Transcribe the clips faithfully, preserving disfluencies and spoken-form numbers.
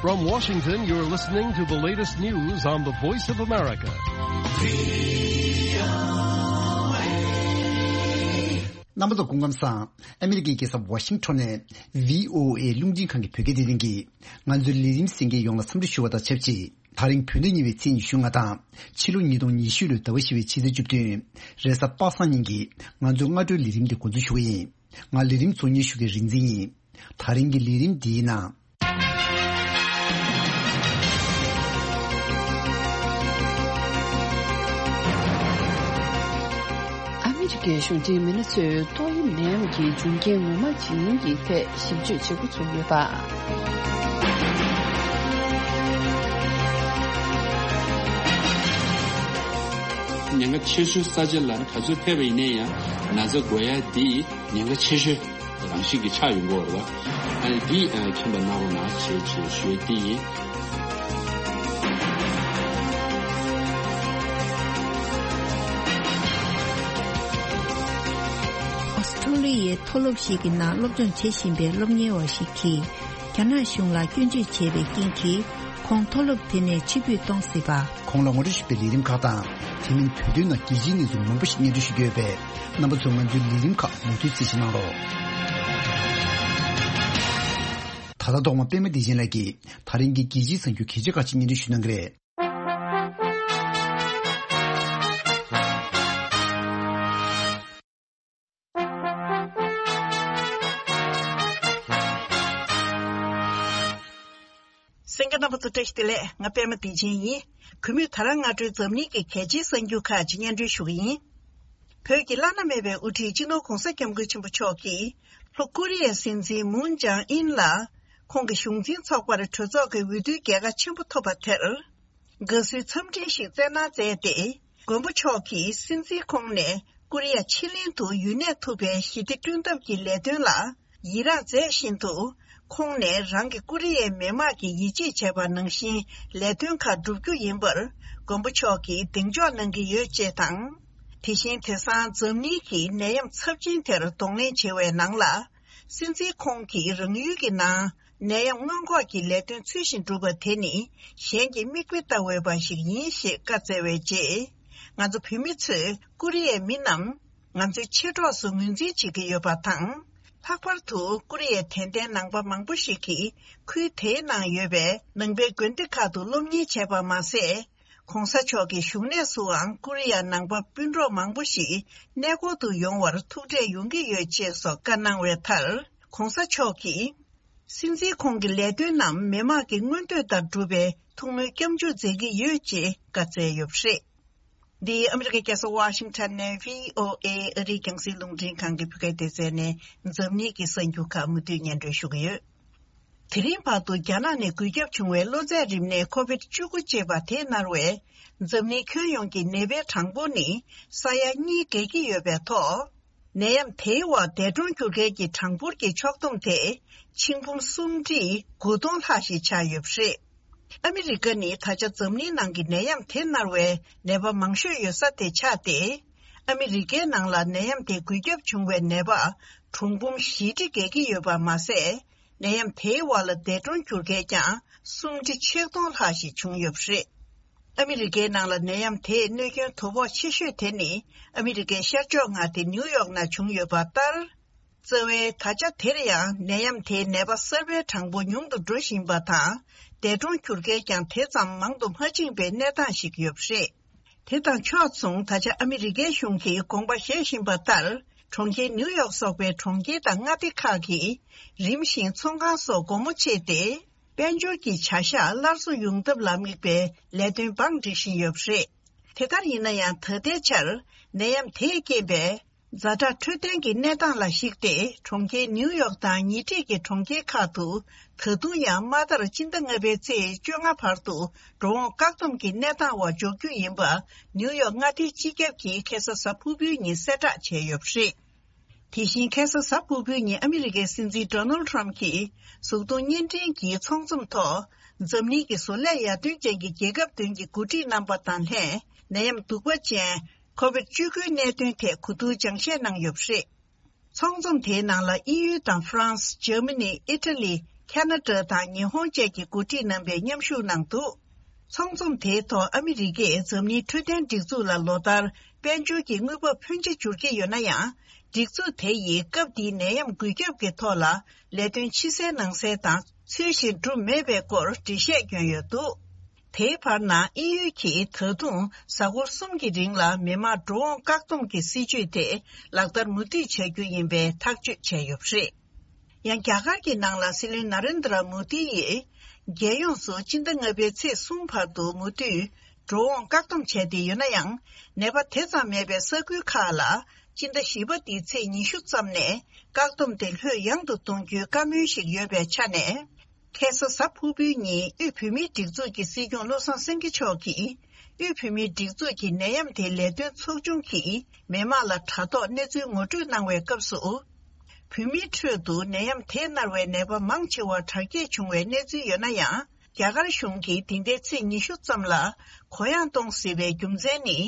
From Washington, you're listening to the latest news on the Voice of America. རྣམ་པ་ཚོ་སྐུ་ཁམས་བཟང་། ཨ་མི་རི་ཀའི་རྒྱལ་ས་ཝ་ཤིང་ཊོན་ནས་བྷི་ཨོ་ཨེ་རླུང་འཕྲིན་ཁང་གི་བོད་སྐད་སྡེ་ཚན་གྱིས་ང་ཚོའི་ལས་རིམ་གསན་མཁན་ཡོངས་ལ་འཚམས་འདྲི་ཞུ་བ་དང་ཆབས་ཅིག་ད་རིང་བོད་ཟླ་གཉིས་པའི་ཚེས་ཉི་ཤུ་ལྔ་དང་ཕྱི་ལོ་ཉིས་སྟོང་ཉི་ཤུ་ལོའི་ཟླ་བ་བཞི་པའི་ཕྱི་ཚེས་བཅུ་བདུན། རེས་གཟའ་པ་སངས་ཉིན་གྱི་ང་ཚོའི་སྔ་དྲོའི་ལས་རིམ་དེ་འགོ་འཛུགས་ཞུ་གི་ཡིན། ང་ལས་རིམ་གཙོ་གཉེར་ཞུ་མཁན་རིག་འཛིན་ཡིན། ད་རིང་གི་ལས་རིམ་འདིའི་ནང་། ཨ་མི་རི་ཀའི་གཞུང་འབྲེལ་མི་སྣ་ཚོས་ཏོག་དབྱིབས་ནད་ཡམས་ཀྱི་འབྱུང་རྐྱེན་ངོ་མ་ཇི་ཡིན་གྱི་ཐད་ཞིབ་དཔྱོད་བྱེད་འགོ་ཚུགས་ཡོད་པ། ཉེན་ཁ་ཆེ་ཤོས་ས་ཆ་ལ་ག་ཚོད་ཕེབས་པ་ཡིན་ན་ཡང་ན་ཚ་འགོས་ཡ་འདི་ཉེན་ཁ་ཆེ་ཤོས་རང་བཞིན་གྱི་ཆགས་ཡོང་གི་ཡོད་རེད་བ། ཨ་ནི་འདི་ཨ་མཁྱེན་པ་གནང་རོགས་གནང་ཞེས་ཞུ་ཡ་འདི་ཡིན། ཨོ་སི་ཁྲུ་ལི་ཡའི་མཐོ་སློབ་ཞིག་གི་ནང་སློབ་སྦྱོང་བྱེད་བཞིན་པའི་སློབ་གཉེར་བ་ཞིག་གིས། རྒྱ་ནག་གཞུང་ལ་སྐྱོན་བརྗོད་བྱས་པའི་རྐྱེན་གྱིས། ཁོང་མཐོ་སློབ་དེ་ནས་ཕྱིར་འབུད་གཏོང་སྲིད་པ། ཁོང་ལ་ངོ་སྤྲོད་ཞུས་པའི་ལས་རིམ་ཁག་དང་། དེ་མིན་བོད་དོན་ནང་རྒྱལ་སྤྱིའི་གནས་ཚུལ་མང་པོ་ཞིག་སྙན་སྒྲོན་ཞུ་རྒྱུ་ཡོད་པས། རྣམ་པ་ཚོས་ང་ཚོའི་ལས་རིམ་ཁག་མུ་མཐུད་གཟིགས་གཟིགས་གནང་རོགས། ད་ལྟ་ཐོག་མ་པད་མ་བདེ་ཆེན་ལགས་ཀྱིས་ད་རིང་གི་རྒྱལ་སྤྱིའི་གསར་འགྱུར་གལ་ཆེ་ཁག་ཅིག་སྙན་སྒྲོན་ཞུ་གནང་གི་རེད། གསན་མཁན་རྣམ་པ་ཚོ་བཀྲ་ཤིས་བདེ་ལེགས། ང་པད་མ་བདེ་ཆེན་ཡིན། གུས་མོས་ད་རང་སྔ་དྲོའི་འཛམ་གླིང་གི་གལ་ཆེའི་གསར་འགྱུར་ཁག་ཅིག་སྙན་སྒྲོན་ཞུ་གི་ཡིན། བོད་ཀྱི་བླ་ན་མེད་པའི་དབུ་ཁྲིད་སྤྱི་ནོར་༧གོང་ས་༧སྐྱབས་མགོན་ཆེན་པོ་མཆོག་གིས་ལྷོ་ཀོ་རི་ཡའི་སྲིད་འཛིན་མུན་ཅང་ཨིན་ལ་ཁོང་གི་གཞུང་འཛིན་ཚོགས་པར་གྲོས་ཚོགས་ཀྱི་འོས་བསྡུའི་རྒྱལ་ཁ་ཆེན་པོ་ཐོབ་པ་དེར། དགའ་བསུའི་འཚམས་འཕྲིན་ཞིག་བསྩལ་གནང་མཛད་དེ། མགོན་པོ་མཆོག་གིས་སྲིད་འཛིན་ཁོང་ནས་ཀོ་རི་ཡ་ཕྱེད་གླིང་དུ་ཡུན་གནས་ཐུབ་པའི་ཞི་བདེ་བསྐྲུན་ཐབས་ཀྱི་ལས་དོན་ལ་ཡི་རངས་མཛད་བཞིན་དུ། ཁོང་ནས་རང་གིས་ཀོ་རི་ཡའི་མི་དམངས་ཀྱིས་ཡིད་ཆེས་བྱས་པ་ནང་བཞིན་ལས་དོན་ཁག་བསྒྲུབ་རྒྱུ་ཡིན་པར་མགོན་པོ་མཆོག་གིས་གདེང་འཇོག་གནང་གི་ཡོད་ཅེས་དང་། དེ་བཞིན་དེང་སང་འཛམ་གླིང་གི་ནད་ཡམས་ཚབས་ཆེན་དེར་གདོང་ལེན་བྱེད་པའི་ནང་ལ། སྲིད་འཛིན་ཁོང་གིས་རང་ཡུལ་གྱི་ནང་ནད་ཡམས་སྔོན་འགོག་གི་ལས་དོན་ཚུལ་བཞིན་བསྒྲུབས་པ་དེ་ནི་གཞན་གྱིས་མིག་དཔེ་ལྟ་འོས་པ་ཞིག་ཡིན་ཞེས་བཀའ་སྩལ་བའི་རྗེས། ང་ཚོ་བོད་མི་ཚོས་ཀོ་རི་ཡའི་མི་རྣམས་ང་ཚོའི་མཆེད་གྲོགས་སུ་ངོས་འཛིན་བྱེད་ཀྱི་ཡོད་པ་དང་། ལྷག་པར་དུ་ཀོ་རི་ཡའི་དད་ལྡན་ནང་པ་མང་པོ་ཞིག་གིས་ཁུལ་དེའི་ནང་ཡོད་པའི་ནང་པའི་དགོན་སྡེ་ཁག་ཏུ་སློབ་གཉེར་བྱས་པ་མ་ཟད། ༧གོང་ས་མཆོག་གི་བཞུགས་གནས་སུའང་ཀོ་རི་ཡ་ནང་པ་སྤུན་གྲོགས་མང་པོ་ཞིག་གནས་སྐོར་དུ་ཡོང་བར་ཐུགས་འཕྲད་ཡོང་གི་ཡོད་ཅེས་སོགས་བཀའ་གནང་བའི་མཐར། ༧གོང་ས་མཆོག་གིས། སྲིད་འཛིན་ཁོང་གི་ལས་དོན་རྣམས་མི་དམངས་ཀྱི་མངོན་འདོད་ལྟར་སྒྲུབ་པའི་ཐུགས་སྨོན་སྐྱབས་འཇུག་མཛད་ཀྱི་ཡོད་ཅེས་བཀའ་སྩལ་ཡོད་པ་རེད། འདི་ཨ་མི་རི་ཀའི་རྒྱལ་ས་ཝ་ཤིང་ཊོན་ནས་བྷི་ཨོ་ཨེ་ཨ་རིའི་རྒྱང་སྲིང་རླུང་འཕྲིན་ཁང་གི་བོད་སྐད་སྡེ་ཚན་ནས་འཛམ་གླིང་གི་གསར་འགྱུར་ཁག་མུ་མཐུད་སྙན་སྒྲོན་ཞུ་གི་ཡོད། དེ་རིང་བར་དུ་རྒྱ་ནག་ནས་འགོས་ཁྱབ་བྱུང་བའི་གློ་ཚད་རིམས་ནད་ཁོ་བིད་བཅུ་དགུ་ཅེས་པ་དེ་མནར་བས། འཛམ་གླིང་ཁྱོན་ཡོངས་ཀྱི་ནད་པའི་གྲངས་འབོར་ནི་ས་ཡ་གཉིས་བརྒལ་གྱི་ཡོད་པའི་ཐོག་ནད་ཡམས་དེའི་འོག་འདས་གྲོངས་གྱུར་མཁན་གྱི་གྲངས་འབོར་གྱི་ཕྱོགས་བསྡོམས་དེ་ཆིག་འབུམ་སུམ་ཁྲི་དགུ་སྟོང་ལྷག་ཞིག་ཆགས་ཡོད་པ་རེད། ཨ་མི་རི་ཀ་ནི་ད་ཆ་འཛམ་གླིང་ནང་གི་ནད་ཡམས་དེ་མནར་བའི་ནད་པ་མང་ཤོས་ཡོད་ས་དེ་ཆགས་ཏེ། ཨ་མི་རི་ཀའི་ནང་ལ་ནད་ཡམས་དེ་འགོས་ཁྱབ་བྱུང་བའི་ནད་པ་གྲངས་འབུམ་བཞི་ཁྲི་བརྒལ་གྱི་ཡོད་པ་མ་ཟད། ནད་ཡམས་དེའི་འོག་ལ་འདས་གྲོངས་གྱུར་མཁན་ཀྱང་སུམ་ཁྲི་ཆིག་སྟོང་ལྷག་ཞིག་བྱུང་ཡོད་པ་རེད། ཨ་མི་རི་ཀའི་ནང་ལ་ནད་ཡམས་དེས་གནོད་སྐྱོན་དོ་ཕོག་ཆེ་ཤོས་དེ་ནི་ཨ་མི་རི་ཀའི་ཤར་ཕྱོགས་མངའ་སྡེ་ནིའུ་ཡོག་ནང་བྱུང་ཡོད་པ་ལྟར། རྩ་བའི་ད་ཆ་དེར་ཡང་ནད་ཡམས་དེའི་ནད་པ་གསར་པའི་གྲངས་འབོར་ཉུང་དུ་འགྲོ་བཞིན་པ་དང་། འདས་གྲོངས་གྱུར་མཁན་ཀྱང་དེ་ཙམ་མང་དུ་མ་ཕྱིན་པའི་གནས་སྟངས་ཤིག་ཡོད་པ་རེད། དེ་དང་ཕྱོགས་མཚུངས་ད་ཆ་ཨ་མི་རི་ཀའི་གཞུང་གིས་དགོངས་པ་བཞེས་བཞིན་པ་ལྟར། གྲོང་ཁྱེར་ནིའུ་ཡོག་སོགས་པའི་གྲོང་ཁྱེར་དང་མངའ་སྡེ་ཁག་གིས་རིམ་བཞིན་ཚོང་ཁང་སོགས་སྒོ་མོ་ཕྱེས་ཏེ། དཔལ་འབྱོར་གྱི་བྱ་གཞག་སླར་གསོ་ཡོང་ཐབས་ལ་དམིགས་པའི་ལས་དོན་བང་སྒྲིག་བཞིན་ཡོད་པ་རེད། དེ་ལྟར་ཡིན་ན་ཡང་ད་ལྟའི་ཆར་ནད་ཡམས་དེས་རྐྱེན་པས། ཛ་དྲག་འཕྲོད་བསྟེན་གྱི་གནས་སྟངས་ལ་གཞིགས་ཏེ། གྲོང་ཁྱེར་ནིའུ་ཡོག་དང་ཉེ་འཁྲིས་ཀྱི་གྲོང་ཁྱེར་ཁག་ཏུ། ད་དུང་ཡང་དམའ་མཐར་སྤྱི་ཟླ་ལྔ་པའི་ཚེས་བཅོ་ལྔ་བར་དུ་འགྲོ་འོང་བཀག་སྡོམ་གྱི་གནས་སྟངས་འོག་འཇོག་རྒྱུ་ཡིན་པ། ནིའུ་ཡོག་མངའ་སྡེའི་སྤྱི་ཁྱབ་ཀྱིས་ཁ་སང་གཟའ་ཕུར་བུའི་ཉིན་གསལ་བསྒྲགས་བྱས་ཡོད་པ་རེད། དེ་བཞིན་ཁ་སང་གཟའ་ཕུར་བུའི་ཉིན་ཨ་མི་རི་ཀའི་སྲིད་འཛིན་ཌོ་ནལ་ཊམ་གྱིས་གཟུགས་མཐོང་བརྙན་འཕྲིན་གྱི་ཚོགས་འཛོམས་ཐོག་འཛམ་གླིང་གི་བཟོ་ལས་ཡར་ཐོན་ཅན་གྱི་རྒྱལ་ཁབ་བདུན་གྱི་འགོ་ཁྲིད་རྣམ་པ་དང་ལྷན་ནད་ཡམས་གདུག་པ་ཅན་ཁོ་བིད་བཅུ་དགུའི་གནད་དོན་ཐད་གོ་བསྡུར་སྦྱང་བཤད་གནང་ཡོད་པ་རེད། ཚོགས་འཛོམས་དེའི་ནང་ལ་དབྱིན་ཡུལ་དང་ཧྥ་རན་སི། འཇར་མ་ནི། ཨི་ཊ་ལི། ཁ་ན་ཌ་དང་ཉི་ཧོང་བཅས་ཀྱི་འགོ་ཁྲིད་རྣམ་པས་མཉམ་ཞུགས་གནང་འདུག། ཚོགས་འཛོམས་དེའི་ཐོག་ཨ་མི་རི་ཀས་འཛམ་གླིང་འཕྲོད་བསྟེན་སྒྲིག་འཛུགས་ལ་ལོ་ལྟར་དཔལ་འབྱོར་གྱི་དངུལ་འབབ་ཕོན་ཆེ་འབྱོར་གྱི་ཡོད་ན་ཡང་། སྒྲིག་འཛུགས་དེ་ཡིས་སྐབས་འདིའི་ནད་ཡམས་འགོས་ཁྱབ་ཀྱི་ཐོག་ལ་ལས་དོན་ཕྱི་གསལ་ནང་གསལ་དང་ཚུལ་བཞིན་སྒྲུབ་མེད་པའི་སྐོར་འགྲེལ་བཤད་བསྐྱོན་ཡོད་འདུག། དེའི་བར་ན་དབྱིན་ཡུལ་གྱིས་ད་དུང་གཟའ་འཁོར་གསུམ་གྱི་རིང་ལ་མི་མང་འགྲོ་འོང་བཀག་སྡོམ་གྱི་སྲིད་ཇུས་དེ་ལག་བསྟར་མུ་མཐུད་བྱ་རྒྱུ་ཡིན་པའི་ཐག་གཅོད་བྱས་ཡོད་པ་རེད། ཡང་རྒྱ་གར་གྱི་ནང་ལ་སྲིད་བློན་ན་རེན་དྲ་མོ་དི་ཡིས། རྒྱལ་ཡོངས་སུ་སྤྱི་ཟླ་ལྔ་པའི་ཚེས་གསུམ་བར་དུ་མུ་མཐུད་འགྲོ་འོང་བཀག་སྡོམ་བྱས་ཏེ་ཡོད་ན་ཡང་། ནད་པ་དེ་ཙམ་མེད་པའི་ས་ཁུལ་ཁག་ལ་སྤྱི་ཟླ་བཞི་པ་འདིའི་ཚེས་ཉི་ཤུ་ཙམ་ནས་བཀག་སྡོམ་དེ་ལྷོད་ཡངས་དུ་གཏོང་རྒྱུའི་བཀའ་མོལ་ཞིག་ཡོད་པའི་ཆ་ནས། ཁ་སང་གཟའ་ཕུར་བུའི་ཉིན་དབུས་བོད་མིའི་སྒྲིག་འཛུགས་ཀྱི་སྲིད་སྐྱོང་བློ་བཟང་སེང་གེ་མཆོག་གིས། དབུས་བོད་མིའི་སྒྲིག་འཛུགས་ཀྱི་ནད་ཡམས་དེ་ལས་དོན་ཚོགས་ཆུང་གིས་མི་མང་ལ་དྲ་ཐོག་གནས་ཚུལ་ངོ་སྤྲོད་གནང་བའི་སྐབས་སུ། བོད་མིའི་ཁྲོད་དུ་ནད་ཡམས་དེས་མནར་བའི་ནད་པ་མང་ཆེ་བ་དྲག་སྐྱེད་བྱུང་བའི་གནས་ཚུལ་ཡོད་ན་ཡང་། རྒྱ་གར་གཞུང་གིས་འདི་ཟླའི་ཚེས་ཉི་ཤུ་ཙམ་ལ་གུ་ཡངས་གཏོང་སྲིད་པའི་རྒྱུ་མཚན་ནི།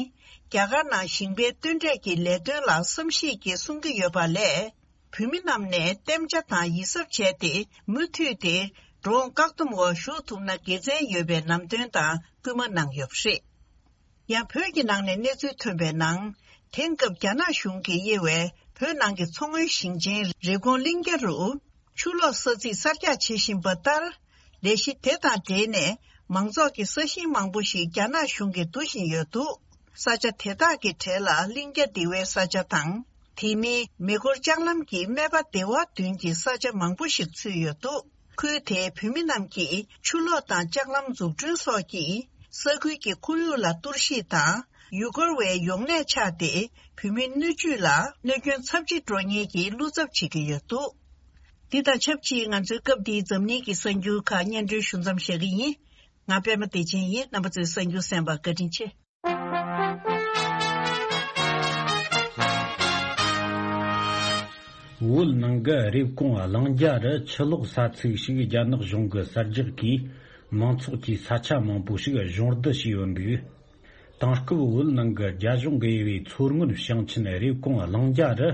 རྒྱ་གར་ནང་ཞིང་པའི་སྟོན་འབྲས་ཀྱི་ལས་དོན་ལ་བསམ་གཞིག་གིས་གསུང་གི་ཡོད་པ་ལས། བོད་མི་རྣམས་ནས་གཏན་འཇགས་དང་ཡིད་གཟབ་བྱས་ཏེ་མུ་མཐུད་དེ་འགྲོ་འོང་བཀག་སྡོམ་འོག་ཞུགས་ཐུབ་ན་དགེ་མཚན་ཡོད་པའི་ལམ་སྟོན་དང་སྐུལ་མ་གནང་ཡོད་པ་རེད། ཡང་བོད་ཀྱི་ནང་ནས་གནས་ཚུལ་ཐོན་པའི་ནང་། དེང་སྐབས་རྒྱ་ནག་གཞུང་གིས་དབྱེ་བའི་བོད་ནང་གི་མཚོ་སྔོན་ཞིང་ཆེན་རེབ་གོང་གླིང་རྒྱ་རུ། ཆུ་ལོག་ས་ཚིགས་གསར་རྒྱག་བྱེད་བཞིན་པ་ལྟར། ལས་གཞི་དེ་དང་འབྲེལ་ནས་མང་ཚོགས་ཀྱི་ས་ཞིང་མང་པོ་ཞིག་རྒྱ་ནག་གཞུང་གིས་བསྡུ་བཞིན་ཡོད་འདུག། ས་ཆ་དེ་དག་གི་གྲས་ལ་གླིང་རྒྱ་སྡེ་བའི་ས་ཆ་དང་། དེ་མིན་མེ་འཁོར་ལྕགས་ལམ་གྱི་སྨད་པ་སྡེ་བ་བདུན་གྱི་ས་ཆ་མང་པོ་ཞིག་ཚུད་ཡོད་འདུག། ཁུལ་དེའི་བོད་མི་རྣམས་ཀྱིས་ཆུ་ལོག་དང་ལྕགས་ལམ་འཛུགས་སྐྲུན་སོགས་ཀྱིས་ས་ཁུལ་གྱི་ཁོར་ཡུག་ལ་གཏོར་བཤིག་དང་། ཡུལ་སྐོར་བའི་ཡོང་གནས་ཆགས་ཏེ། བོད་མིའི་སྣོད་བཅུད་ལ་གནོད་སྐྱོན་ཚབས་ཆེ་འགྲོ་ཉེན་གྱི་བློ་འཚབ་བྱེད་ཀྱི་ཡོད་འདུག། འདི་དང་ཆབས་ཅིག་ང་ཚོའི་སྐབས་འདིའི་འཛམ་གླིང་གི་གསར་འགྱུར་ཁག་སྙན་སྒྲོན་ཞུ་མཚམས་བཞག་གི་ཡིན། ང་པད་མ་བདེ་ཆེན་ཡིན། རྣམ་པ་ཚོས་གསར་འགྱུར་གསན་པར་བཀའ་དྲིན་ཆེ། བོད་ནང་གི་རེབ་གོང་གླིང་རྒྱ་རུ་ཆུ་ལོག་ས་ཚིགས་ཤིག་རྒྱ་ནག་གཞུང་གི་གསར་རྒྱག་གིས་མང་ཚོགས་ཀྱི་ས་ཆ་མང་པོ་ཞིག་གཞུང་བསྡུ་བྱས་ཡོད་འདུག། དེང་སྐབས་བོད་ནང་གི་རྒྱ་གཞུང་གིས་དབྱེ་བའི་མཚོ་སྔོན་ཞིང་ཆེན་རེབ་གོང་གླིང་རྒྱ་རུ།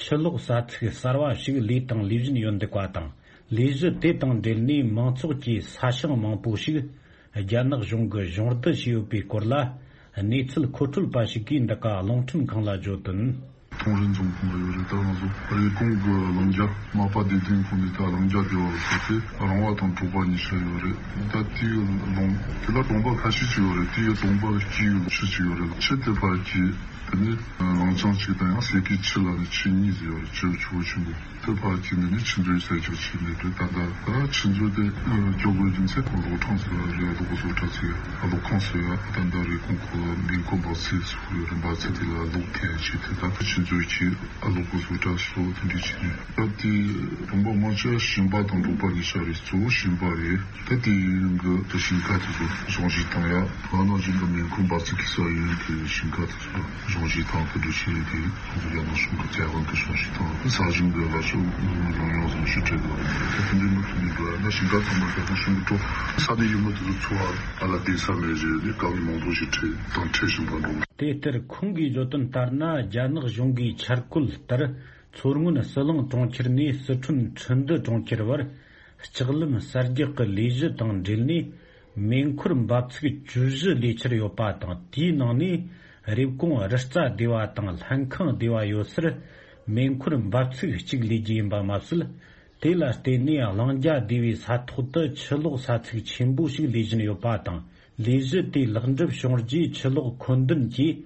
ཆུ་ལོག་ས་ཚིགས་གསར་བ་ཞིག་ལས་དང་ལས་བཞིན་ཡོད་འདུག་པ་དང་། ལས་གཞི་དེ་དང་འབྲེལ་ནས་མང་ཚོགས་ཀྱི་ས་ཞིང་མང་པོ་ཞིག་རྒྱ་ནག་གཞུང་གིས་གཞུང་བསྡུ་བྱས་ཡོད་པའི་སྐོར་ལ། གནས་ཚུལ་མཁོ་སྤྲོད་པ་ཞིག་གིས་འདི་ག་རླུང་འཕྲིན་ཁང་ལ་བརྗོད་དོན། ཐོང་རེ་འཛོམས་ཁང་ལ་ཡོད་རེད། ད་ང་ཚོ་རེབ་གོང་གི་གླིང་རྒྱ་མ་པ་བདེ་ལྡན་ཁོངས་ནས་ད་གླིང་རྒྱ་སྡེ་བ་ལ་སོགས་ཏེ་རོང་བ་དང་གྲོ་པ་གཉིས་ཆ་ཡོད་རེད། ད་དེའི་ལུང་དེ་ལ་གྲོང་པ་ཁ་ཤས་ཅིག་ཡོད་རེད། དེའི་གྲོང་པ་དཀྱིལ་ལ་ཆུ་ཅིག་ཡོད་རེད། ཆུ་དེ་ཕར་གྱི། དེ་ནས་ལང་ཅང་གཅིག་དང་ཡང་སེ་ཀི་ཆུ་ལ་ནི་ཆུ་གཉིས་ཟེར་བ་ཆུ་ཆུ་བོ་ཆེན་པོ་དེ་ཕར་གྱི་ནི་ནི་ཆུ་མཛོད་ས་ཆ་ཆུ་ནི་དུ་ད་ལྟ་ད་ཆུ་མཛོད་དེ་སྐྱོ་གོས་རྒྱུ་མཚན་ཁོ་ལོ་གྲངས་སུ་རེ་ལོ་གོ་སོ་ཁྲ་ཚེ་ཨ་ལོ་ཁོང་སོ་ཡ་ད་ལྟ་རེ་ཁོང་ཁོ་མིན་ཁོ་འབག་ཚེ་སུ་ཡོད་རེད། འབག་ཚེ་དེ་ལ་ལོག་ཐེ་ཆུ་དེ་ད་ཆུ་མཛོད་ཀྱི་ཨ་ལོ་གོ་སོ་ཁྲ་སོ་དེ་འདྲི་ཆུ་ནི་ད་དེ་རོང་པ་མང་ཆེ་ཞིང་པ་དང་འབྲོག་པ་ནི་ཤ་རེ་གཙོ་བོ་ཞིང་པ་རེད། ད་དེ་ཡིན་གི་ད་ཞིང་ཁ་དེ་ཚོ་གཞུང་བཞེས་བཏང་ཡ། ང་ན་ཅིག་གི་མིན་ཁུ་འབག་ཚིག་གི་ས་ཡོད་དེ་ཞིང་ཁ་དེ་ཚོ་གཞུང་བཞེས་བཏང་གི་འདུག་ཞེས་དེ་ཁོང་ཚོ་རྒྱ་ནག་གཞུང་གི་བཙན་དབང་གི་གཞུང་བཞེས་བཏང་ས་ཞིང་འདི་ལ་ཚོ་ཡོང་ཡོང་བཟོ་ཞིག་བྲལ་གི་རེད། ད་དེ་འདྲའི་མི་ཐུབ་མི་འགྲོ་ཡ་ན་ཞིང་ཁ་ཚང་མ་རྒྱ་ནག་གཞུང་གི་འགྲོ་ས་ནས་ཡུལ་མི་དེ་ཚོ་འཚོ་བ་ད་ལ་བསྡད་ས་མེད་རེད། དེ་གང་མང་པོ་ཞིག་བྲལ་དང་བྲལ་བཞིན་པ་འགྲོ། དེ་ལྟར་ཁོང་གིས་བརྗོད་དོན་ལྟར་ན། རྒྱ་ནག་གཞུང་གིས་འཆར་བཀོད་ལྟར། མཚོ་སྔོན་ཟི་ལིང་གྲོང་ཁྱེར་ནས་ཟི་ཁྲོན་ཁྲི་འདུ་གྲོང་ཁྱེར་བར་ལྕགས་ལམ་གསར་རྒྱག་གི་ལས་གཞི་དང་འབྲེལ་ནས། མེ་འཁོར་འབབ་ཚིགས་བཅུ་བཞི་ལས་འཆར་ཡོད་པ་དང་། དེའི་ནང་ནས་རེབ་གོང་རི་རྩ་སྡེ་བ་དང་ལྷན་ཁང་སྡེ་བ་ཡོད་སར་མེ་འཁོར་འབབ་ཚིགས་གཅིག་ལས་རྒྱུ་ཡིན་པ་མ་ཟད། དེ་ལ་བརྟེན་ནས་གླིང་རྒྱ་སྡེ་བའི་ས་ཐོག་ཏུ་ཆུ་ལོག་ས་ཚིགས་ཆེན་པོ་ཞིག་ལས་བཞིན་ཡོད་པ་དང་། ལས་གཞི་དེ་ལེགས་འགྲུབ་བྱུང་རྗེས་ཆུ་ལོག་ཁོལ་འདུན་གྱིས།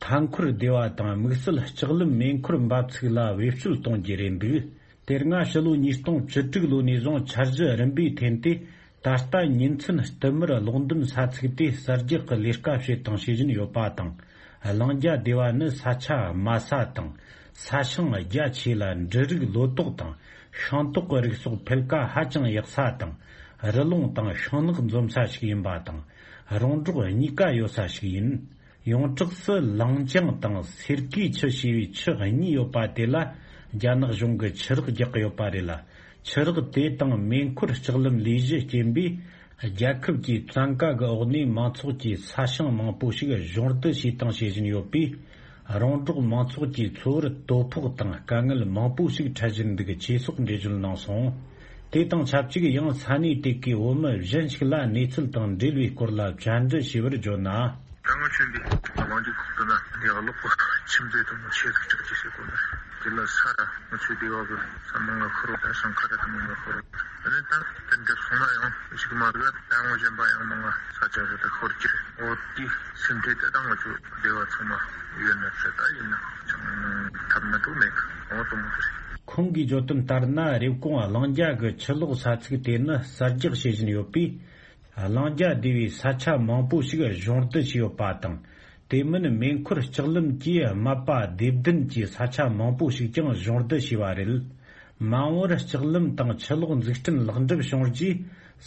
མཐའ་འཁོར་སྡེ་བ་དང་དམིགས་བསལ་ལྕགས་ལམ་མེ་འཁོར་འབབ་ཚིགས་ལ་བེད་སྤྱོད་གཏོང་རྒྱུ་རེད་འདུག། དེ་སྔ་ཕྱི་ལོ་ཉིས་སྟོང་བཅུ་དྲུག་ལོ་ནས་བཟུང་འཆར་གཞི་རིམ་པས་འཐེན་ཏེ། ད་ལྟ་ཉིན་མཚན་བསྟུད་མར་གློག་འདོན་ས་ཚིགས་དེ་གསར་རྒྱག་གི་ལས་ཀ་བྱེད་དང་བྱེད་བཞིན་ཡོད་པ་དང་། གླིང་རྒྱ་སྡེ་བ་ནི་ས་ཆ་དམའ་ས་དང་། ས་ཞིང་རྒྱ་ཆེ་ལ་འབྲུ་རིགས་ལོ་ཏོག་དང་ཤིང་ཏོག་གི་རིགས་སོགས་འཕེལ་ཁ་ཧ་ཅང་ཡག་ས་དང་། རི་ཀླུང་དང་ཤིང་ནགས་འཛོམས་ས་ཞིག་ཡིན་པ་དང་། རོང་འབྲོག་གཉིས་ཀ་ཡོད་ས་ཞིག་ཡིན། ཡོངས་གྲགས་སུ་ལང་ཅང་དང་སེར་ཀའི་ཆུ་ཞེས་པའི་ཆུ་གཉིས་ཡོད་པ་དེ་ལ་རྒྱ་ནག་གཞུང་གིས་ཆུ་རགས་རྒྱག་གི་ཡོད་པ་རེད་ལ། ཆུ་རགས་དེ་དང་མེ་འཁོར་ལྕགས་ལམ་ལས་གཞི་རྐྱེན་པས། རྒྱལ་ཁབ་ཀྱི་བཙན་བཀའ་གི་འོག་ནས་མང་ཚོགས་ཀྱི་ས་ཞིང་མང་པོ་ཞིག་གཞུང་བསྡུ་བྱས་དང་བྱེད་བཞིན་ཡོད་པས། རོང་འབྲོག་མང་ཚོགས་ཀྱི་འཚོ་བར་དོ་ཕོག་དང་དཀའ་ངལ་མང་པོ་ཞིག་འཕྲད་བཞིན་འདུག་ཅེས་སོགས་འགྲེལ་བརྗོད་གནང་སོང་། དེ་དང་ཆབས་ཅིག་ཡང་ས་གནས་དེ་གའི་བོད་མི་གཞན་ཞིག་ལ་གནས་ཚུལ་དང་འབྲེལ་བའི་སྐོར་ལ་བཅར་འདྲི་ཞུས་པར་བརྗོད་ན། ད་ང་ཚོ་འདི་གླིང་ཆེན་འདི་གླིང་ཆེན་ཁུལ་དུ་ན་ཡག་ལོག་གི་ཁྱིམ་མཚེས་དུ་མ་ཆེ་ཟིག་ཅིག་ཅིག་ཟེར་གོ་ནི། དེ་ལ་ས་ར་ང་ཚོའི་སྡེ་བ་གི་ས་མང་ང་ཁུར་བ་ད་ཞང་ཁ་ར་དུ་མང་ང་ཁུར་བ། དེ་ནས་ད་དེ་འདྲ་སོང་ན་ཡང་ཞིག་མ་རེད། ད་ངོ་གཞན་པ་ཡང་མང་ང་ས་ཆ་རེ་ད་ཁུར་གྱི་འོ་དེ་སེམས་ཁྲལ་དེ་ད་ང་ཚོ་སྡེ་བ་ཚང་མ་ཡོད་ན་ཚེ་ད་ཡིན་ན་ཅང་ཐབས་མ་གཏོགས་མེད་གི། འོ་དུ་མ་ཁུར། ཁོང་གིས་བརྗོད་དོན་ལྟར་ན། རེབ་གོང་གླིང་རྒྱལ་གྱི་ཆུ་ལོག་ས་ཚིགས་དེ་ནི་གསར་རྒྱག་བྱེད་བཞིན་ཡོད་པས། གླིང་རྒྱལ་སྡེ་བའི་ས་ཆ་མང་པོ་ཞིག་གཞུང་བསྡུ་བྱས་ཡོད་པ་དང་། དེ་མིན་མེ་འཁོར་ལྕགས་ལམ་གྱིས་རྨ་པ་སྡེ་བདུན་གྱི་ས་ཆ་མང་པོ་ཞིག་ཀྱང་གཞུང་བསྡུ་བྱས་པ་རེད། མ་འོངས་པར་ལྕགས་ལམ་དང་ཆུ་ལོག་འཛུགས་སྐྲུན་ལེགས་འགྲུབ་བྱུང་རྗེས།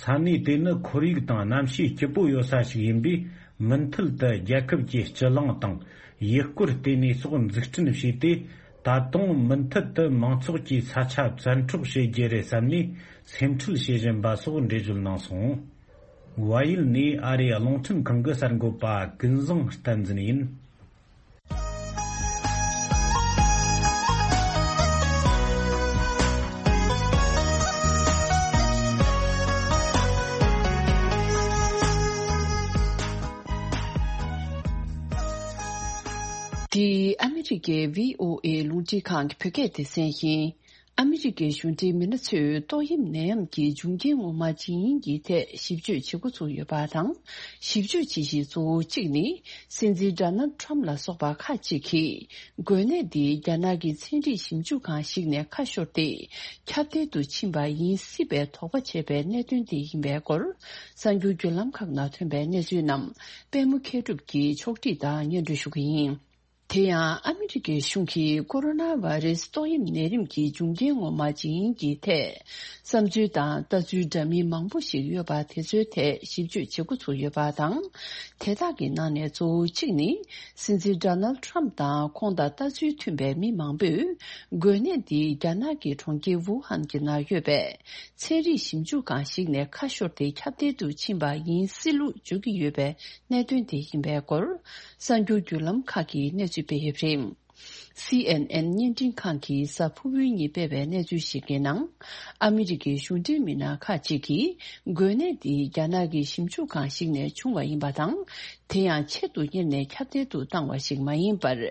ས་གནས་དེ་ནི་ཁོར་ཡུག་དང་གནམ་གཤིས་སྐྱིད་པོ་ཡོད་ས་ཞིག་ཡིན་པས། མུ་མཐུད་དུ་རྒྱལ་ཁབ་ཀྱི་སྤྱི་གླིང་དང་། ཡུལ་སྐོར་ལྟེ་གནས་སོགས་འཛུགས་སྐྲུན་བྱས་ཏེ། ད་དུང་མུ་མཐུད་དུ་མང་ཚོགས་ཀྱི་ས་ཆ་བཙན་འཕྲོག་བྱེད་རྒྱུ་རེད་བསམ་ནས་སེམས་ཁྲལ་བྱེད་བཞིན་པ་སོགས་འགྲེལ་བརྗོད་གནང་སོང་། བལ་ཡུལ་ནས་ཨ་རིའི་རླུང་འཕྲིན་ཁང་གི་གསར་འགོད་པ་ཀུན་བཟང་བསྟན་འཛིན་ཡིན། འདི་ཨ་མི་རི་ཀའི་བྷི་ཨོ་ཨེ་རླུང་འཕྲིན་ཁང་གི་བོད་སྐད་སྡེ་ཚན་ཡིན། ཨ་མི་རི་ཀའི་གཞུང་འབྲེལ་མི་སྣ་ཚོས་ཏོག་དབྱིབས་ནད་ཡམས་ཀྱི་འབྱུང་རྐྱེན་ངོ་མ་ཇི་ཡིན་གྱི་ཐད་ཞིབ་དཔྱོད་བྱེད་འགོ་ཚུགས་ཡོད་པ་དང་། ཞིབ་དཔྱོད་བྱེད་གཞི་གཙོ་བོ་གཅིག་ནི། སྲིད་འཛིན་ཌོ་ནལ་ཊམ་ལ་སོགས་པ་ཁག་ཅིག་གིས། འགོས་ནད་འདི་རྒྱ་ནག་གི་ཚན་རིག་ཞིབ་འཇུག་ཁང་ཞིག་ནས་ཁ་ཤོར་ཏེ། ཁྱབ་གདལ་དུ་ཕྱིན་པ་ཡིན་སྲིད་པའི་དོགས་པ་བྱས་པའི་གནད་དོན་དེ་ཡིན་པའི་སྐོར། གསར་འགྱུར་བརྒྱུད་ལམ་ཁག་ནང་ཐོན་པའི་གནས་ཚུལ་རྣམས། པད་མ་མཁས་གྲུབ་ཀྱིས་ཕྱོགས་སྒྲིག་དང་སྙན་སྒྲོན་ཞུ་གི་ཡིན། དེ་ཡང་ཨ་མི་རི་ཀའི་གཞུང་གིས་ཀོ་རོ་ན་བྷ་རེ་སི་ཏོག་དབྱིབས་ནད་རིམས་ཀྱི་འབྱུང་རྐྱེན་ངོ་མ་ཇི་ཡིན་གྱི་ཐད། བསམ་ཚུལ་དང་ལྟ་ཚུལ་འདྲ་མིན་མང་པོ་ཞིག་ཡོད་པ་དེ་ཚོའི་ཐད་ཞིབ་དཔྱོད་བྱེད་འགོ་ཚུགས་ཡོད་པ་དང་། དེ་དག་གི་ནང་ནས་གཙོ་བོ་གཅིག་ནི། སྲིད་འཛིན་ཌོ་ནལ་ཊམ་དང་ཁོང་དང་ལྟ་ཚུལ་མཐུན་པའི་མི་མང་པོས། འགོས་ནད་འདི་རྒྱ་ནག་གི་གྲོང་ཁྱེར་ཝུ་ཧན་གྱི་ནང་ཡོད་པའི། ཚན་རིག་ཞིབ་འཇུག་ཁང་ཞིག་ནས་ཁ་ཤོར་ཏེ་ཁྱབ་གདལ་དུ་ཕྱིན་པ་ཡིན་སྲིད་ལུགས་བརྗོད་ཀྱི་ཡོད་པའི་གནད་དོན་དེ་ཡིན་པའི་སྐོར། གསར་འགྱུར་བརྒྱུད་ལམ་ཁག་གིས་གནས་ཚུལ་སྤེལ་ཡོད་པ་རེད། སི་ཨེན་ཨེན་བརྙན་འཕྲིན་ཁང་གིས་གཟའ་ཕུར་བུའི་ཉིན་སྤེལ་བའི་གནས་ཚུལ་ཞིག་གི་ནང་། ཨ་མི་རི་ཀའི་གཞུང་འབྲེལ་མི་སྣ་ཁག་ཅིག་གིས། འགོས་ནད་འདི་རྒྱ་ནག་གི་ཞིབ་འཇུག་ཁང་ཞིག་ནས་བྱུང་བ་ཡིན་པ་དང་། དེ་ཡང་ཆེད་དུ་གཉེར་ནས་ཁྱབ་གདལ་དུ་བཏང་བ་ཞིག་མ་ཡིན་པར།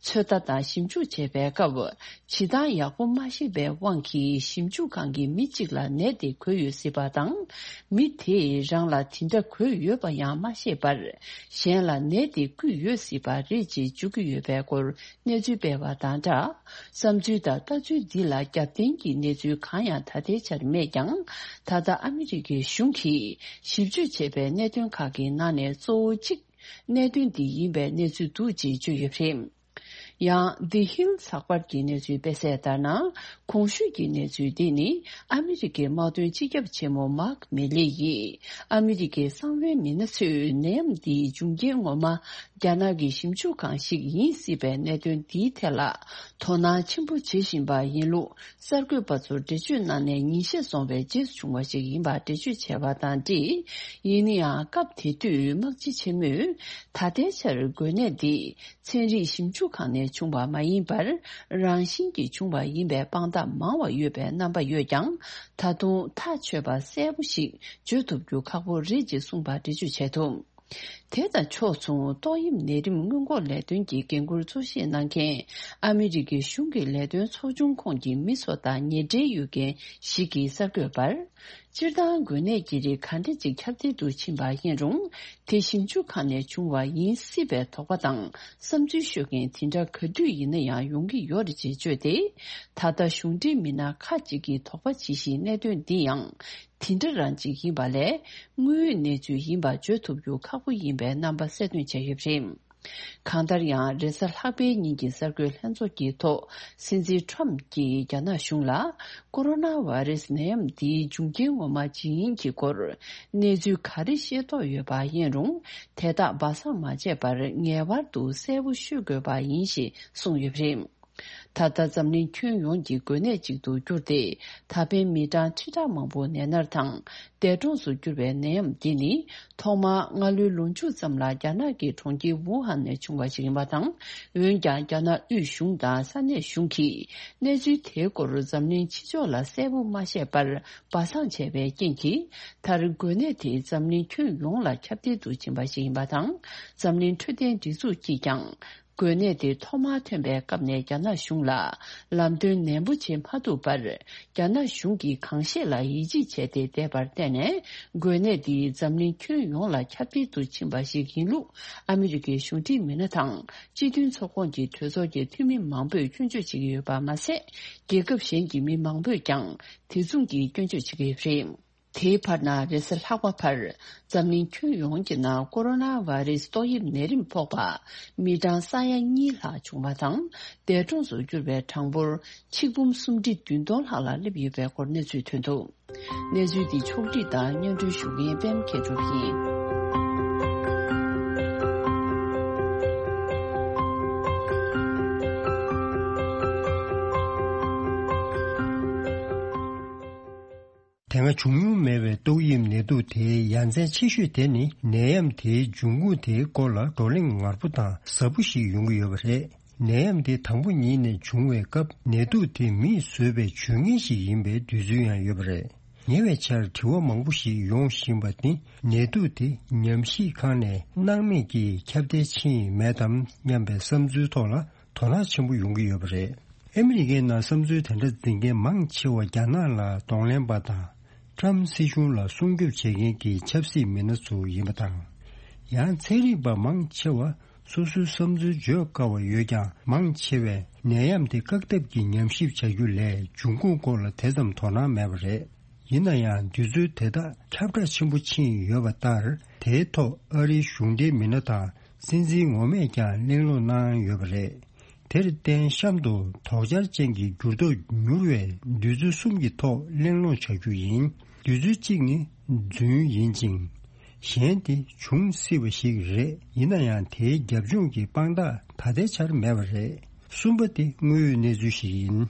ཚོད་ལྟ་དང་ཞིབ་འཇུག་བྱེད་པའི་སྐབས། བྱེད་སྟངས་ཡག་པོ་མ་ཤེས་པའི་དབང་གིས་ཞིབ་འཇུག་ཁང་གི་མི་གཅིག་ལ་ནད་དེ་འགོས་ཡོད་སྲིད་པ་དང་། མི་དེས་རང་ལ་དེ་འདྲ་འགོས་ཡོད་པ་ཡང་མ་ཤེས་པར། གཞན་ལ་ནད་དེ་བསྐུས་ཡོད་སྲིད་པ་རེད་ཅེས་བརྗོད་ཀྱི་ཡོད་པའི་སྐོར་གནས་ཚུལ་སྤེལ་བ་དང་སྦྲགས། བསམ་ཚུལ་དང་ལྟ་ཚུལ་འདི་ལ་རྒྱབ་རྟེན་གྱི་གནས་ཚུལ་གང་ཡང་ད་ལྟའི་ཆར་མེད་ཀྱང་། ད་ལྟ་ཨ་མི་རི་ཀའི་གཞུང་གིས་ཞིབ་དཔྱོད་བྱས་པའི་གནད་དོན་ཁག་གི་ནང་ནས་གཙོ་བོ་གཅིག་གནད་དོན་འདི་ཡིན་པའི་གནས་ཚུལ་འདུག་ཅེས་བརྗོད་ཡོད་པ་རེད། ཡང་། The Hill་ཚགས་པར་གྱི་གནས་ཚུལ་སྤེལ་གསལ་ལྟར་ན། གོང་ཞུས་ཀྱི་གནས་ཚུལ་འདི་ནི། ཨ་མི་རི་ཀའི་དམག་དོན་སྤྱི་ཁྱབ་ཆེན་མོ་མཱག་མི་ལི་ཡིས། ཨ་མི་རི་ཀའི་གསང་བའི་མི་སྣ་ཚོས་ནད་ཡམས་འདིའི་འབྱུང་རྐྱེན་ངོ་མ། རྒྱ་ནག་གི་ཞིབ་འཇུག་ཁང་ཞིག་ཡིན་སྲིད་པའི་གནད་དོན་འདིའི་ཐད་ལ། དོ་སྣང་ཆེན་པོ་བྱེད་བཞིན་པ་ཡིན་ལུགས། གསར་འགོད་པ་ཚོར་འགྲེལ་བརྗོད་གནང་ནས་ཉིན་ཤས་སོང་བའི་རྗེས་སུ་བྱུང་བ་ཞིག་ཡིན་པར་འགྲེལ་བརྗོད་བྱས་པ་དང་འབྲེལ། ཡིན་ན་ཡང་སྐབས་དེ་དུས་དམག་སྤྱི་ཆེན་མོས་ད་ལྟའི་ཆར་འགོས་ནད་འདི་ཚན་རིག་ཞིབ་འཇུག་ཁང་ནས་བྱུང་བ་མ་ཡིན་པར་རང་བཞིན་གྱིས་བྱུང་བ་ཡིན་པའི་དཔང་རྟགས་མང་བ་ཡོད་པའི་རྣམ་པ་ཡོད་ཀྱང་། ད་དུང་ཐག་ཆོད་པ་གསལ་པོ་ཞིག་བརྗོད་ཐུབ་རྒྱུ་ཁག་པོ་རེད་ཅེས་གསུངས་པ་འགྲེལ་བརྗོད་བྱས་འདུག་དེ་དང་ཕྱོགས་མཚུངས། ཏོག་དབྱིབས་ནད་རིམས་སྔོན་འགོག་ལས་དོན་གྱི་འགན་འཁུར་གཙོ་བཞེས་གནང་མཁན་ཨ་མི་རི་ཀའི་གཞུང་གི་ལས་དོན་ཚོགས་ཆུང་ཁོངས་ཀྱི་མི་ཚོ་དང་ཉེ་འབྲེལ་ཡོད་མཁན་ཞིག་གིས་གསར་འགོད་པར། སྤྱིར་བཏང་འགོས་ནད་ཀྱི་རིགས་ག་འདྲ་ཅིག་ཁྱབ་གདལ་དུ་ཕྱིན་པ་ཡིན་རུང་། དེ་ཞིབ་འཇུག་ཁང་ནས་བྱུང་བ་ཡིན་སྲིད་པའི་དོགས་པ་དང་བསམ་ཚུལ་ཤོད་མཁན་དེ་འདྲ་ག་དུས་ཡིན་ན་ཡང་ཡོང་གི་ཡོད་རེད་ཅེས་བརྗོད་དེ། ད་ལྟ་གཞུང་འབྲེལ་མི་སྣ་ཁག་ཅིག་གིས་དོགས་པ་བྱེད་བཞིན་གནད་དོན་འདི་ཡང་། དེ་འདྲ་རང་ཅིག་ཡིན་པ་ལས། དངོས་ཡོད་གནས་ཚུལ་ཡིན་པ་བརྗོད་ཐུབ་རྒྱུ་ཁག་པོ་ཡིན་པའི་རྣམ་པ་གསལ་སྟོན་བྱས་ཡོད་པ་རེད། གང་ལྟར་ཡང་། རེས་གཟའ་ལྷག་པའི་ཉིན་གྱི་གསར་འགོད་ལྷན་ཚོགས་ཀྱི་ཐོག་སྲིད་འཛིན་ཁྲོམ་གྱིས་རྒྱ་ནག་གཞུང་ལ། ཀོ་རོ་ན་བྷ་རེ་སི་ནད་ཡམས་འདིའི་འབྱུང་རྐྱེན་ངོ་མ་ཇི་ཡིན་གྱི་སྐོར། གནས་ཚུལ་ག་རེ་ཤེས་རྟོགས་ཡོད་པ་ཡིན་རུང་། དེ་དག་སྦ་གསང་མ་བྱས་པར་ངེས་པར་དུ་གསལ་པོ་ཤོད་དགོས་པ་ཡིན་ཞེས་གསུངས་ཡོད་པ་རེད། ད་ལྟ་འཛམ་གླིང་ཁྱོན་ཡོངས་ཀྱི་འགོས་ནད་ཅིག་ཏུ་གྱུར་ཏེ། ད་ཕན་མི་གྲངས་ཁྲི་ཕྲག་མང་པོ་ནད་མནར་དང་འདས་གྲོངས་སུ་གྱུར་བའི་ནད་ཡམས་འདི་ནི། ཐོག་མར་སྔ་ལོའི་ལོ་མཇུག་ཙམ་ལ་རྒྱ་ནག་གི་གྲོང་ཁྱེར་ཝུ་ཧན་ནས་བྱུང་བ་ཞིག་ཡིན་པ་དང་། འོན་ཀྱང་རྒྱ་ནག་དབུས་གཞུང་དང་ས་གནས་གཞུང་གིས་གནས་ཚུལ་དེའི་སྐོར་འཛམ་གླིང་ཕྱི་ཕྱོགས་ལ་གསལ་པོ་མ་བཤད་པར་སྦ་གསང་བྱས་པའི་རྐྱེན་གྱིས། མཐར་འགོས་ནད་དེ་འཛམ་གླིང་ཁྱོན་ཡོངས་ལ་ཁྱབ་གདལ་དུ་ཕྱིན་པ་ཞིག་ཡིན་པ་དང་། འཛམ་གླིང་འཕྲོད་བསྟེན་སྒྲིག་འཛུགས་ཀྱིས་ཀྱང་། འགོས་ནད་དེ་ཐོག་མར་ཐོན་པའི་སྐབས་ནས་རྒྱ་ནག་གཞུང་ལ་ལམ་སྟོན་ནན་པོ་བྱེད་མ་ཐུབ་པར། རྒྱ་ནག་གཞུང་གིས་གང་ཤེས་ལ་ཡིད་ཆེས་བྱས་ཏེ་བསྡད་པར་བརྟེན་ནས། འགོས་ནད་འདི་འཛམ་གླིང་ཁྱོན་ཡོངས་ལ་ཁྱབ་གདལ་དུ་ཕྱིན་པ་ཞིག་ཡིན་ལུགས། ཨ་མི་རི་ཀའི་གཞུང་འབྲེལ་མི་སྣ་དང་། སྤྱི་མཐུན་ཚོགས་ཁོངས་ཀྱི་གྲོས་ཚོགས་ཀྱི་འཐུས་མི་མང་པོས་སྐྱོན་བརྗོད་བྱེད་ཀྱི་ཡོད་པ་མ་ཟད། རྒྱལ་ཁབ་གཞན་གྱི་མི་མང་པོས་ཀྱང་དེ་མཚུངས་ཀྱི་སྐྱོན་བརྗོད་བྱེད་ཀྱི་ཡོད་པ་རེད། དེའི་བར་ན་རེས་གཟའ་ལྷག་པ་བར་འཛམ་གླིང་ཁྱོན་ཡོངས་ཀྱི་ནང་ཀོ་རོ་ན་བྷ་རེ་སི་ཏོག་དབྱིབས་ནད་རིམས་ཕོག་པ་མི་གྲངས་ས་ཡ་གཉིས་ལྷག་བྱུང་བ་དང་། འདས་གྲོངས་སུ་གྱུར་བའི་གྲངས་འབོར་ཆིག་འབུམ་སུམ་ཁྲི་བདུན་སྟོང་ལྷག་ལ་སླེབས་ཡོད་པའི་སྐོར་གནས་ཚུལ་ཐོན་འདུག། གནས་ཚུལ་འདི་ཕྱོགས་བསྒྲིགས་དང་སྙན་སྒྲོན་ཞུ་མཁན་པད་མ་མཁས་གྲུབ་ཡིན། དེ་སྔ་བྱུང་མྱོང་མེད་པའི་ཏོག་དབྱིབས་ནད་དུག་དེའི་ཡ་མཚན་ཆེ་ཤོས་དེ་ནི། ནད་ཡམས་དེའི་འབྱུང་ཁུངས་དེའི་སྐོར་ལ་བགྲོ་གླེང་ངར་པོ་དང་ཟབ་པོ་ཞིག་ཡོང་གི་ཡོད་པ་རེད། ནད་ཡམས་དེ་དང་པོ་ཉིད་ནས་བྱུང་བའི་སྐབས། ནད་དུག་དེ་མིས་བཟོས་པའི་བྱུས་ངན་ཞིག་ཡིན་པའི་འདོད་ཚུལ་ཡང་ཡོད་པ་རེད། ཉེ་བའི་ཆར་དྲི་བ་མང་པོ་ཞིག་ཡོང་བཞིན་པ་ནི། ནད་དུག་དེ་ཉམས་ཞིབ་ཁང་ནས་སྣང་མེད་ཀྱིས་ཁྱབ་གདལ་ཕྱིན་མེད་དམ་སྙམ་པའི་བསམ་ཚུལ་ཐོག་ལ་དོ་སྣང་ཆེན་པོ་ཡོང་གི་ཡོད་པ་རེད། ཨ་མི་རི་ཀའི་ནང་བསམ་ཚུལ་དེ་འདྲ་འཛིན་མཁན་མང་ཆེ་བ་རྒྱ་ནག་ལ་གདོང་ལེན་པ་དང་། ཊྲམ་སྲིད་གཞུང་ལ་སྲུང་སྐྱོབ་བྱེད་མཁན་གྱི་ཆབ་སྲིད་མི་སྣ་ཚོ་ཡིན་པ་དང་། ཡང་ཚན་རིག་པ་མང་ཆེ་བ་སོ་སོའི་བསམ་ཚུལ་བརྗོད་དཀའ་བ་ཡོད་ཀྱང་། མང་ཆེ་བས་ནད་ཡམས་དེ་བཀག་ཐབས་ཀྱི་ཉམས་ཞིབ་བྱ་རྒྱུ་ལས་འབྱུང་ཁུངས་སྐོར་ལ་དེ་ཙམ་དོ་སྣང་མེད་པ་རེད། ཡིན་ན་ཡང་དུས་ཚོད་དེ་དག་ཁྱབ་བསྒྲགས་ཆེན་པོ་ཕྱིན་ཡོད་པ་ལྟར། དེའི་ཐོག་ཨ་རིའི་གཞུང་འབྲེལ་མི་སྣ་དང་སྲིད་འཛིན་ངོ་མས་ཀྱང་གླེང་སློང་གནང་ཡོད་པ་རེད། དེར་བརྟེན་གཤམ་དུ་དོགས་འཆར་ཅན་གྱི་འགྱུར་ལྡོག་མྱུར་བའི་འདོད་ཚུལ་གསུམ་གྱི་ཐོག་གླེང་སློང་བྱ་རྒྱུ་ཡིན། འདོད་ཚུལ་གཅིག་ནི་རྫུན་ཡིན་ཅིང་། གཞན་དེ་འབྱུང་སྲིད་པ་ཞིག་རེད། ཡིན་ན་ཡང་དེའི་རྒྱབ་ལྗོངས་ཀྱི་དཔང་རྟགས་ད་ལྟའི་ཆར་མེད་པ་རེད། གསུམ་པ་དེ་དངོས་ཡོད་གནས་ཚུལ་ཞིག་ཡིན།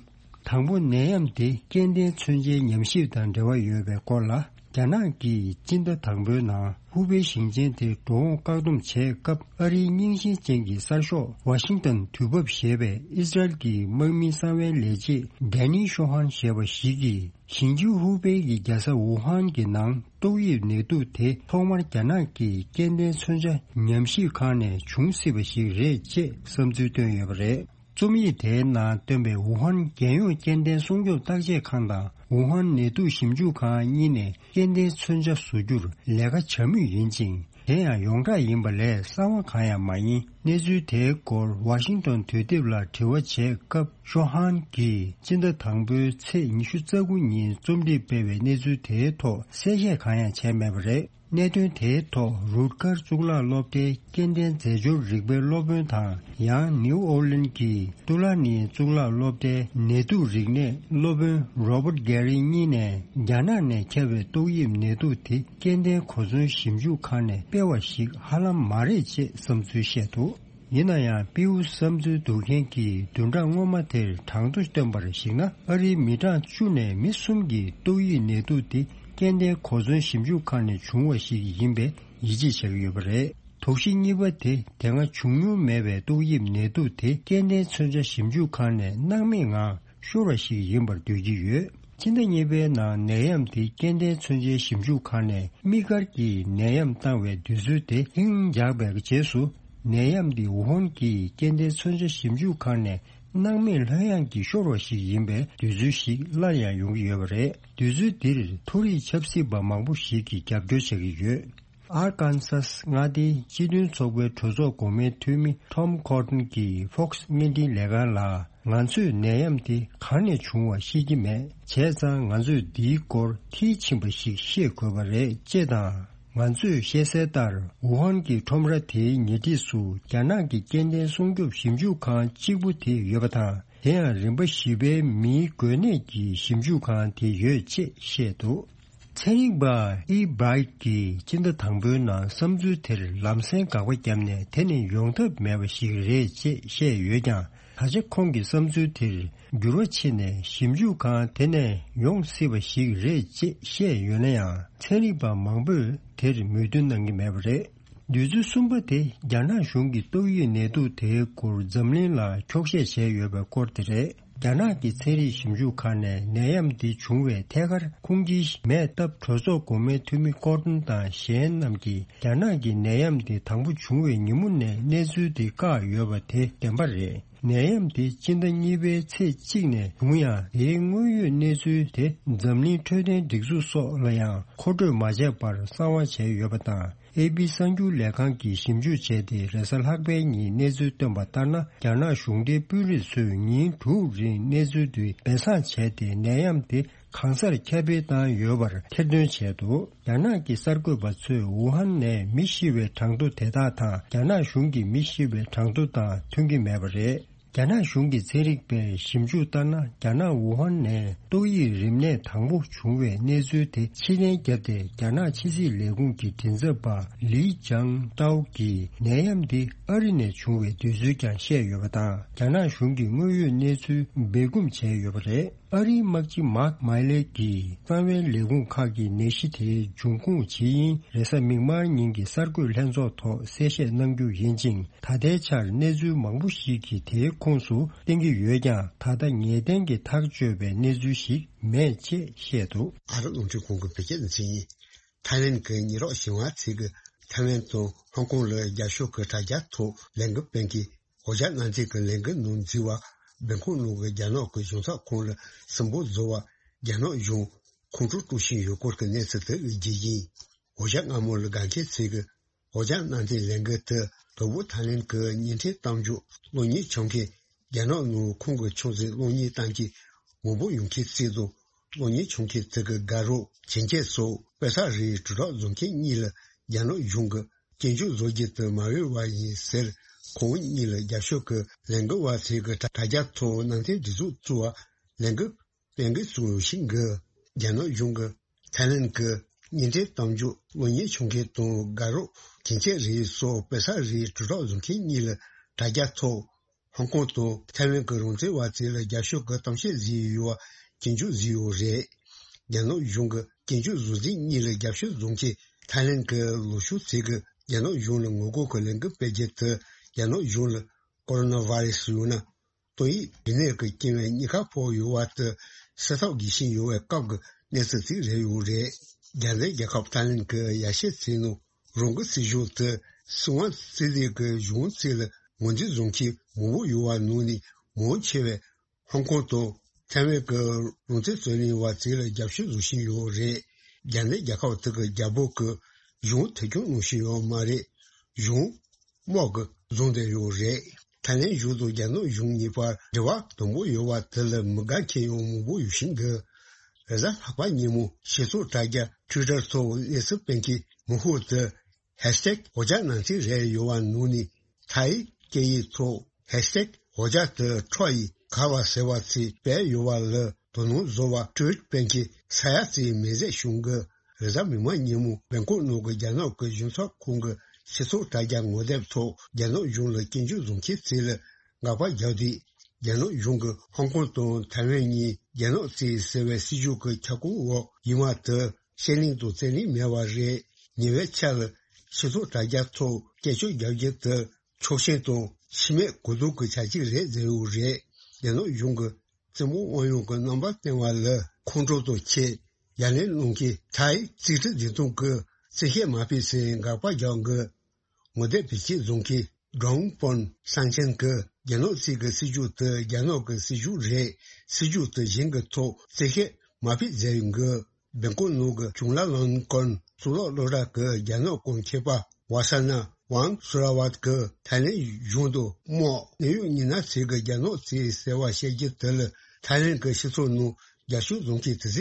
དང་པོ་ནད་ཡམས་དེ་སྐྱེ་ལྡན་མཚོན་ཆའི་ཉམས་ཞིབ་དང་འབྲེལ་བ་ཡོད་པའི་སྐོར་ལ། རྒྱ་ནག་གིས་སྤྱི་ཟླ་དང་པོའི་ནང་ཧུ་པེ་ཞིང་ཆེན་དེ་འགྲོ་འོང་བཀག་སྡོམ་བྱས་སྐབས། ཨ་རིའི་རྙིང་ཞེན་ཅན་གྱི་གསར་ཤོག་ཝ་ཤིང་ཏོན་དུས་བབ་ཞེས་པས་ཨི་སི་རལ་གྱི་དམག་མིའི་གསང་བའི་ལས་བྱེད་ཌེ་ནི་ཤོ་ཧན་ཞེས་པ་ཞིག་གིས། ཞིང་ཆུ་ཧུ་པེ་གི་རྒྱལ་ས་ཝུ་ཧན་གྱི་ནང་ཏོག་དབྱིབས་ནད་དུག་དེ་ཐོག་མར་རྒྱ་ནག་གི་སྐྱེ་ལྡན་མཚོན་ཆ་ཉམས་ཞིབ་ཁང་ནས་བྱུང་སྲིད་པ་ཞིག་རེད་ཅེས་བསམ་ཚུལ་བཏོན་ཡོད་པ་རེད། རྩོམ་ཡིག་དེའི་ནང་བཏོན་པའི་ཝུ་ཧན་རྒྱལ་ཡོངས་སྐྱེ་ལྡན་སྲུང་སྐྱོབ་བརྟག་དཔྱད་ཁང་དང་ཝུ་ཧན་ནད་དུག་ཞིབ་འཇུག་ཁང་གཉིས་ནས་སྐྱེ་ལྡན་མཚོན་ཆ་བཟོ་རྒྱུར་ལས་ཀ་བྱ་མུས་ཡིན་ཅིང་། དེ་ཡང་ཡོངས་གྲགས་ཡིན་པ་ལས་གསང་བ་གང་ཡང་མ་ཡིན། གནས་ཚུལ་དེའི་སྐོར་ཝ་ཤིང་ཏོན་དུས་དེབ་ལ་དྲི་བ་བྱས་སྐབས། ཤོ་ཧན་གྱིས་སྤྱི་ཟླ་དང་པོའི་ཚེས་ཉི་ཤུ་རྩ་དགུ་ཉིན་རྩོམ་སྒྲིག་སྤེལ་བའི་གནས་ཚུལ་དེའི་ཐོག་གསལ་བཤད་གང་ཡང་བྱས་མེད་པ་རེད། གནད་དོན་དེའི་ཐོག་རུ་ཀར་གཙུག་ལག་སློབ་གྲྭའི་སྐྱེ་ལྡན་རྫས་སྦྱོར་རིག་པའི་སློབ་དཔོན་དང་། ཡང་ནིའུ་ཨོར་ལིན་གྱི་ཏུ་ལ་ནི་གཙུག་ལག་སློབ་གྲྭའི་ནད་དུག་རིག་གནས་སློབ་དཔོན་རོ་བར་ཏི་གྷེ་རི་གཉིས་ནས། རྒྱ་ནག་ནས་ཁྱབ་པའི་ཏོག་དབྱིབས་ནད་དུག་དེ་སྐྱེ་ལྡན་གོ་མཚོན་ཞིབ་འཇུག་ཁང་ནས་སྤེལ་བ་ཞིག་ཧ་ལམ་མ་རེད་ཅེས་བསམ་ཚུལ་བཤད་འདུག། ཡིན་ན་ཡང་པིའུ་བསམ་ཚུལ་བསྡུ་མཁན་གྱིས་བདུན་ཕྲག་སྔོན་མ་དེར་གྲངས་ཐོ་བཏོན་པར་གཞིགས་ན། ཨ་རིའི་མི་གྲངས་བཅུ་ནས་མི་གསུམ་གྱིས་ཏོག་དབྱིབས་ནད་དུག་དེ་སྐྱེ་ལྡན་གོ་མཚོན་ཞིབ་འཇུག་ཁང་ནས་བྱུང་བ་ཞིག་ཡིན་པའི་ཡིད་ཆེས་བྱ་གི་ཡོད་པ་རེད། དོགས་གཞི་གཉིས་པ་དེ། དེ་སྔ་བྱུང་མྱོང་མེད་པའི་ཏོག་དབྱིབས་ནད་དུག་དེ་སྐྱེ་ལྡན་མཚོན་ཆ་ཞིབ་འཇུག་ཁང་ནས་སྣང་མེད་ངང་ཤོར་བ་ཞིག་ཡིན་པར་འདོད་ཀྱི་ཡོད། ཕྱི་ཟླ་གཉིས་པའི་ནང་ནད་ཡམས་དེ་སྐྱེ་ལྡན་མཚོན་ཆའི་ཞིབ་འཇུག་ཁང་ནས་དམིགས་བཀར་གྱིས་ནད་ཡམས་བཏང་བའི་དུས་ཚོད་དེ་ལྷིང་འཇགས་པའི་རྗེས་སུ། ནད་ཡམས་འདི་ཝུ་ཧན་གྱི་སྐྱེ་ལྡན་མཚོན་ཆ་ཞིབ་འཇུག་ཁང་ནས་སྣང་མེད་ལྷོད་ཡངས་ཀྱིས་ཤོར་བ་ཞིག་ཡིན་པའི་དུས་ཚོད་ཞིག་སླར་ཡང་ཡོང་གི་ཡོད་པ་རེད། དུས་ཚོད་འདིར་མཐོ་རིས་ཆབ་སྲིད་པ་མང་པོ་ཞིག་གིས་རྒྱབ་སྐྱོར་བྱ་གི་ཡོད། ཨར་ཀན་སཱས་མངའ་སྡེའི་སྤྱི་མཐུན་ཚོགས་པའི་གྲོས་ཚོགས་འགོ་དམའི་འཐུས་མི་ཊོམ་ཁོར་ཏན་གྱིས་ཕོག་སི་བརྙན་འཕྲིན་ལས་ཁང་ལ། ང་ཚོས་ནད་ཡམས་དེ་གང་ནས་བྱུང་བ་ཤེས་ཀྱི་མེད། བྱས་ཙང་ང་ཚོས་འདིའི་སྐོར་མཐིལ་ཕྱིན་པ་ཞིག་ཤེས་དགོས་པ་རེད་ཅེས་དང་། ང་ཚོས་ཤེས་གསལ་ལྟར། ཝུ་ཧན་གྱི་ཁྲོམ་ར་དེའི་ཉེ་འཁྲིས་སུ་རྒྱ་ནག་གི་སྐྱེ་ལྡན་སྲུང་སྐྱོབ་ཞིབ་འཇུག་ཁང་གཅིག་པུ་དེ་ཡོད་པ་དང་། དེ་ཡང་རིམ་པ་བཞི་པའི་མིའི་འགོས་ནད་ཀྱི་ཞིབ་འཇུག་ཁང་དེ་ཡོད་ཅེས་བཤད་འདུག། ཚན་རིག་པ་ཨི་བྷ་རའིཊ་ཀྱིས་སྤྱི་ཟླ་དང་པོའི་ནང་བསམ་ཚུལ་དེར་ལམ་སེང་དགག་པ་བརྒྱབ་ནས། དེ་ནི་ཡོང་ཐབས་མེད་པ་ཞིག་རེད་ཅེས་བཤད་ཡོད་ཀྱང་། ད་ཆ་ཁོང་གི་བསམ་ཚུལ་དེར་འགྱུར་བ་ཕྱིན་ནས་ཞིབ་འཇུག་ཁང་དེ་ནས་ཡོང་སྲིད་པ་ཞིག་རེད་ཅེས་བཤད་ཡོད་ན་ཡང་། ཚན་རིག་པ་མང་པོས་དེར་མོས་མཐུན་གནང་གི་མེད་པ་རེད། དུས་ཚོད་གསུམ་པ་དེ་རྒྱ་ནག་གཞུང་གི་ཏོག་དབྱིབས་ནད་དུག་དེའི་སྐོར་འཛམ་གླིང་ལ་འཁྱོག་བཤད་བྱས་ཡོད་པའི་སྐོར་དེ་རེད། རྒྱ་ནག་གི་ཚན་རིག་ཞིབ་འཇུག་ཁང་ནས་ནད་ཡམས་འདི་བྱུང་བའི་ཐད་ཀར་ཁུངས་སྐྱེལ་མེད་སྟབས། གྲོས་ཚོགས་འགོ་དམངས་འཐུས་མི་ཀོར་ཏོན་དང་གཞན་རྣམས་ཀྱིས་རྒྱ་ནག་གི་ནད་ཡམས་འདི་དང་པོ་བྱུང་བའི་ཉིན་མོ་ནས་གནས་ཚུལ་འདི་བཀག་ཡོད་པ་དེ་བདེན་པ་རེད། ནད་ཡམས་དེ་སྤྱི་ཟླ་གཉིས་པའི་ཚེས་གཅིག་ནས་བྱུང་ཡང་། དེའི་དངོས་ཡོད་གནས་ཚུལ་དེ་འཛམ་གླིང་འཕྲོད་བསྟེན་སྒྲིག་འཛུགས་སོགས་ལ་ཡང་མཁོ་སྤྲོད་མ་བྱས་པར་གསང་བ་བྱས་ཡོད་པ་དང་། ཨེ་པི་གསར་འགྱུར་ལས་ཁང་གིས་ཞིབ་འཇུག་བྱས་ཏེ། རེས་གཟའ་ལྷག་པའི་ཉིན་གནས་ཚུལ་བཏོན་པ་ལྟར་ན། རྒྱ་ནག་གཞུང་འབྲེལ་དཔོན་རིགས་ཚོས་ཉིན་དྲུག་རིང་གནས་ཚུལ་དེ་སྦས་གསང་བྱས་ཏེ། ནད་ཡམས་དེ་གང་སར་ཁྱབ་སྤེལ་བཏང་ཡོད་པར་ཐེར་འདོན་བྱས་འདུག་རྒྱ་ནག་གི་གསར་འགོད་པ་ཚོས་ཝུ་ཧན་ནས་མི་ཤི་བའི་གྲངས་ཐོ་དེ་དག་དང་། རྒྱ་ནག་གཞུང་གི་མི་ཤི་བའི་གྲངས་ཐོ་དང་མཐུན་གྱི་མེད་པ་རེད། རྒྱ་ནག་གཞུང་གི་ཚན་རིག་པས་ཞིབ་འཇུག་ལྟར་ན། རྒྱ་ནག་ཝུ་ཧན་ནས་ཏོག་དབྱིབས་རིམས་ནད་དང་པོ་བྱུང་བའི་གནས་ཚུལ་དེ་ཕྱིར་འཐེན་བརྒྱབ་སྟེ། རྒྱ་ནག་ཕྱི་སྲིད་ལས་ཁུངས་ཀྱི་མགྲིན་ཚབ་པ་ལི་ཅང་ཀྲའོ་གིས་ནད་ཡམས་འདི་ཨ་རི་ནས་བྱུང་བའི་དུས་ཚོད་ཀྱང་བཤད་ཡོད་པ་དང་། རྒྱ་ནག་གཞུང་གི་དངོས་ཡོད་གནས་ཚུལ་སྦས་སྐུང་བྱས་ཡོད་པ་རེད། ཨ་རིའི་དམག་སྤྱི་མཱག་མཱི་ལེ་གིས་གསང་བའི་ལས་ཁུངས་ཁག་གིས་ནད་གཞི་དེའི་འབྱུང་ཁུངས་ཇི་ཡིན་རེས་གཟའ་མིག་དམར་ཉིན་གྱི་གསར་འགོད་ལྷན་ཚོགས་ཐོག་གསལ་བཤད་གནང་རྒྱུ་ཡིན་ཅིང་། ད་ལྟའི་ཆར་གནས་ཚུལ་མང་པོ་ཞིག་གིས་དེའི་ཁོངས་སུ་བསྟན་གྱི་ཡོད་ཀྱང་། ད་ལྟ་ངེས་གཏན་གྱི་ཐག་གཅོད་པའི་གནས་ཚུལ་ཞིག་མེད་ཅེས་བཤད་འདུག་ཨ་རི་རླུང་འཕྲིན་ཁང་གི་བོད་སྐད་སྡེ་ཚན་ཡིན། ཐའི་ལེན་གྱི་ཉེ་རབས་གཞུང་བ་ཚོས་ཀྱི་ཐའི་ལེན་དང་ཧོང་ཀོང་ལ་རྒྱབ་སྐྱོར་གྱི་དྲ་རྒྱ་ཐོག་ལས་འགུལ་སྤེལ་མཁན་འོ་ཅག་གནང་མཁན་གྱི་ལས་འགུལ་ནང་འཛུལ་བ། སྦེལ་ཀོབ་ནང་གི་རྒྱ་ནག་གི་གཞུང་ཚབ་ཁང་ལ་སུན་པོ་བཟོ་བ། རྒྱ་ནག་གཞུང་ཁོང་ཁྲོ་སྤྲོད་བཞིན་ཡོད་སྐོར་གྱི་གནས་ཚུལ་དེ་རྒྱས་ཡིན། འོ་ཅག་སྔ་མོ་ལ་དགའ་མཁན་ཚོས་ཀྱི་འོ་ཅག་གནང་མཁན་ལས་འགུལ་དེ་དང་པོ་ཐའི་ལེན་གྱི་བརྙན་འཕྲིན་གཏམ་བརྗོད་གློག་བརྙན་འཁྱོངས་མཁན། རྒྱ་ནག་ནང་ཁོང་གི་ཆུང་ཟད་གློག་བརྙན་བཏང་མཁན་མང་པོ་ཡོང་མཁན་བརྩིས་འདུག་གློག་བརྙན་འཁྱོངས་མཁན་དེ་གི་དགའ་རོགས་ཁྱིམ་ཆས་སོགས་དཔེ་ས་རིགས་དྲིལ་བསྒྲགས་བཟོ་མཁན་གཉིས་ལ་རྒྱ་ནག་གཞུང་གིས་སྐྱོན་བརྗོད་བཟོ་རྒྱུ་དེ་མ་འོས་པ་ཡིན་ཟེར། ཁོང་གཉིས་ལ་རྒྱབ་སྐྱོར་གྱི་ལས་འགུལ་བ་ཚོས་ཀྱི་དྲ་རྒྱ་ཐོག་ནང་བསྟན་སྒྲིག་འཛུགས་བཙུགས་པ་ལས་འགུལ་སྤེལ་འགུལ་བཙུགས་ཡོད་ཤིང་གི། རྒྱ་ནག་གཞུང་གིས་ཐའི་ལེན་གྱི་བརྙན་འཕྲིན་གཏམ་བརྗོད་གློག་བརྙན་འཁྱོངས་མཁན་དང་དགའ་རོགས་ཁྱིམ་ཆས་རིགས་སོགས་དཔེ་ས་རིགས་དྲིལ་བསྒྲགས་བཟོ་མཁན་གཉིས་ལ་དྲ་རྒྱ་ཐོག་ཧོང་ཀོང་དང་ཐའེ་ཝན་གྱི་རང་བཙན་བ་ཚོ་ལ་རྒྱབ་སྐྱོར་གྱི་གཏམ་བཤད་བཟོས་ཡོད་པ་སྐྱོན་བརྗོད་བཟོས་ཡོད་རེད། རྒྱ་ནག་གཞུང་གི་སྐྱོན་བརྗོད་བཟོ་མཁན་གཉིས་ལ་རྒྱབ་སྐྱོར་བཟོ་མཁན་ཐའེ་ལེན་གྱི་ལུགས་ཤོག་ཚོས་ཀྱི་རྒྱ་ནག་གཞུང་ལ་ངོ་རྒོལ་གྱི་ལས་འགུལ་སྤེལ་རྒྱུ་དེ་རྒྱ་ནག་གཞུང་ལ་ཀོ་རོ་ན་ཝེ་རེ་སི་ཡོད་ན། ཏོག་དབྱིབས་རིམས་ནད་ཀྱི་རྐྱེན་པས་གཉིས་ཀ་ཕོག་ཡོད་པ་དེ་སེལ་ཐབས་དགོས་བཞིན་ཡོད་པའི་སྐབས་ཀྱི་གནས་ཚུལ་ཞིག་རེད་ཡོད་རེད། རྒྱ་མཚོའི་རྒྱལ་ཁབ་ཐའེ་ལེན་གྱི་ཡར་ཞུ་ཚོས་ནང་རང་གི་སྲིད་གཞུང་དེ་སྲིད་དབང་རྩིས་ལས་ཀྱི་གཞུང་རྩིས་ལ་ངོས་འཛིན་བཟོ་མཁན་མང་པོ་ཡོད་པ་ནང་ནས་མང་ཆེ་བས་ཧོང་ཀོང་དང་ཐའེ་ཝན་གྱི་རང་བཙན་རྩོད་ལེན་པ་ཚོ་ལ་རྒྱབ་སྐྱོར་བཟོ་བཞིན་ཡོད་རེད། རྒྱ་མཚོའི་རྒྱལ་ཁབ་དེ་གི་རྒྱལ་པོ་གི་གཞུང་འཐུས་སྐྱོང་གནང་བཞིན་ཡོད་མ་རེད། གཞུང་དམག་གིས་བཟུང་བསྡད་ཡོད་རེད། ཐའེ་ལེན་གཞུང་དང་རྒྱ་ནག་གཞུང་གཉིས་བར་འབྲེལ་བ་དམ་པོ་ཡོད་པ་དེ་ལ་མི་དགའ་མཁན་ཡང་མང་པོ་ཡོད་བཞིན་འདུག་རེས་གཟའ་ལྷག་པ་ཉིན་མོ་སྤྱི་ཚོགས་དྲ་རྒྱ་ཊུའི་ཊར་ཐོག་གནས་ཚུལ་སྤེལ་མཁན་མང་པོ་དེ་ཧེཤ་ཊེག་འོ་ཅག་ནང་བཞིན་རེད་ཡོད་པ་ནང་ནས་ཐའི་སྐད་ཡིག་ཐོག་ཧེཤ་ཊེག་འོ་ཅག་དེ་ཁྲོ་ཡི་ག་བ་ཟེར་བ་ཚོས་སྤེལ་ཡོད་པ་ལ་དོ་སྣང་བཟོ་བ་ཊུའིཊ་སྤེལ་མཁན་ས་ཡ་ཙམ་མེད་ཟེར་བྱུང་གི། རེས་གཟའ་མིག་དམར་ཉིན་མོ་སྦེལ་ཀོབ་ནང་གི་རྒྱ་ནག་གི་གཞུང་ཚབ་ཁང་གི་སྤྱི་ཚོགས་དྲ་རྒྱ་ངོ་དེབ་ཐོག་རྒྱ་ནག་གཞུང་ལ་སྐྱོན་བརྗོད་བཟོ་མཁན་ཚོ་ལ་དགག་པ་བརྒྱབ་དུས། རྒྱ་ནག་གཞུང་གིས་ཧོང་ཀོང་དང་ཐའེ་ཝན་གཉིས་རྒྱ་ནག་བཙན་ཟེར་བའི་སྲིད་ཇུས་ཀྱི་ཁྱབ་ཁོངས་འོག་ཡིན་པ་དེ་ཤེས་ལེན་དང་རྩིས་ལེན་མེད་པ་རེད། ཉེ་བའི་ཆར་ལ་སྤྱི་ཚོགས་དྲ་རྒྱ་ཐོག་སྐད་ཆ་རྒྱག་རྒྱུ་དེ་ཕྱོགས་ཞེན་དང་ཕྱི་མིག་གུ་དུག་གི་བྱ་སྤྱོད་རེད་ཟེར་ཡོད་རེད། རྒྱ་ནག་གཞུང་གིས་བཙུན་མོ་དབང་ཡོད་ཀྱི་རྣམ་པ་བསྟན་པ་ལ་ཁོང་ཁྲོ་དང་ཁྱད་ཡ་ལན་གནང་མཁན་ཐའི་རྩིས་ཁྲི་འཛིན་སྐྱོང་གི་རྩིས་ཁྲི་མ་ཕེབས་ཟེར་དགག་པ་རྒྱག་གི། ངོ་དེབ་བེད་སྤྱོད་བཟོ་མཁན་ཀྲོང་པོན་སང་ཆེན་གྱིས་རྒྱ་ནག་གཅིག་གི་སྲིད་ཇུས་དེ་རྒྱ་ནག་གི་སྲིད་ཇུས་རེད། སྲིད་ཇུས་དེ་གཞན་གྱི་ཐོག་རྩིས་ཁྲི་མ་ཕེབས་ཟེར་ཡོང་གི། སྦེལ་ཀོབ་ནང་གི་ཅུང་ལ་ལོན་ཀོན་གཙུག་ལག་སློབ་གྲྭ་གི་རྒྱ་ནག་གོང་ཁེ་པ་ཝ་ས་ན་ཝང་སུ་ར་ཝད་ཀྱིས་ཐའི་ལེན་གཞུང་དུ་དམག་གནད་ཡོད་མི་སྣ་ཚོས་ཀྱི་རྒྱ་ནག་གཅིག་ཟེར་བ་བཤད་རྒྱུ་དེ་ལ་ཐའི་ལེན་གྱི་སྤྱི་ཚོགས་ནང་རྒྱབ་སྐྱོར་བཟོ་མཁན་དེ་ཚོས་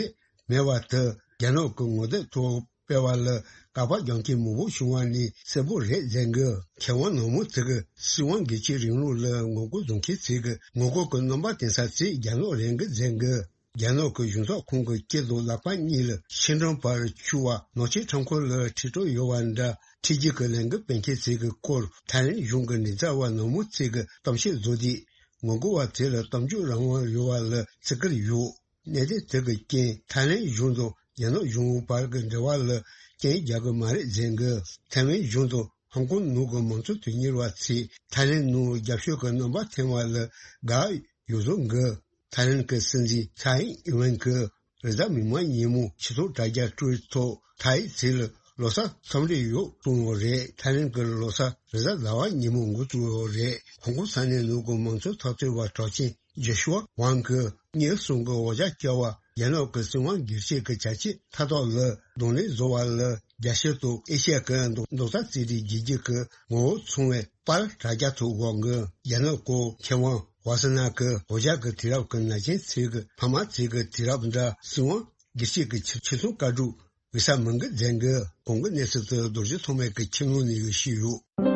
མེད་པ་དེ་རྒྱ་ནག་གི་ངོ་དེབ་ཐོག་སྤེལ་བ་ལ་དགག་པ་རྒྱག་མཁན་མང་པོ་བྱུང་བ་ནི་གསལ་པོ་རེད་ཟེར་གི། མཁས་དབང་ནག་མོ་དེ་གིས་སྲིད་དབང་སྒེར་གཅོད་རིང་ལུགས་ལ་ངོ་རྒོལ་བཟོ་མཁན་ཚོས་ཀྱི་ངོ་རྒོལ་གྱི་རྣམ་པ་བསྟན་ས་ཚོས་རྒྱ་ནག་རེད་གི་ཟེར་གི། རྒྱ་ནག་གི་གཞུང་ཚབ་ཁང་གི་དཀྱིལ་དུ་ལག་པ་གཉིས་ལ་ཕྱི་འགྲམ་བར་འཁྱུར་བ་ནག་ཆུའི་འཕྲང་འཁོར་ལ་ཁྲིད་འགྲོ་ཡོད་པ་འདྲ། ཁྲིད་རྒྱུ་གི་ལས་འགུལ་སྤེལ་མཁན་ཚོས་ཀྱི་སྐོར་ཐའི་ལེན་གཞུང་གི་མགྲིན་ཚབ་པ་ནག་མོ་ཚོས་ཀྱི་གཏམ་བཤད་བཟོ་དུས། ངོ་རྒོལ་བ་དེ་ལ་གཏམ་བརྗོད་རང་དབང་ཡོད་པ་ལ་བརྩི་བཀུར་ཡོད། གནད་དོན་དེ་གི་རྐྱེན་ཐའི་ལེན་གཞུང་དང་རྒྱ་ནག་གཞུང་བར་གྱི་འབྲེལ་བ་ལ་རྐྱེན་རྒྱག་གི་མ་རེད་ཟེར་གི། ཐའི་ཝན་གཞུང་དང་ཧོང་ཀོང་ནང་གི་མང་གཙོ་དོན་གཉེར་བ་ཚོས་ཐའི་ལེན་ནང་རྒྱབ་སྐྱོར་གྱི་རྣམ་པ་འཐེན་པ་ལ་དགའ་ཡོད་བཟོ་གི། ཐའི་ལེན་གྱི་སྲིད་འཛིན་ཚའེ་ཨིན་ཝེན་གྱིས་རེས་གཟའ་མིག་དམར་ཉིན་མོ་ཆེ་ཐོག་དྲ་རྒྱ་ཊུ་ཝིཊ་ཐོག་ཐའི་ཚོས་ལོ་གསར་འཚམས་འདྲི་ཡོད་གསུངས་ཡོད་རེད། ཐའི་ལེན་གྱི་ལོ་གསར་རེས་གཟའ་ཟླ་བ་ཉིན་མོ་འགོ་བཙུགས་ཡོད་རེད། ཧོང་ཀོང་ས་གནས་ནང་གི་མང་གཙོ་འཐབ་རྩོད་པ་གྲགས་ཅན་ཇོ་ཤུ་ཝ་ཝང་གིས་ཉིན་གསུམ་གྱི་འོ་ཇ་བསྐྱལ་བ། རྒྱ་ནག་གི་སྲིད་དབང་སྒེར་གཅོད་ཀྱི་བྱ་སྤྱོད་མཐའ་དག་ལ་གདོང་ལེན་བཟོ་བ་ལ་རྒྱལ་སྤྱི་དང་ཨེ་ཤ་ཡ་གི་མདོ་རྩ་རྩེད་རིགས་རྒྱལ་རྒྱུད་ཀྱི་ངོ་བོ་མཚུངས་པའི་པར་དྲ་རྒྱ་ཐོག་བཀོད་འགོ། རྒྱ་ནག་གི་མཁས་དབང་ཝ་སི་ན་གིས་འོ་ཇ་གི་དུས་རབས་ཀྱི་ན་གཞོན་ཚོས་ཀྱི་ཕ་མ་ཚོས་ཀྱི་དུས་རབས་འདྲ་སྲིད་དབང་སྒེར་གཅོད་ཀྱི་ཆེ་ཆེ་མཐོང་བཀའ་སྒྲུབ་འོས་ས་མང་གི་མཛད་འགོ། གོང་གི་གནས་ཚུལ་དུ་རྡོ་རྗེ་ཐོགས་མེད་ཀྱི་ཁྱིམ་ལུང་ནས་ཡོད་ཞུས་ཡོད།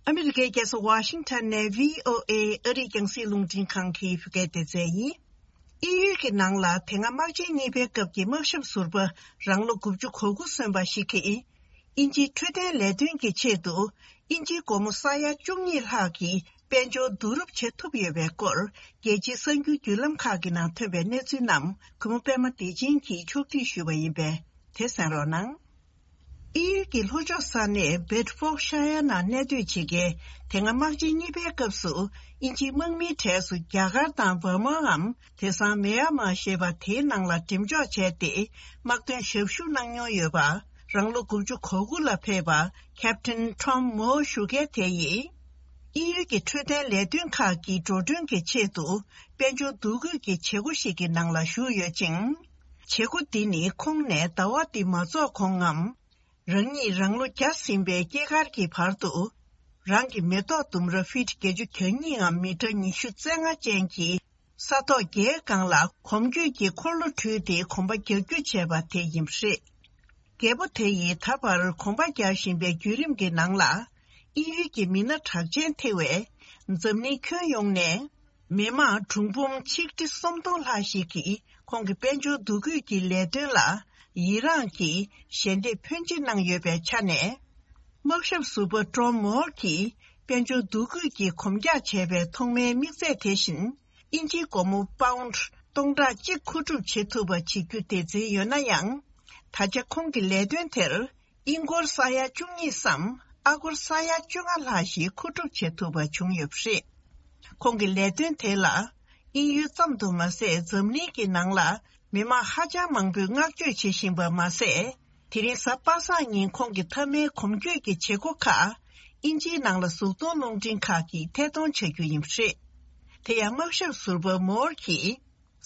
ཨ་མི་རི་ཀའི་རྒྱལ་ས་ཝ་ཤིང་ཊོན་ནས་བྷི་ཨོ་ཨེ་ཨ་རིའི་རྒྱང་སྲིང་རླུང་འཕྲིན་ཁང་གི་བོད་སྐད་སྡེ་ཚན་ཡིན། དབྱིན་ཡུལ་གྱི་ནང་ལ་དེ་སྔ་དམག་ཆེན་གཉིས་པའི་སྐབས་ཀྱི་དམག་ཞབས་ཟུར་པ་རང་ལོ་དགུ་བཅུ་གོ་དགུ་སོན་པ་ཞིག་གིས། དབྱིན་ཇིའི་འཕྲོད་བསྟེན་ལས་དོན་གྱི་ཆེད་དུ་དབྱིན་ཇིའི་སྒོར་མོ་ས་ཡ་བཅུ་གཉིས་ལྷག་གི་དཔལ་འབྱོར་བསྡུ་རུབ་བྱེད་ཐུབ་ཡོད་པའི་སྐོར། རྒྱལ་སྤྱིའི་གསར་འགྱུར་བརྒྱུད་ལམ་ཁག་གི་ནང་ཐོན་པའི་གནས་ཚུལ་རྣམས་གུས་མོ་པད་མ་བདེ་ཆེན་གྱིས་ཕྱོགས་སྒྲིག་ཞུས་པ་ཡིན་པས། དེ་གསན་རོགས་གནང་། དབྱིན་ཡུལ་གྱི་ལྷོ་ཕྱོགས་ས་གནས་བེད་ཧྥོག་ཤ་ཡ་ནང་གནས་སྡོད་བྱེད་མཁན། དེ་སྔ་དམག་ཆེན་གཉིས་པའི་སྐབས་སུ་དབྱིན་ཇིའི་དམག་མིའི་གྲས་སུ་རྒྱ་གར་དང་འབར་མའམ་དེང་སང་མེ་ཡ་མ་ཞེས་པ་དེའི་ནང་ལ་འགྲེམས་འཇོག་བྱས་ཏེ། དམག་དོན་ཞབས་ཞུ་གནང་མྱོང་ཡོད་པ། རང་ལོ་དགུ་བཅུ་གོ་དགུ་ལ་ཕེབས་པ་ཁེབ་ཊན་ཊོམ་མོ་ཞུ་མཁན་དེ་ཡིས། དབྱིན་ཡུལ་གྱི་འཕྲོད་བསྟེན་ལས་དོན་ཁག་གི་འགྲོ་གྲོན་གྱི་ཆེད་དུ་དཔལ་འབྱོར་བསྡུ་སྐུལ་གྱི་བྱེད་སྒོ་ཞིག་གི་ནང་ལ་ཞུགས་ཡོད་ཅིང་། བྱེད་སྒོ་འདི་ནི་ཁོང་ནས་ཟླ་བ་འདི་མ་རྫོགས་གོང་ངམ། རང་ཉིད་རང་ལོ་བརྒྱ་ཟིན་པའི་སྐྱེས་སྐར་གྱི་བར་དུ། རང་གི་མེ་ཏོག་ལྡུམ་ར་ཕིཊ་བརྒྱད་ཅུ་གྱ་གཉིས་ངམ་མི་ཊར་ཉི་ཤུ་རྩ་ལྔ་ཅན་གྱི་ས་ཐོག་བརྒྱའི་སྒང་ལ་གོམ་བགྲོད་ཀྱི་འཁོར་ལོ་དྲུད་དེ་གོམ་པ་རྒྱག་རྒྱུ་བྱས་པ་དེ་ཡིན་པ་རེད། རྒད་པོ་དེ་ཡིས་ད་བར་གོམ་པ་རྒྱག་བཞིན་པའི་བརྒྱུད་རིམ་གྱི་ནང་ལ། དབྱིན་ཡུལ་གྱི་མི་སྣ་གྲགས་ཅན་ཐེ་བའི་འཛམ་གླིང་ཁྱོན་ཡོངས་ནས། མི་དམངས་གྲངས་འབོར་ཆིག་ཁྲི་སུམ་སྟོང་ལྷག་ཞིག་གིས་ཁོང་གི་དཔལ་འབྱོར་བསྡུ་སྐུལ་གྱི་ལས་དོན་ལ་ཡི་རངས་ཀྱིས་ཞལ་འདེབས་ཕོན་ཆེ་གནང་ཡོད་པའི་ཆ་ནས། དམག་ཞབས་ཟུར་པ་ཀྲོམ་མོར་གྱིས་དཔལ་འབྱོར་བསྡུ་སྐུལ་གྱིས་གོམ་རྒྱག་བྱས་པའི་ཐོག་མའི་དམིགས་ཚད་དེ་བཞིན་དབྱིན་ཇིའི་སྒོར་མོ་པའུནཌ་སྟོང་ཕྲག་གཅིག་མཁོ་སྒྲུབ་བྱེད་ཐུབ་པ་བྱེད་རྒྱུ་སྡེ་ཚན་ཡོད་ན་ཡང་། ད་ཆ་ཁོང་གི་ལས་དོན་དེར། དབྱིན་སྒོར་ས་ཡ་བཅུ་གཉིས་སམ་ཨ་སྒོར་ས་ཡ་བཅོ་ལྔ་ལྷག་ཞིག་མཁོ་སྒྲུབ་བྱེད་ཐུབ་པ་བྱུང་ཡོད་པ་རེད། ཁོང་གི་ལས་དོན་དེ་ལ་དབྱིན་ཡུལ་ཙམ་དུ་མ་ཟད་འཛམ་གླིང་གི་ནང་ལ་མི་མང་ཧ་ཅང་མང་པོས་བསྔགས་བརྗོད་བྱེད་བཞིན་པ་མ་ཟད། དེ་རིང་གཟའ་པ་སངས་ཉིན་ཁོང་གི་མཐའ་མའི་གོམ་བགྲོད་ཀྱི་བྱེད་སྒོ་ཁག་དབྱིན་ཇིའི་ནང་ལ་གཟུགས་མཐོང་རླུང་འཕྲིན་ཁག་གིས་ཐད་གཏོང་བྱ་རྒྱུ་ཡིན་པ་རེད། དེ་ཡང་དམག་ཞབས་ཟུར་པ་མོར་གྱིས།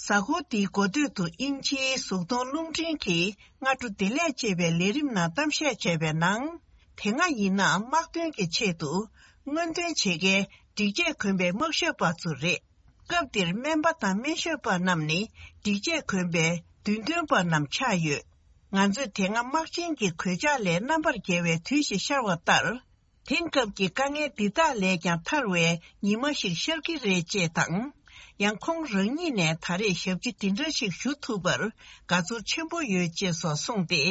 གཟའ་འཁོར་འདིའི་འགོ་སྟོད་དུ་དབྱིན་ཇིའི་གཟུགས་མཐོང་རླུང་འཕྲིན་གྱི་སྔ་དྲོ་བདེ་ལེགས་ཅེས་པའི་ལས་རིམ་ནང་གཏམ་བཤད་བྱས་པའི་ནང་། དེ་སྔ་ཡིན་ན་དམག་དོན་གྱི་ཆེད་དུ་སྔོན་ཐོན་བྱེད་མཁན་སྒྲིག་ཆས་གོན་པའི་དམག་ཞབས་པ་ཚོ་རེད། སྐབས་འདིར་སྨན་པ་དང་སྨན་ཞབས་པ་རྣམས་ནི་སྒྲིག་ཆས་གོན་པའི་མདུན་སྟོན་པ་རྣམས་ཆགས་ཡོད། ང་ཚོས་དེ་སྔ་དམག་ཆེན་གྱི་གོད་ཆག་ལས་རྣམ་པར་རྒྱལ་བའི་དུས་ཤིག་ཤར་བ་ལྟར། དེང་སྐབས་ཀྱི་དཀའ་ངལ་འདི་དག་ལས་ཀྱང་ཐར་བའི་ཉི་མ་ཞིག་ཤར་གྱི་རེད་ཅེས་དང་། ཡང་ཁོང་རང་ཉིད་ནས་ད་རེས་ཞབས་ཕྱི་འདི་འདྲ་ཞིག་ཞུ་ཐུབ་པར་དགའ་ཚོར་ཆེན་པོ་ཡོད་ཅེས་སོགས་གསུངས་ཏེ།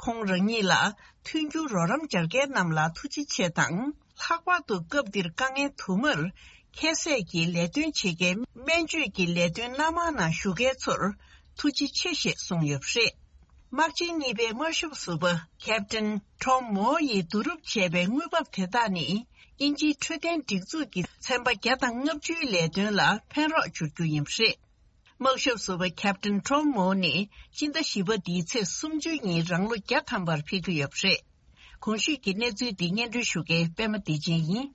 ཁོང་རང་ཉིད་ལ་མཐུན་འགྱུར་རོགས་རམ་སྦྱར་མཁན་རྣམས་ལ་ཐུགས་རྗེ་ཆེ་དང་། ལྷག་པར་དུ་སྐབས་འདིར་དཀའ་ངལ་དུ་མར་ཁྱད་བསད་ཀྱིས་ལས་དོན་བྱེད་མཁན་སྨན་བཅོས་ཀྱི་ལས་དོན་སྣ་མང་ནང་ཞུགས་མཁན་ཚོར་ཐུགས་རྗེ་ཆེ་ཞེས་གསུངས་ཡོད་པ་རེད། དམག་ཆེན་གཉིས་པའི་དམག་ཞབས་ཟུར་པ་ཁེབ་ཊན་ཀྲོམ་མོ་ཡིས་བསྡུ་རུབ་བྱས་པའི་དངུལ་འབབ་དེ་དག་ནི་དབྱིན་ཇིའི་འཕྲོད་བསྟེན་སྒྲིག་འཛུགས་ཀྱི་ཚན་པ་བརྒྱ་དང་ལྔ་བཅུའི་ལས་དོན་ལ་ཕན་རོགས་འབྱོར་རྒྱུ་ཡིན་པ་རེད། དམག་ཞབས་ཟུར་པ་ཁེབ་ཊན་ཀྲོམ་མོ་ནི་སྤྱི་ཟླ་བཞི་པ་འདིའི་ཚེས་སུམ་ཅུ་ཉིན་རང་ལོ་བརྒྱ་ཐམ་པར་ཕེབས་ཀྱི་ཡོད་པ་རེད། གོང་ཞུས་ཀྱི་གནས་ཚུལ་འདི་སྙན་སྒྲོན་ཞུ་མཁན་པད་མ་བདེ་ཆེན་ཡིན།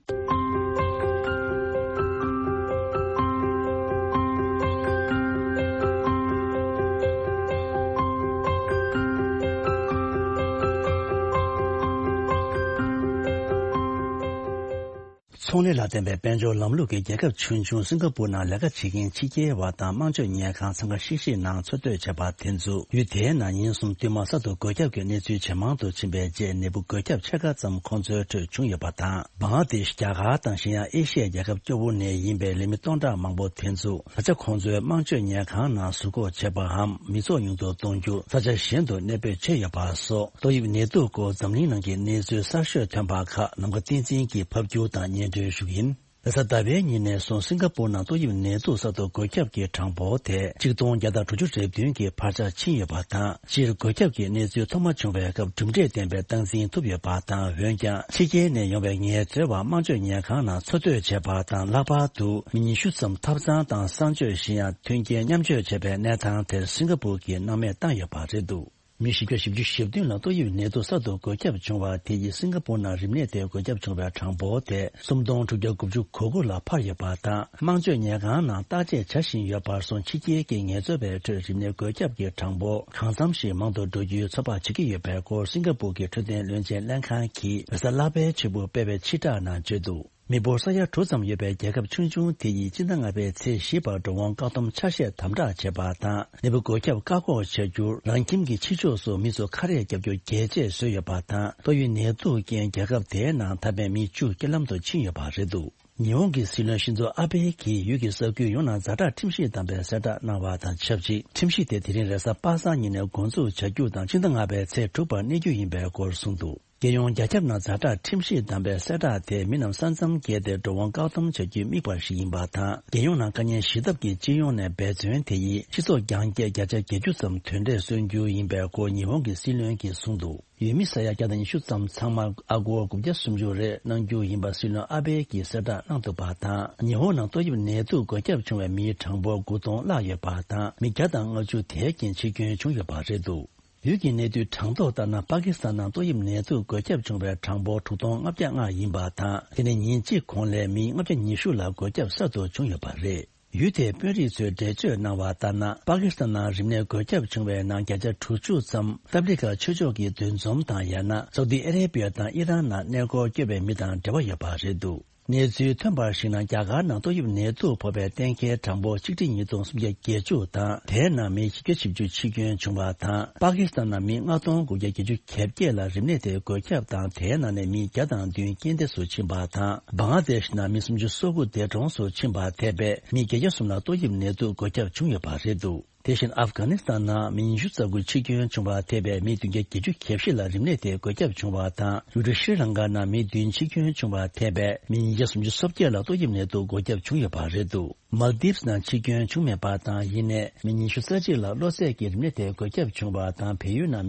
ཐོན་ལས་ལ་བརྟེན་པའི་དཔལ་འབྱོར་ལམ་ལུགས་ཀྱི་རྒྱལ་ཁབ་ཆུང་ཆུང་སིང་ག་པུར་ནང་ལས་ཀ་བྱེད་མཁན་ཕྱི་རྒྱལ་བ་དང་དམངས་སྤྱོད་ཉལ་ཁང་འཚང་ཁ་ཤིག་ཤིག་ནང་འཚོ་སྡོད་བྱས་པ་དེ་ཚོ་ཡུལ་དེའི་ནང་ཉིན་གསུམ་བསྟུད་མར་གསར་དུ་སྒོ་ཁྱབ་ཀྱི་གནས་ཚུལ་ཇེ་མང་དུ་ཕྱིན་པའི་རྗེས་ནད་འབུ་སྒོ་ཁྱབ་ཕྱེད་ཀ་ཙམ་ཁོང་ཚོའི་ཁྲོད་བྱུང་ཡོད་པ་དང་། བང་ལ་དེཤ། རྒྱ་གར་དང་གཞན་ཡང་ཨེ་ཤི་ཡའི་རྒྱལ་ཁབ་སྐྱོ་བོ་ནས་ཡིན་པའི་ལས་མི་སྟོང་ཕྲག་མང་པོ་དེ་ཚོ་ད་ཆ་ཁོང་ཚོའི་དམངས་སྤྱོད་ཉལ་ཁང་ནང་ཟུར་འགོག་བྱས་པའམ་མི་ཚོགས་ཉུང་དུ་གཏོང་རྒྱུ། ས་ཆ་གཞན་དུ་གནས་སྤོས་བྱས་ཡོད་པ་སོགས་ཏོག་དབྱིབས་ནད་དུག་སྐོར་འཛམ་གླིང་ནང་གི་གནས་ཚུལ་གསར་ཤོས་ཐོན་པ་ཁག་ནམ་མཁའ་བསྟན་འཛིན་གྱིས་ཕབ་སྒྱུར་དང་སྙན་སྒྲོན་ཞུ་གི་ཡིན། རེས་གཟའ་ཟླ་བའི་ཉིན་ནས་བཟུང་སིང་ག་པུར་ནང་ཏོག་དབྱིབས་ནད་དུག་གསར་དུ་འགོས་ཁྱབ་ཀྱི་གྲངས་འབོར་དེ་ཆིག་སྟོང་བརྒྱ་དང་དྲུག་ཅུ་རེ་བདུན་གྱི་བར་ཆ་ཕྱིན་ཡོད་པ་དང་། སྤྱིར་འགོས་ཁྱབ་ཀྱི་གནས་ཚུལ་ཐོག་མ་བྱུང་བའི་སྐབས་གྲུབ་འབྲས་ལྡན་པའི་སྟངས་འཛིན་ཐུབ་ཡོད་པ་དང་། འོན་ཀྱང་ཕྱི་རྒྱལ་ནས་ཡོང་བའི་ངལ་རྩོལ་བ་དམངས་སྤྱོད་ཉལ་ཁང་ནང་འཚོ་སྡོད་བྱས་པ་དང་། ལྷག་པར་དུ་མི་ཉི་ཤུ་ཙམ་ཐབ་ཚང་དང་གསང་སྤྱོད་བཞིན་ཡང་མཐུན་རྐྱེན་མཉམ་སྤྱོད་བྱས་པའི་གནས་སྟངས་དེར་སིང་ག་པུར་གྱིས་སྣང་མེད་བཏང་ཡོད་པ་རེད་འདུག་མི་བཞི་བརྒྱ་བཞི་བཅུ་ཞེ་བདུན་ལ་ཏོག་དབྱིབས་ནད་དུག་གསར་དུ་འགོས་ཁྱབ་བྱུང་བ་དེ་ཡིས་སིང་ག་པུར་ནང་རིམས་ནད་དེ་འགོས་ཁྱབ་བྱུང་བའི་གྲངས་འབོར་དེ་སུམ་སྟོང་དྲུག་བརྒྱ་དགུ་བཅུ་གོ་དགུ་ལ་འཕར་ཡོད་པ་དང་། དམངས་སྤྱོད་ཉལ་ཁང་ནང་བརྟག་དཔྱད་བྱ་བཞིན་ཡོད་པར་སོང་ཕྱི་རྒྱལ་གྱི་ངལ་རྩོལ་བའི་ཁྲོད་རིམས་ནད་འགོས་ཁྱབ་ཀྱི་གྲངས་འབོར་གང་འཚམ་ཞིག་མང་དུ་འགྲོ་རྒྱུའི་ཚོད་དཔག་བྱེད་ཀྱི་ཡོད་པའི་སྐོར་སིང་ག་པུར་གྱི་འཕྲོད་བསྟེན་བློན་ཆེན་ལྷན་ཁང་གིས་རེས་གཟའ་ལྷག་པའི་ཕྱི་དྲོ་སྤེལ་བའི་ཕྱིར་བསྒྲགས་ནང་བརྗོད་འདུག་མི་འབོར་ས་ཡ་དྲུག་ཙམ་ཡོད་པའི་རྒྱལ་ཁབ་ཆུང་ཆུང་དེ་ཡིས་སྤྱི་ཟླ་ལྔ་པའི་ཚེས་བཞི་བར་འགྲོ་འོང་བཀག་སྡོམ་ཆ་ཤས་དམ་དྲག་བྱས་པ་དང་། ནད་འབུ་འགོས་ཁྱབ་བཀག་འགོག་བྱ་རྒྱུར་རང་ཁྱིམ་གྱི་ཕྱི་ཕྱོགས་སུ་མི་ཚོ་ཁ་རས་བརྒྱབ་རྒྱུ་རྒྱས་བཅད་བཟོས་ཡོད་པ་དང་། ཏོག་དབྱིབས་ནད་དུག་རྐྱེན་རྒྱལ་ཁབ་དེའི་ནང་ད་ཕན་མི་བཅུ་རྐྱེན་ལམ་དུ་ཕྱིན་ཡོད་པ་རེད་འདུག་ཉི་ཧོང་གི་སྲིད་བློན་ཤིན་ཛོ་ཨ་བྷེ་གིས་ཡུལ་གྱི་ས་ཁུལ་ཡོངས་ནང་ཛ་དྲག་ཁྲིམས་གཞི་བསྡམས་པའི་གསལ་བསྒྲགས་གནང་བ་དང་ཆབས་ཅིག་ཁྲིམས་གཞི་དེ་དེ་རིང་རེས་གཟའ་པ་སངས་ཉིན་ནས་འགོ་འཛུགས་བྱ་རྒྱུ་དང་། ཕྱི་ཟླ་ལྔ་པའི་ཚེས་དྲུག་པར་གནས་རྒྱུ་ཡིན་པའི་སྐོར་གསུངས་འདུག་རྒྱལ་ཡོངས་རྒྱ་ཁྱབ་ནང་ཛ་དྲག་ཁྲིམས་གཞི་བསྡམས་པའི་གསལ་བསྒྲགས་དེ་མི་རྣམས་ས་མཚམས་བརྒལ་ཏེ་འགྲོ་འོང་བཀག་སྡོམ་བྱ་རྒྱུའི་དམིགས་པ་ཞིག་ཡིན་པ་དང་། རྒྱལ་ཡོངས་ནང་དཀའ་ངལ་ཞི་ཐབས་ཀྱི་སྤྱི་ཡོངས་ནས་འབད་བརྩོན་དེ་ཡིས་སྤྱི་ཚོགས་རྒྱང་བཀྱེད་བརྒྱ་ཆ་བརྒྱད་ཅུ་ཙམ་དོན་འབྲས་སོན་རྒྱུ་ཡིན་པའི་སྐོར་ཉི་ཧོང་གི་སྲིད་བློན་གྱིས་གསུངས་འདུག་ཡུལ་མི་ས་ཡ་བརྒྱ་དང་ཉི་ཤུ་ཙམ་ཚང་མར་ཨ་སྒོར་དགུ་བརྒྱ་སུམ་ཅུ་རེ་གནང་རྒྱུ་ཡིན་པ་སྲིད་བློན་ཨ་བྷེ་གིས་གསལ་བསྒྲགས་གནང་འདུག་པ་དང་། ཉི་ཧོང་ནང་ཏོག་དབྱིབས་ནད་དུག་འགོས་ཁྱབ་བྱུང་བའི་མིའི་གྲངས་འབོར་དགུ་སྟོང་བརླག་ཡོད་པ་དང་། མི་བརྒྱ་དང་ལྔ་བཅུ་དེའི་རྐྱེན་འཆི་སྐྱོན་བྱུང་ཡོད་པ་རེད་འདུག་ཡུལ་གྱི་གནས་ཚུལ་གྲངས་ཐོ་ལྟར་ན། པ་ཀི་སི་ཐན་ནང་ཏོག་དབྱིབས་ནད་དུག་འགོས་ཁྱབ་བྱུང་བའི་གྲངས་འབོར་དྲུག་སྟོང་ལྔ་བརྒྱ་ལྔ་ཡིན་པ་དང་། དེ་ནས་ཉིན་གཅིག་གོང་ལ་མི་ལྔ་བརྒྱ་ཉི་ཤུ་ལ་འགོས་ཁྱབ་གསར་དུ་བྱུང་ཡོད་པ་རེད། ཡུལ་དེའི་དཔོན་རིགས་ཚོས་འགྲེལ་བརྗོད་གནང་བ་ལྟར་ན། པ་ཀི་སི་ཐན་ནང་རིམས་ནད་འགོས་ཁྱབ་བྱུང་བའི་ནང་བརྒྱ་ཆ་དྲུག་ཅུ་ཙམ་ཏབ་ལི་ག་ཆོས་ཕྱོགས་ཀྱི་འདུ་འཛོམས་དང་། ཡང་ན་སའུ་ཏི་ཨ་རེ་བི་ཡ་དང་ཨི་རན་ནང་གནས་སྐོར་སྐྱོད་པའི་མི་དང་འབྲེལ་བ་ཡོད་པ་རེད་འདུག་གནས་ཚུལ་ཐོན་པར་གཞིགས་ན། རྒྱ་གར་ནང་ཏོག་དབྱིབས་ནད་དུག་ཕོག་པའི་གཏན་འཁེལ་གྲངས་འབོར་ཆིག་ཁྲི་ཉིས་སྟོང་སུམ་བརྒྱ་བརྒྱད་ཅུ་དང་། དེའི་ནང་མི་བཞི་བརྒྱ་བཞི་བཅུ་འཆི་སྐྱོན་བྱུང་བ་དང་། པ་ཀི་སི་ཐན་ནང་མི་ལྔ་སྟོང་དགུ་བརྒྱ་བརྒྱད་ཅུ་གྱ་བརྒྱད་ལ་རིམས་ནད་དེ་འགོས་ཁྱབ་དང་། དེའི་ནང་ནས་མི་བརྒྱ་དང་བདུན་རྐྱེན་འདས་སུ་ཕྱིན་པ་དང་། བང་ལ་དེཤ་ནང་མི་སུམ་ཅུ་སོ་དགུ་འདས་གྲོངས་སུ་ཕྱིན་པ་ཐེ་བའི་མི་བརྒྱད་བརྒྱ་གསུམ་ལ་ཏོག་དབྱིབས་ནད་དུག་འགོས་ཁྱབ་བྱུང་ཡོད་པ་རེད་འདུག་དེ་བཞིན་ཨབ་གྷ་ནི་སི་ཐན་ནང་མི་ཉི་ཤུ་རྩ་དགུ་འཆི་སྐྱོན་བྱུང་བ་ཐེ་བའི་མི་བདུན་བརྒྱ་བརྒྱད་ཅུ་གྱ་བཞི་ལ་རིམས་ནད་དེ་འགོས་ཁྱབ་བྱུང་བ་དང་། ཡུལ་གྲུ་ཤྲི་ལང་ཀ་ནང་མི་བདུན་འཆི་སྐྱོན་བྱུང་བ་ཐེ་བའི་མི་ཉིས་བརྒྱ་སུམ་ཅུ་སོ་བརྒྱད་ལ་ཏོག་དབྱིབས་ནད་དུག་འགོས་ཁྱབ་བྱུང་ཡོད་པ་རེད་འདུག་མལ་དིབ་སི་ནང་འཆི་སྐྱོན་བྱུང་མེད་པ་དང་། ཡིན་ནའི་མི་ཉི་ཤུ་རྩ་གཅིག་ལ་གློ་ཚད་ཀྱི་རིམས་ནད་དེ་འགོས་ཁྱབ་བྱུང་བ་དང་། བལ་ཡུལ་ནང་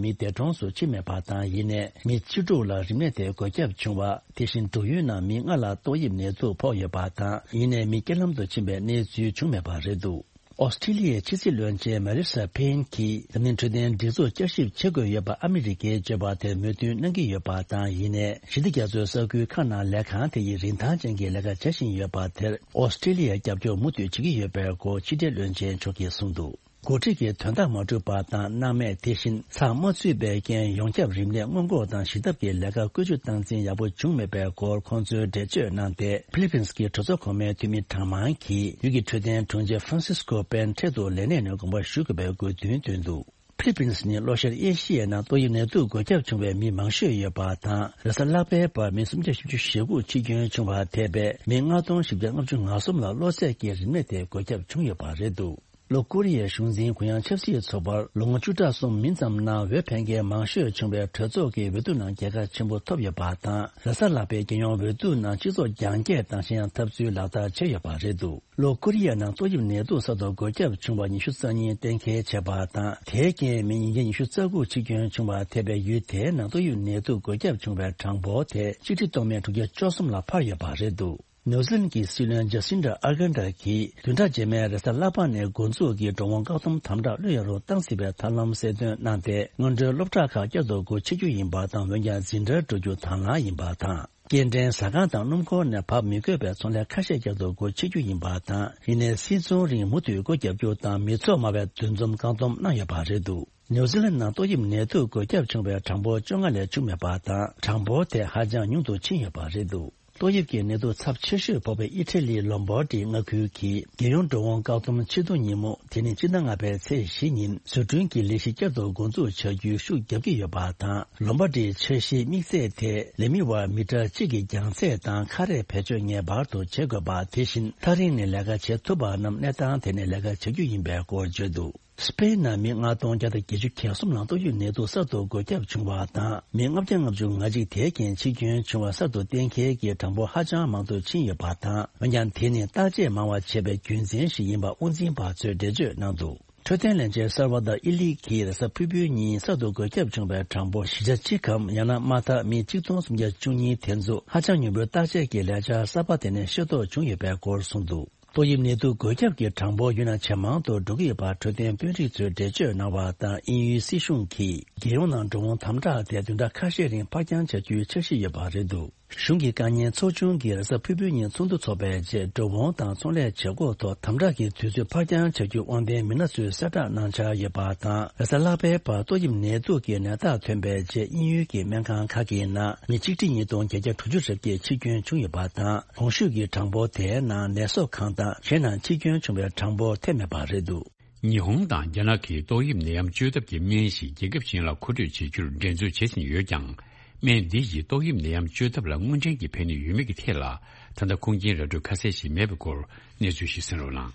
མི་འདས་གྲོངས་སུ་ཕྱིན་མེད་པ་དང་། ཡིན་ནའི་མི་བཅུ་དྲུག་ལ་རིམས་ནད་དེ་འགོས་ཁྱབ་བྱུང་བ། དེ་བཞིན་འབྲུག་ཡུལ་ནང་མི་ལྔ་ལ་ཏོག་དབྱིབས་ནད་དུག་ཕོག་ཡོད་པ་དང་། ཡིན་ནའི་མི་རྐྱེན་ལམ་དུ་ཕྱིན་པའི་གནས་ཚུལ་བྱུང་མེད་པ་རེད་འདུག་ཨོ་སི་ཀྲི་ལི་ཡའི་ཕྱི་སྲིད་བློན་ཆེན་མ་རི་ས་ཕེན་གྱིས་འཛམ་གླིང་འཕྲོད་བསྟེན་སྒྲིག་འཛུགས་བསྐྱར་ཞིབ་བྱེད་དགོས་ཡོད་པ་ཨ་མི་རི་ཀས་བརྗོད་པ་དེར་མོས་མཐུན་གནང་གི་ཡོད་པ་དང་། ཡིན་ནའི་ཞི་བདེ་རྒྱ་མཚོའི་ས་ཁུལ་ཁག་ནང་ལས་ཁང་དེ་ཡིས་རིན་ཐང་ཅན་གྱི་ལས་ཀ་བྱ་བཞིན་ཡོད་པ་དེར་ཨོ་སི་ཀྲི་ལི་ཡས་རྒྱབ་སྐྱོར་མུ་མཐུད་བྱེད་ཀྱི་ཡོད་པའི་སྐོར་ཕྱི་དྲིལ་བློན་ཆེན་མཆོག་གིས་གསུངས་འདུག་འགོ་ཁྲིད་ཀྱི་དོན་དག་མ་འགྲུབ་པ་དང་། སྣང་མེད། དེ་བཞིན་ཚགས་མ་ཚུད་པའི་རྐྱེན་ཡོངས་ཁྱབ་རིམས་ནད་སྔོན་འགོག་དང་ཞི་ཐབས་ཀྱི་ལས་ཀ་བཀོལ་སྤྱོད་སྟངས་འཛིན་ཡག་པོ་བྱུང་མེད་པའི་སྐོར་ཁོང་ཚོས་འགྲེལ་བརྗོད་གནང་སྟེ། ཕི་ལི་པིན་གྱི་གྲོས་ཚོགས་གོང་མའི་འཐུས་མི་གྲངས་མང་གིས་ཡུལ་གྱི་འཕྲོད་བསྟེན་དྲུང་ཆེ་ཧྥ་རན་སིས་ཀོ་པེན་འཕྲལ་དུ་ལས་གནས་ནས་དགོངས་པ་ཞུ་དགོས་པའི་དགོས་འདུན་བཏོན་འདུག་ཕི་ལི་པིན་ནི་ལྷོ་ཤར་ཨེ་ཤི་ཡའི་ནང་ཏོག་དབྱིབས་ནད་དུག་འགོས་ཁྱབ་བྱུང་བའི་མི་མང་ཤོས་ཡོད་པ་དང་། རེས་གཟའ་ལྷག་པའི་བར་མི་སུམ་བརྒྱ་བཞི་བཅུ་ཞེ་དགུ་འཆི་སྐྱོན་བྱུང་བ་ཐེ་བའི་མི་ལྔ་སྟོང་བཞི་བརྒྱ་ལྔ་བཅུ་ང་གསུམ་ལ་གློ་ཚད་ཀྱི་རིམས་ནད་དེ་འགོས་ཁྱབ་བྱུང་ཡོད་པ་རེད་འདུག་ལྷོ་ཀོ་རི་ཡའི་གཞུང་འཛིན་གུ་ཡངས་ཆབ་སྲིད་ཚོགས་པར་ལོ་ངོ་བཅུ་ཕྲག་གསུམ་མིན་ཙམ་ནང་འོས་འཕེན་མཁན་མང་ཤོས་བྱུང་བའི་གྲོས་ཚོགས་ཀྱི་འོས་བསྡུ་ནང་རྒྱལ་ཁ་ཆེན་པོ་ཐོབ་ཡོད་པ་དང་། རེས་གཟའ་ལྷག་པའི་རྒྱལ་ཡོངས་འོས་བསྡུ་ནང་སྤྱི་ཚོགས་རྒྱང་བཀྱེད་དང་གཞན་ཡང་འཐབ་རྩོད་ལག་བསྟར་བྱས་ཡོད་པ་རེད་འདུག་ལྷོ་ཀོ་རི་ཡ་ནང་ཏོག་དབྱིབས་ནད་དུག་གསར་དུ་འགོས་ཁྱབ་བྱུང་བ་ཉི་ཤུ་རྩ་གཉིས་གཏན་འཁེལ་བྱས་པ་དང་། དེའི་རྐྱེན་མི་ཉིས་བརྒྱ་ཉི་ཤུ་རྩ་དགུ་འཆི་སྐྱོན་བྱུང་བ་ཐེ་བའི་ཡུལ་དེའི་ནང་ཏོག་དབྱིབས་ནད་དུག་འགོས་ཁྱབ་བྱུང་བའི་གྲངས་འབོར་དེ་གཅིག་ཁྲི་སྟོང་མེད་དྲུག་བརྒྱ་བཅུ་གསུམ་ལ་འཕར་ཡོད་པ་རེད་འདུག་ནིའུ་ཛི་ལན་གྱི་སྲིད་བློན་ཇ་སིན་ཌ་ཨར་ཀན་ཌ་གིས་བདུན་ཕྲག་རྗེས་མའི་རེས་གཟའ་ལྷག་པ་ནས་འགོ་འཛུགས་ཀྱིས་འགྲོ་འོང་བཀག་སྡོམ་དམ་དྲག་གློད་ཡོང་རུང་གཏང་སྲིད་པའི་ཐབས་ལམ་གསལ་སྟོན་གནང་སྟེ། སྔོན་འགྲོའི་སློབ་གྲྭ་ཁག་བསྐྱར་དུ་སྒོ་ཕྱེ་རྒྱུ་ཡིན་པ་དང་། འོན་ཀྱང་འཛིན་གྲྭར་འགྲོ་རྒྱུ་དང་བླངས་ཡིན་པ་དང་། སྐྱེལ་འདྲེན་ཟ་ཁང་དང་སྣུམ་འཁོར་ནས་བབས་མི་དགོས་པའི་ཚོང་ལས་ཁ་ཤས་བསྐྱར་དུ་སྒོ་ཕྱེ་རྒྱུ་ཡིན་པ་དང་། ཡིན་ནའི་སིལ་ཚོང་རིང་མུ་མཐུད་སྒོ་བརྒྱབ་རྒྱུ་དང་། མི་ཚོགས་དམའ་བའི་འདུ་འཛོམས་བཀག་སྡོམ་གནང་ཡོད་པ་རེད་འདུག་ནིའུ་ཛི་ལན་ནང་ཏོག་དབྱིབས་ནད་དུག་འགོས་ཁྱབ་བྱུང་བའི་གྲངས་འབོར་བཅོ་ལྔ་ལས་བྱུང་མེད་པ་དང་། གྲངས་འབོར་དེ་ཧ་ཅང་ཉུང་དུ་ཕྱིན་ཡོད་པ་རེད་འདུག་ཏོག་དབྱིབས་ཀྱི་ནད་དུག་ཚབས་ཆེ་ཤོས་ཕོག་པའི་ཨི་ཊ་ལིའི་ལོམ་བྷར་ཌི་མངའ་ཁུལ་གྱིས་རྒྱལ་ཡོངས་འགྲོ་འོང་བཀག་སྡོམ་ཕྱིར་གཏོང་ཉིན་མོ་དེ་ནི་སྤྱི་ཟླ་ལྔ་པའི་ཚེས་བཞི་ཉིན་བཟོ་སྐྲུན་གྱི་ལས་གཞི་བསྐྱར་དུ་འགོ་འཛུགས་བྱ་རྒྱུའི་ཤུགས་རྒྱབ་ཀྱི་ཡོད་པ་དང་། ལོམ་བྷར་ཌིའི་འཆར་གཞིའི་དམིགས་ཚད་དེ་ལས་མི་བར་མི་ཊར་གཅིག་གི་རྒྱང་ཚད་དང་ཁ་རས་བེད་སྤྱོད་ངེས་པར་དུ་བྱེད་དགོས་པ། དེ་བཞིན་ཐག་རིང་ནས་ལས་ཀ་བྱེད་ཐུབ་པ་རྣམས་གནས་སྟངས་དེ་ནས་ལས་ཀ་བྱ་རྒྱུ་ཡིན་པའི་སྐོར་བརྗོད་འདུག་སི་པེན་ནང་མི་ལྔ་སྟོང་བརྒྱ་དང་བརྒྱད་ཅུ་གྱ་གསུམ་ལ་ཏོག་དབྱིབས་ནད་དུག་གསར་དུ་འགོས་ཁྱབ་བྱུང་བ་དང་། མི་ལྔ་བརྒྱ་ལྔ་བཅུ་ང་གཅིག་དེ་གའི་འཆི་སྐྱོན་བྱུང་བ་གསར་དུ་གཏན་འཁེལ་གྱི་གྲངས་འབོར་ཧ་ཅང་མང་དུ་ཕྱིན་ཡོད་པ་དང་། འོན་ཀྱང་དེ་ནི་བརྟག་དཔྱད་མང་བ་བྱས་པའི་རྒྱུ་མཚན་ཞིག་ཡིན་པ་དབུ་འཛིན་པ་ཚོས་འགྲེལ་བརྗོད་གནང་འདུག་འཕྲོད་བསྟེན་ལས་བྱེད་གསར་པ་དང་ཨི་ལི་གིས་རེས་གཟའ་ཕུར་བུའི་ཉིན་གསར་དུ་འགོས་ཁྱབ་བྱུང་བའི་གྲངས་འབོར་བཞི་བརྒྱ་གཅིག་གམ། ཡང་ན་མ་མཐའ་མི་ཆིག་སྟོང་སུམ་བརྒྱ་བཅུ་གཉིས་དེ་ཚོ་ཧ་ཅང་ཉུང་པོའི་བརྟག་དཔྱད་ཀྱི་ལས་འཆར་གསར་པ་དེ་ནས་ཤེས་རྟོགས་བྱུང་ཡོད་པའི་སྐོར་གསུངས་འདུག་ཏོག་དབྱིབས་ནད་དུག་འགོས་ཁྱབ་ཀྱི་གྲངས་འབོར་ཡུན་རིང་ཇེ་མང་དུ་འགྲོ་གི་ཡོད་པ་འཕྲོད་བསྟེན་དཔོན་རིགས་ཚོས་འགྲེལ་བརྗོད་གནང་བ་དང་། དབྱིན་ཡུལ་སྲིད་གཞུང་གིས་རྒྱལ་ཡོངས་ནང་འགྲོ་འོང་དམ་དྲག་དེ་བདུན་ཕྲག་ཁ་ཤས་རིང་ཕར་འགྱངས་བྱ་རྒྱུའི་འཆར་གཞི་ཡོད་པ་རེད་འདུག་གཞུང་གི་བཀའ་རྙན་ཚོགས་ཆུང་གིས་རེས་གཟའ་ཕུར་བུའི་ཉིན་ཚོགས་འདུ་འཚོགས་པའི་རྗེས། འགྲོ་འོང་དང་ཚོང་ལས་བྱེད་སྒོ་ཐོག་དམ་དྲག་གི་དུས་ཚོད་ཕར་འགྱངས་བྱ་རྒྱུའི་དབང་ལྡན་མི་སྣ་ཚོས་གསལ་བསྒྲགས་གནང་འཆར་ཡོད་པ་དང་། རེས་གཟའ་ལྷག་པའི་བར་ཏོག་དབྱིབས་ནད་དུག་གི་ནད་རྟགས་ཐོན་པའི་རྗེས། དབྱིན་ཡུལ་གྱི་སྨན་ཁང་ཁག་གི་ནང་མི་ཆིག་ཁྲི་ཉིས་སྟོང་བརྒྱད་བརྒྱ་དྲུག་ཅུ་རེ་བརྒྱད་འཆི་སྐྱོན་བྱུང་ཡོད་པ་དང་། གོང་ཞུས་ཀྱི་གྲངས་འབོར་དེའི་ནང་ནད་གསོ་ཁང་དང་གཞན་ནང་འཆི་སྐྱོན་བྱུང་བའི་གྲངས་འབོར་ཐེ་མེད་པ་རེད་འདུག་ཉི་ཧོང་དང་རྒྱ་ནག་གིས་ཏོག་དབྱིབས་ནད་ཡམས་བཅོས་ཐབས་ཀྱི་སྨན་ཞིག་རྒྱལ་ཁབ་གཞན་ལ་མཁོ་སྤྲོད་བྱེད་རྒྱུར་འགྲན་རྩོད་བྱེད་བཞིན་ཡོད་ཀྱང་། སྨན་འདི་ཡིས་ཏོག་དབྱིབས་ནད་ཡམས་བཅོས་ཐབས་ལ་དངོས་འབྲེལ་གྱི་ཕན་ནུས་ཡོད་མེད་ཀྱི་ཐད་ལ། ད་ལྟ་ཁུངས་སྐྱེལ་ར་སྤྲོད་ཁ་གསལ་ཞིག་མེད་པའི་སྐོར་གནས་ཚུལ་ཞིག་གསན་རོགས་གནང་།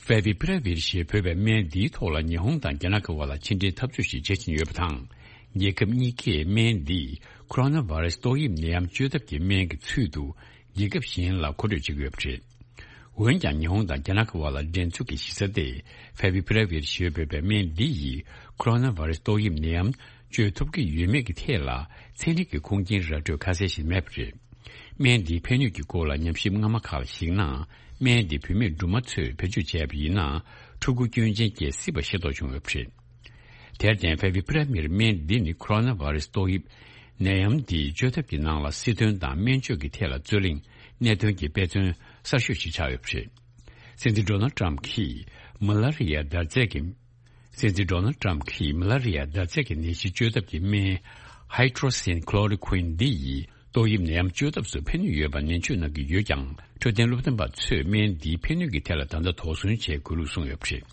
Favipiravir ཞེས་འབོད་པའི་སྨན་འདིའི་ཐོག་ལ་ཉི་ཧོང་དང་རྒྱ་ནག་གི་དབར་ལ་ཕྱི་འབྲེལ་འཐབ་རྩོད་ཞིག་བྱེད་བཞིན་ཡོད་པ་དང་། རྒྱལ་ཁབ་གཉིས་ཀས་སྨན་འདི་ཁོ་རོ་ན་བྷ་རེ་སི་ཏོག་དབྱིབས་ནད་ཡམས་བཅོས་ཐབས་ཀྱི་སྨན་གྱི་ཚུལ་དུ་རྒྱལ་ཁབ་གཞན་ལ་མཁོ་སྤྲོད་བྱེད་ཀྱི་ཡོད་པ་རེད། འོན་ཀྱང་ཉི་ཧོང་དང་རྒྱ་ནག་གི་དབར་ལ་འགྲན་རྩོད་ཀྱི་གཞི་རྩ་དེ་Favipiravir ཞེས་འབོད་པའི་སྨན་འདི་ཡིས་ཁོ་རོ་ན་བྷ་རེ་སི་ཏོག་དབྱིབས་ནད་ཡམས་བཅོས་ཐུབ་ཀྱི་ཡོད་མེད་ཀྱི་ཐད་ལ་ཚན་རིག་གི་ཁུངས་སྐྱེལ་ར་སྤྲོད་ཁ་གསལ་ཞིག་མེད་པ་རེད། སྨན་འདིའི་ཕན་ནུས་ཀྱི་སྐོར་ལ་ཉམས་ཞིབ་སྔ་མ་ཁག་ལ་གཞིགས་ན། སྨན་འདི་བུད་མེད་སྦྲུམ་མ་ཚོས་བེད་སྤྱོད་བྱས་པ་ཡིན་ན་ཕྲུ་གུ་སྐྱོན་ཅན་སྐྱེ་སྲིད་པ་ཤེས་རྟོགས་བྱུང་ཡོད་པ་རེད། དེར་བརྟེན་Favipiravir སྨན་འདི་ནི་ཁོ་རོ་ན་བྷ་རེ་སི་ཏོག་དབྱིབས་ནད་ཡམས་འདི་བཅོས་ཐབས་ཀྱི་ནང་ལ་སྲིད་དོན་དང་སྨན་བཅོས་ཀྱི་ཐད་ལ་རྩོད་གླེང་གནད་དོན་གྱི་དཔེ་མཚོན་གསར་ཤོས་ཤིག་ཆགས་ཡོད་པ་རེད། སྲིད་འཛིན་ཌོ་ནལ་ཊམ་གྱིས་མ་ལ་རི་ཡ་འདར་རྫས་ཀྱི། སྲིད་འཛིན་ཌོ་ནལ་ཊམ་གྱིས་མ་ལ་རི་ཡ་འདར་རྫས་ཀྱི་ནད་གཞི་བཅོས་ཐབས་ཀྱི་སྨན་Hydroxychloroquine འདི་ཡིས་ཏོག་དབྱིབས་ནད་ཡམས་བཅོས་ཐབས་སུ་ཕན་ནུས་ཡོད་པ་ནན་བརྗོད་གནང་གི་ཡོད་ཀྱང་། འཕྲོད་བསྟེན་སློབ་སྟོན་པ་ཚོས་སྨན་འདིའི་ཕན་ནུས་ཀྱི་ཐད་ལ་ད་ལྟ་དོགས་ཟོན་བྱེད་དགོས་ལུགས་གསུངས་ཡོད་པ་རེད།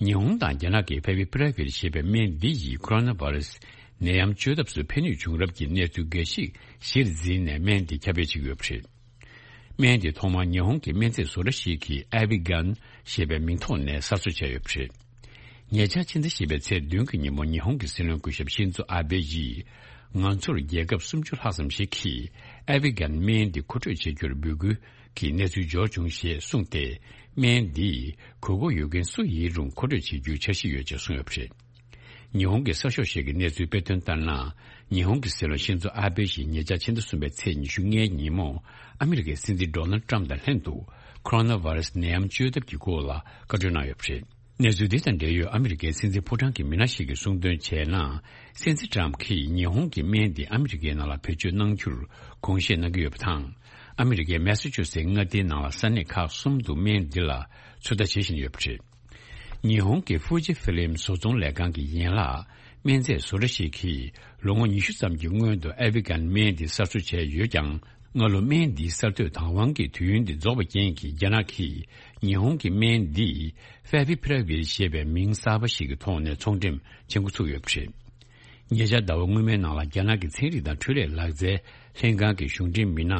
ཉི་ཧོང་དང་རྒྱ་ནག་གིས་Favipiravir ཞེས་པའི་སྨན་འདི་ཡིས་ཁོ་རོ་ན་བྷ་རེ་སི་ནད་ཡམས་བཅོས་ཐབས་སུ་ཕན་ནུས་བྱུང་རབས་ཀྱི་གནས་ཚུལ་འགའ་ཞིག་གཞིར་འཛིན་ནས་སྨན་འདི་ཁྱབ་སྤེལ་བྱེད་ཀྱི་ཡོད་པ་རེད། སྨན་འདི་ཐོག་མར་ཉི་ཧོང་གི་སྨན་རྫས་བཟོ་གྲྭ་ཞིག་གིས་Avigan ཞེས་པའི་མིང་ཐོག་ནས་གསར་བཟོ་བྱས་ཡོད་པ་རེད། ཉེ་ཆར་ཕྱི་ཟླ་བཞི་པའི་ཚེས་བདུན་གྱི་ཉིན་མོ་ཉི་ཧོང་གི་སྲིད་བློན་སྐུ་ཞབས་ཤིན་ཛོ་ཨ་བྷེ་ཡིས། ང་ཚོར་རྒྱལ་ཁབ་སུམ་ཅུ་ལྷག་ཙམ་ཞིག་གིས་Avigan སྨན་འདི་མཁོ་སྤྲོད་བྱེད་རྒྱུར་འབོད་སྐུལ་གྱི་གནས་ཚུལ་འབྱོར་བྱུང་ཞེས་གསུངས་ཏེ། སྨན་འདིས་དགོས་མཁོ་ཡོད་མཁན་སུ་ཡིན་རུང་མཁོ་སྤྲོད་བྱེད་རྒྱུའི་འཆར་གཞི་ཡོད་ཅེས་གསུངས་ཡོད་པ་རེད། ཉི་ཧོང་གི་གསར་ཤོག་ཞིག་གིས་གནས་ཚུལ་སྤེལ་དོན་ལྟར་ན། ཉི་ཧོང་གི་སྲིད་བློན་ཤིན་ཛོ་ཨ་བྷེ་ཡིས་ཉེ་ཆར་ཕྱི་ཟླ་གསུམ་པའི་ཚེས་ཉི་ཤུ་ལྔའི་ཉིན་མོ། ཨ་མི་རི་ཀའི་སྲིད་འཛིན་ཌོ་ནལ་ཊམ་དང་ལྷན་དུ། ཁོ་རོ་ན་བྷ་རེ་སི་ནད་ཡམས་བཅོས་ཐབས་ཀྱི་སྐོར་ལ་བཀའ་གྲོས་གནང་ཡོད་པ་རེད། གནས་ཚུལ་འདི་དང་འབྲེལ་ཡོད་ཨ་མི་རི་ཀའི་སྲིད་འཛིན་ཕོ་བྲང་གི་མི་སྣ་ཞིག་གིས་གསུངས་དོན་བྱས་ན། སྲིད་འཛིན་ཊམ་གྱིས་ཉི་ཧོང་གི་སྨན་འདི་ཨ་མི་རི་ཀའི་ནང་ལ་བེད་སྤྱོད་གནང་རྒྱུར་དགོངས་བཞེས་གནང་གི་ཡོད་པ་དང་། ཨ་མི་རི་ཀའི་མེ་སཱ་ཅུ་སེ་མངའ་སྡེའི་ནང་ལ་ས་གནས་ཁག་གསུམ་དུ་སྨན་འདི་ལ་ཚོད་ལྟ་བྱེད་བཞིན་ཡོད་པ་རེད། ཉི་ཧོང་གི་ཧྥུ་ཇི་ཧྥི་ལིམ་བཟོ་ཚོང་ལས་ཁང་གི་ཡན་ལག་སྨན་རྫས་བཟོ་གྲྭ་ཞིག་གིས་ལོ་ངོ་ཉི་ཤུ་ཙམ་གྱི་སྔོན་དུ་ཨེ་ཝི་ཀན་སྨན་འདི་གསར་བཟོ་བྱས་ཡོད་ཀྱང་། སྔ་ལོ་སྨན་འདིའི་གསར་གཏོད་བདག་དབང་གི་དུས་ཡུན་འདི་རྫོགས་པའི་རྐྱེན་གྱིས། རྒྱ་ནག་གིས་ཉི་ཧོང་གི་སྨན་འདི་ཧྥེ་བི་ཕི་ར་ཝིར་ཞེས་པའི་མིང་གསར་པ་ཞིག་གི་ཐོག་ནས་ཚོང་འགྲེམས་བྱེད་འགོ་ཚུགས་ཡོད་པ་རེད། ཉེ་ཆར་ཟླ་བ་སྔོན་མའི་ནང་ལ་རྒྱ་ནག་གི་ཚན་རིག་དང་འཕྲུལ་ལས་ལག་རྩལ་ལྷན་ཁང་གི་གཞུང་འབྲེལ་མི་སྣ་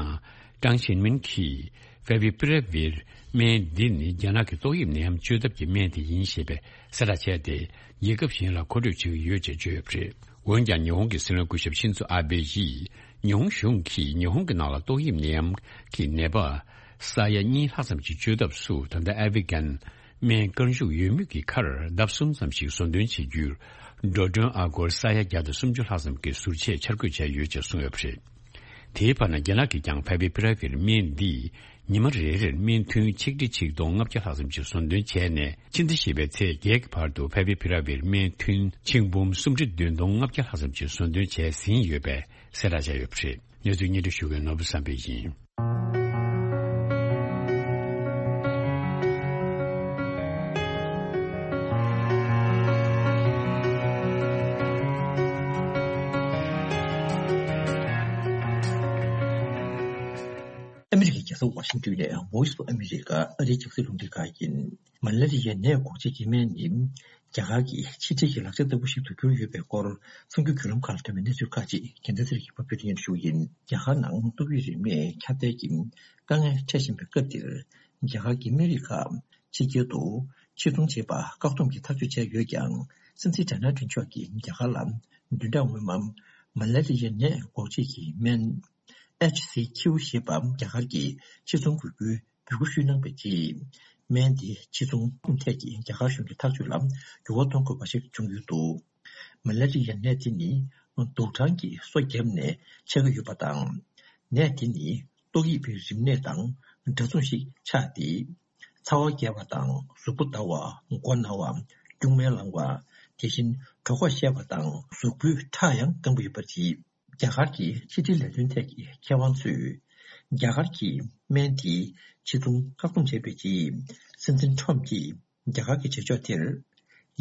ཀྲང་ཞིན་མིན་གྱིས། ཧྥེ་བི་ཕི་ར་ཝིར་སྨན་འདི་ནི་རྒྱ་ནག་གི་ཏོག་དབྱིབས་ནད་ཡམས་བཅོས་ཐབས་ཀྱི་སྨན་དེ་ཡིན་ཞེས་པའི་གསལ་བསྒྲགས་བྱས་ཏེ། རྒྱལ་ཁབ་གཞན་ལ་མཁོ་སྤྲོད་བྱེད་ཀྱི་ཡོད་ཅེས་བརྗོད་ཡོད་པ་རེད། འོན་ཀྱང་། ཉི་ཧོང་གི་སྲིད་བློན་སྐུ་ཞབས་ཤིན་ཛོ་ཨ་བེ་ཡིས། ཉི་ཧོང་གཞུང་གིས་ཉི་ཧོང་གི་ནང་ལ་ཏོག་དབྱིབས་ནད་ཡམས་ཀྱི་ནད་པ་ས་ཡ་གཉིས་ལྷག་ཙམ་ཞིག་བཅོས་ཐབས་སུ། ད་ལྟ་ཨེ་ཝི་ཀན་སྨན་བཀར་འཇུག་ཡོད་མུས་ཀྱི་ཁར་ལྡབ་གསུམ་ཙམ་ཞིག་ཟོ་འདོན་བྱེད་རྒྱུར། འགྲོ་གྲོན་ཨ་སྒོར་ས་ཡ་བརྒྱ་དང་སུམ་ཅུ་ལྷག་ཙམ་གྱི་ཟུར་ཆས་འཆར་འགོད་བྱས་ཡོད་ཅེས་གསུངས་ཡོད་པ་རེད། དེའི་བར་ན། རྒྱ་ནག་གིས་ཀྱང་ཧྥེ་བི་ཕི་ར་ཝིར་སྨན་འདིས་ཉི་མ་རེ་རེར་སྨན་ཐུན་ཆིག་ཁྲི་ཆིག་སྟོང་ལྔ་བརྒྱ་ལྷག་ཙམ་ཞིག་ཟོ་འདོན་བྱས་ནས། ཕྱི་ཟླ་བཞི་པའི་ཚེས་བརྒྱད་ཀྱི་བར་དུ་ཧྥེ་བི་ཕི་ར་ཝིར་སྨན་ཐུན་ཆིག་འབུམ་སུམ་ཁྲི་བདུན་སྟོང་ལྔ་བརྒྱ་ལྷག་ཙམ་ཞིག་ཟོ་འདོན་བྱས་ཟིན་ཡོད་པའི་གསལ་བསྒྲགས་བྱས་ཡོད་པ་རེད། གནས་ཚུལ་སྙན་སྒྲོན་ཞུ་མཁན་ནོར་བུ་བསམ་འཕེལ་ཡིན། ཨ་མི་རི་ཀའི་རྒྱལ་ས་ཝ་ཤིང་ཏོན་ནས་Voice of America ཨ་རིའི་རྒྱང་སྲིང་རླུང་འཕྲིན་ཁང་ཡིན། མ་ལ་རི་ཡའི་ནད་འགོག་བྱེད་ཀྱི་སྨན་ནི་རྒྱ་གར་གྱི་ཕྱི་འབྲེལ་གྱི་ལག་ཆ་ལྟ་བུ་ཞིག་ཏུ་གྱུར་ཡོད་པའི་སྐོར་གསར་འགྱུར་བརྒྱུད་ལམ་ཁག་ལ་ཐོན་པའི་གནས་ཚུལ་ཁག་ཅིག་རྒྱལ་མཚན་ཚེ་རིང་གིས་ཕབ་སྒྱུར་སྙན་ཞུ་བ་ཡིན། རྒྱ་གར་ནང་ཏོག་དབྱིབས་རིམས་ནད་ཁྱབ་གདལ་གྱི་དཀའ་ངལ་འཕྲད་བཞིན་པའི་སྐབས་འདིར། རྒྱ་གར་གྱི་སྨན་རིགས་ཁག་ཕྱི་རྒྱལ་དུ་ཕྱིར་ཚོང་བྱེད་པར་བཀག་སྡོམ་གྱི་ཐག་གཅོད་བྱས་ཡོད་ཀྱང་། སྲིད་འཛིན་ཌོ་ནལ་ཊམ་མཆོག་གིས་རྒྱ་གར་ལ་བདུན་ཕྲག་སྔོན་མ་མ་ལ་རི་ཡའི་ནད་འགོག་བྱེད་ཀྱི་སྨན་ཨེཆ་སི་ཁྱུ་ཞེས་པ་རྒྱ་གར་གྱིས་ཕྱིར་ཚོང་དགོས་རྒྱུའི་འབོད་སྐུལ་ཞུས་གནང་བའི་རྗེས། སྨན་དེ་ཕྱིར་ཚོང་ཐད་ཀྱི་རྒྱ་གར་གཞུང་གི་ཐག་གཅོད་ལ་འགྱུར་བ་གཏོང་དགོས་པ་ཞིག་བྱུང་ཡོད་འདུག་མ་ལ་རི་ཡའི་ནད་དེ་ནི་དུག་སྦྲང་གིས་སོ་བརྒྱབ་ནས་མཆེད་ཀྱི་ཡོད་པ་དང་། ནད་དེ་ནི་ཏོག་དབྱིབས་རིམས་ནད་དང་འདྲ་མཚུངས་ཤིག་ཆགས་ཏེ། ཚ་བ་རྒྱས་པ་དང་གཟུགས་པོ་འདར་བ། མགོ་ན་བ། སྐྱུག་མིག་ལངས་པ། དེ་བཞིན་གྲོད་ཁོག་བཤལ་བ་དང་གཟུགས་པོའི་ཁྲག་ཡང་སྐམ་པོ་ཡོད་པ་རེད། རྒྱ་གར་གྱི་ཕྱི་འབྲེལ་ལས་དོན་ཐད་ཀྱི་མཁས་དབང་ཚོས། རྒྱ་གར་གྱིས་སྨན་དེའི་ཕྱིར་ཚོང་བཀག་སྡོམ་བྱས་པའི་རྗེས། སྲིད་འཛིན་ཁྲོམ་གྱིས་རྒྱ་གར་གྱི་བྱེད་ཕྱོགས་དེར།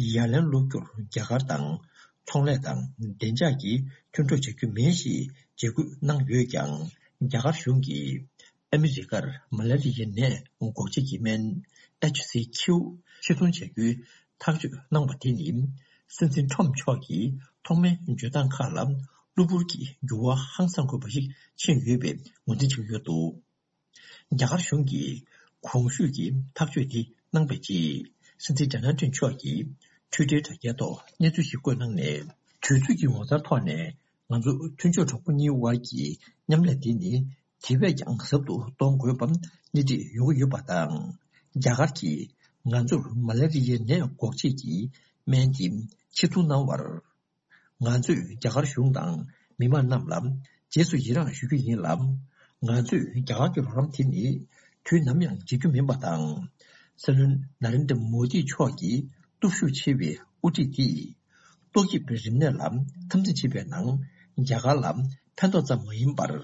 ཡ་ལན་སློག་རྒྱུར་རྒྱ་གར་དང་ཚོང་ལས་དང་བདེ་འཇགས་ཀྱི་མཐུན་གྲོགས་བྱ་རྒྱུ་མིན་ཞེས་འཇིགས་སྐུལ་གནང་ཡོད་ཀྱང་། རྒྱ་གར་གཞུང་གིས་ཨ་མི་རི་ཀར་མ་ལ་རི་ཡའི་ནད་འགོག་བྱེད་ཀྱི་སྨན་ཨེཆ་སི་ཁྱུ་ཕྱིར་ཚོང་བྱ་རྒྱུའི་ཐག་གཅོད་གནང་བ་དེ་ནི། སྲིད་འཛིན་ཁྲོམ་མཆོག་གིས་ཐོག་མའི་བརྗོད་སྟངས་ཁག་ལ་གློ་བུར་གྱི་འགྱུར་བ་ཧང་སང་དགོས་པ་ཞིག་ཕྱིན་ཡོད་པའི་ངོས་འཛིན་བྱེད་ཀྱི་ཡོད་འདུག་རྒྱ་གར་གཞུང་གིས་གོང་ཞུས་ཀྱི་ཐག་གཅོད་དེ་གནང་པའི་རྗེས། སྲིད་འཛིན་ཌོ་ནལ་ཊམ་མཆོག་གིས་ཊུའི་ཊར་དྲ་རྒྱའི་ཐོག་གནས་ཚུལ་ཞིག་བཀོད་གནང་ནས། དུས་ཚོད་ཀྱི་ངོ་མཚར་ཐོག་ནས། ང་ཚོ་མཐུན་ཕྱོགས་གྲོགས་པོ་གཉིས་དབར་གྱི་མཉམ་ལས་དེ་ནི་དེ་བས་ཀྱང་ཟབ་ཏུ་གཏོང་དགོས་པ་སྣེ་ཁྲིད་ཡོང་གི་ཡོད་པ་དང་། རྒྱ་གར་གྱིས་ང་ཚོར་མ་ལ་རི་ཡའི་ནད་འགོག་བྱེད་ཀྱི་སྨན་དེ་ཕྱིར་ཚོང་གནང་བར། ང་ཚོས་རྒྱ་གར་གཞུང་དང་མི་མང་རྣམས་ལ་རྗེས་སུ་ཡི་རངས་ཞུ་རྒྱུ་ཡིན་ལ། ང་ཚོས་རྒྱ་གར་གྱི་རོགས་རམ་དེ་ནི་དུས་ནམ་ཡང་བརྗེད་རྒྱུ་མིན་པ་དང་། སྲིད་བློན་ནཱ་རེན་དྲ་མོ་དི་མཆོག་གི་སྟོབས་ཤུགས་ཆེ་བའི་དབུ་ཁྲིད་དེས་ཏོག་དབྱིབས་རིམས་ནད་ལ་འཐབ་འཛིང་བྱེད་པའི་ནང་རྒྱ་གར་ལ་ཕན་ཐོགས་ཙམ་མ་ཡིན་པར།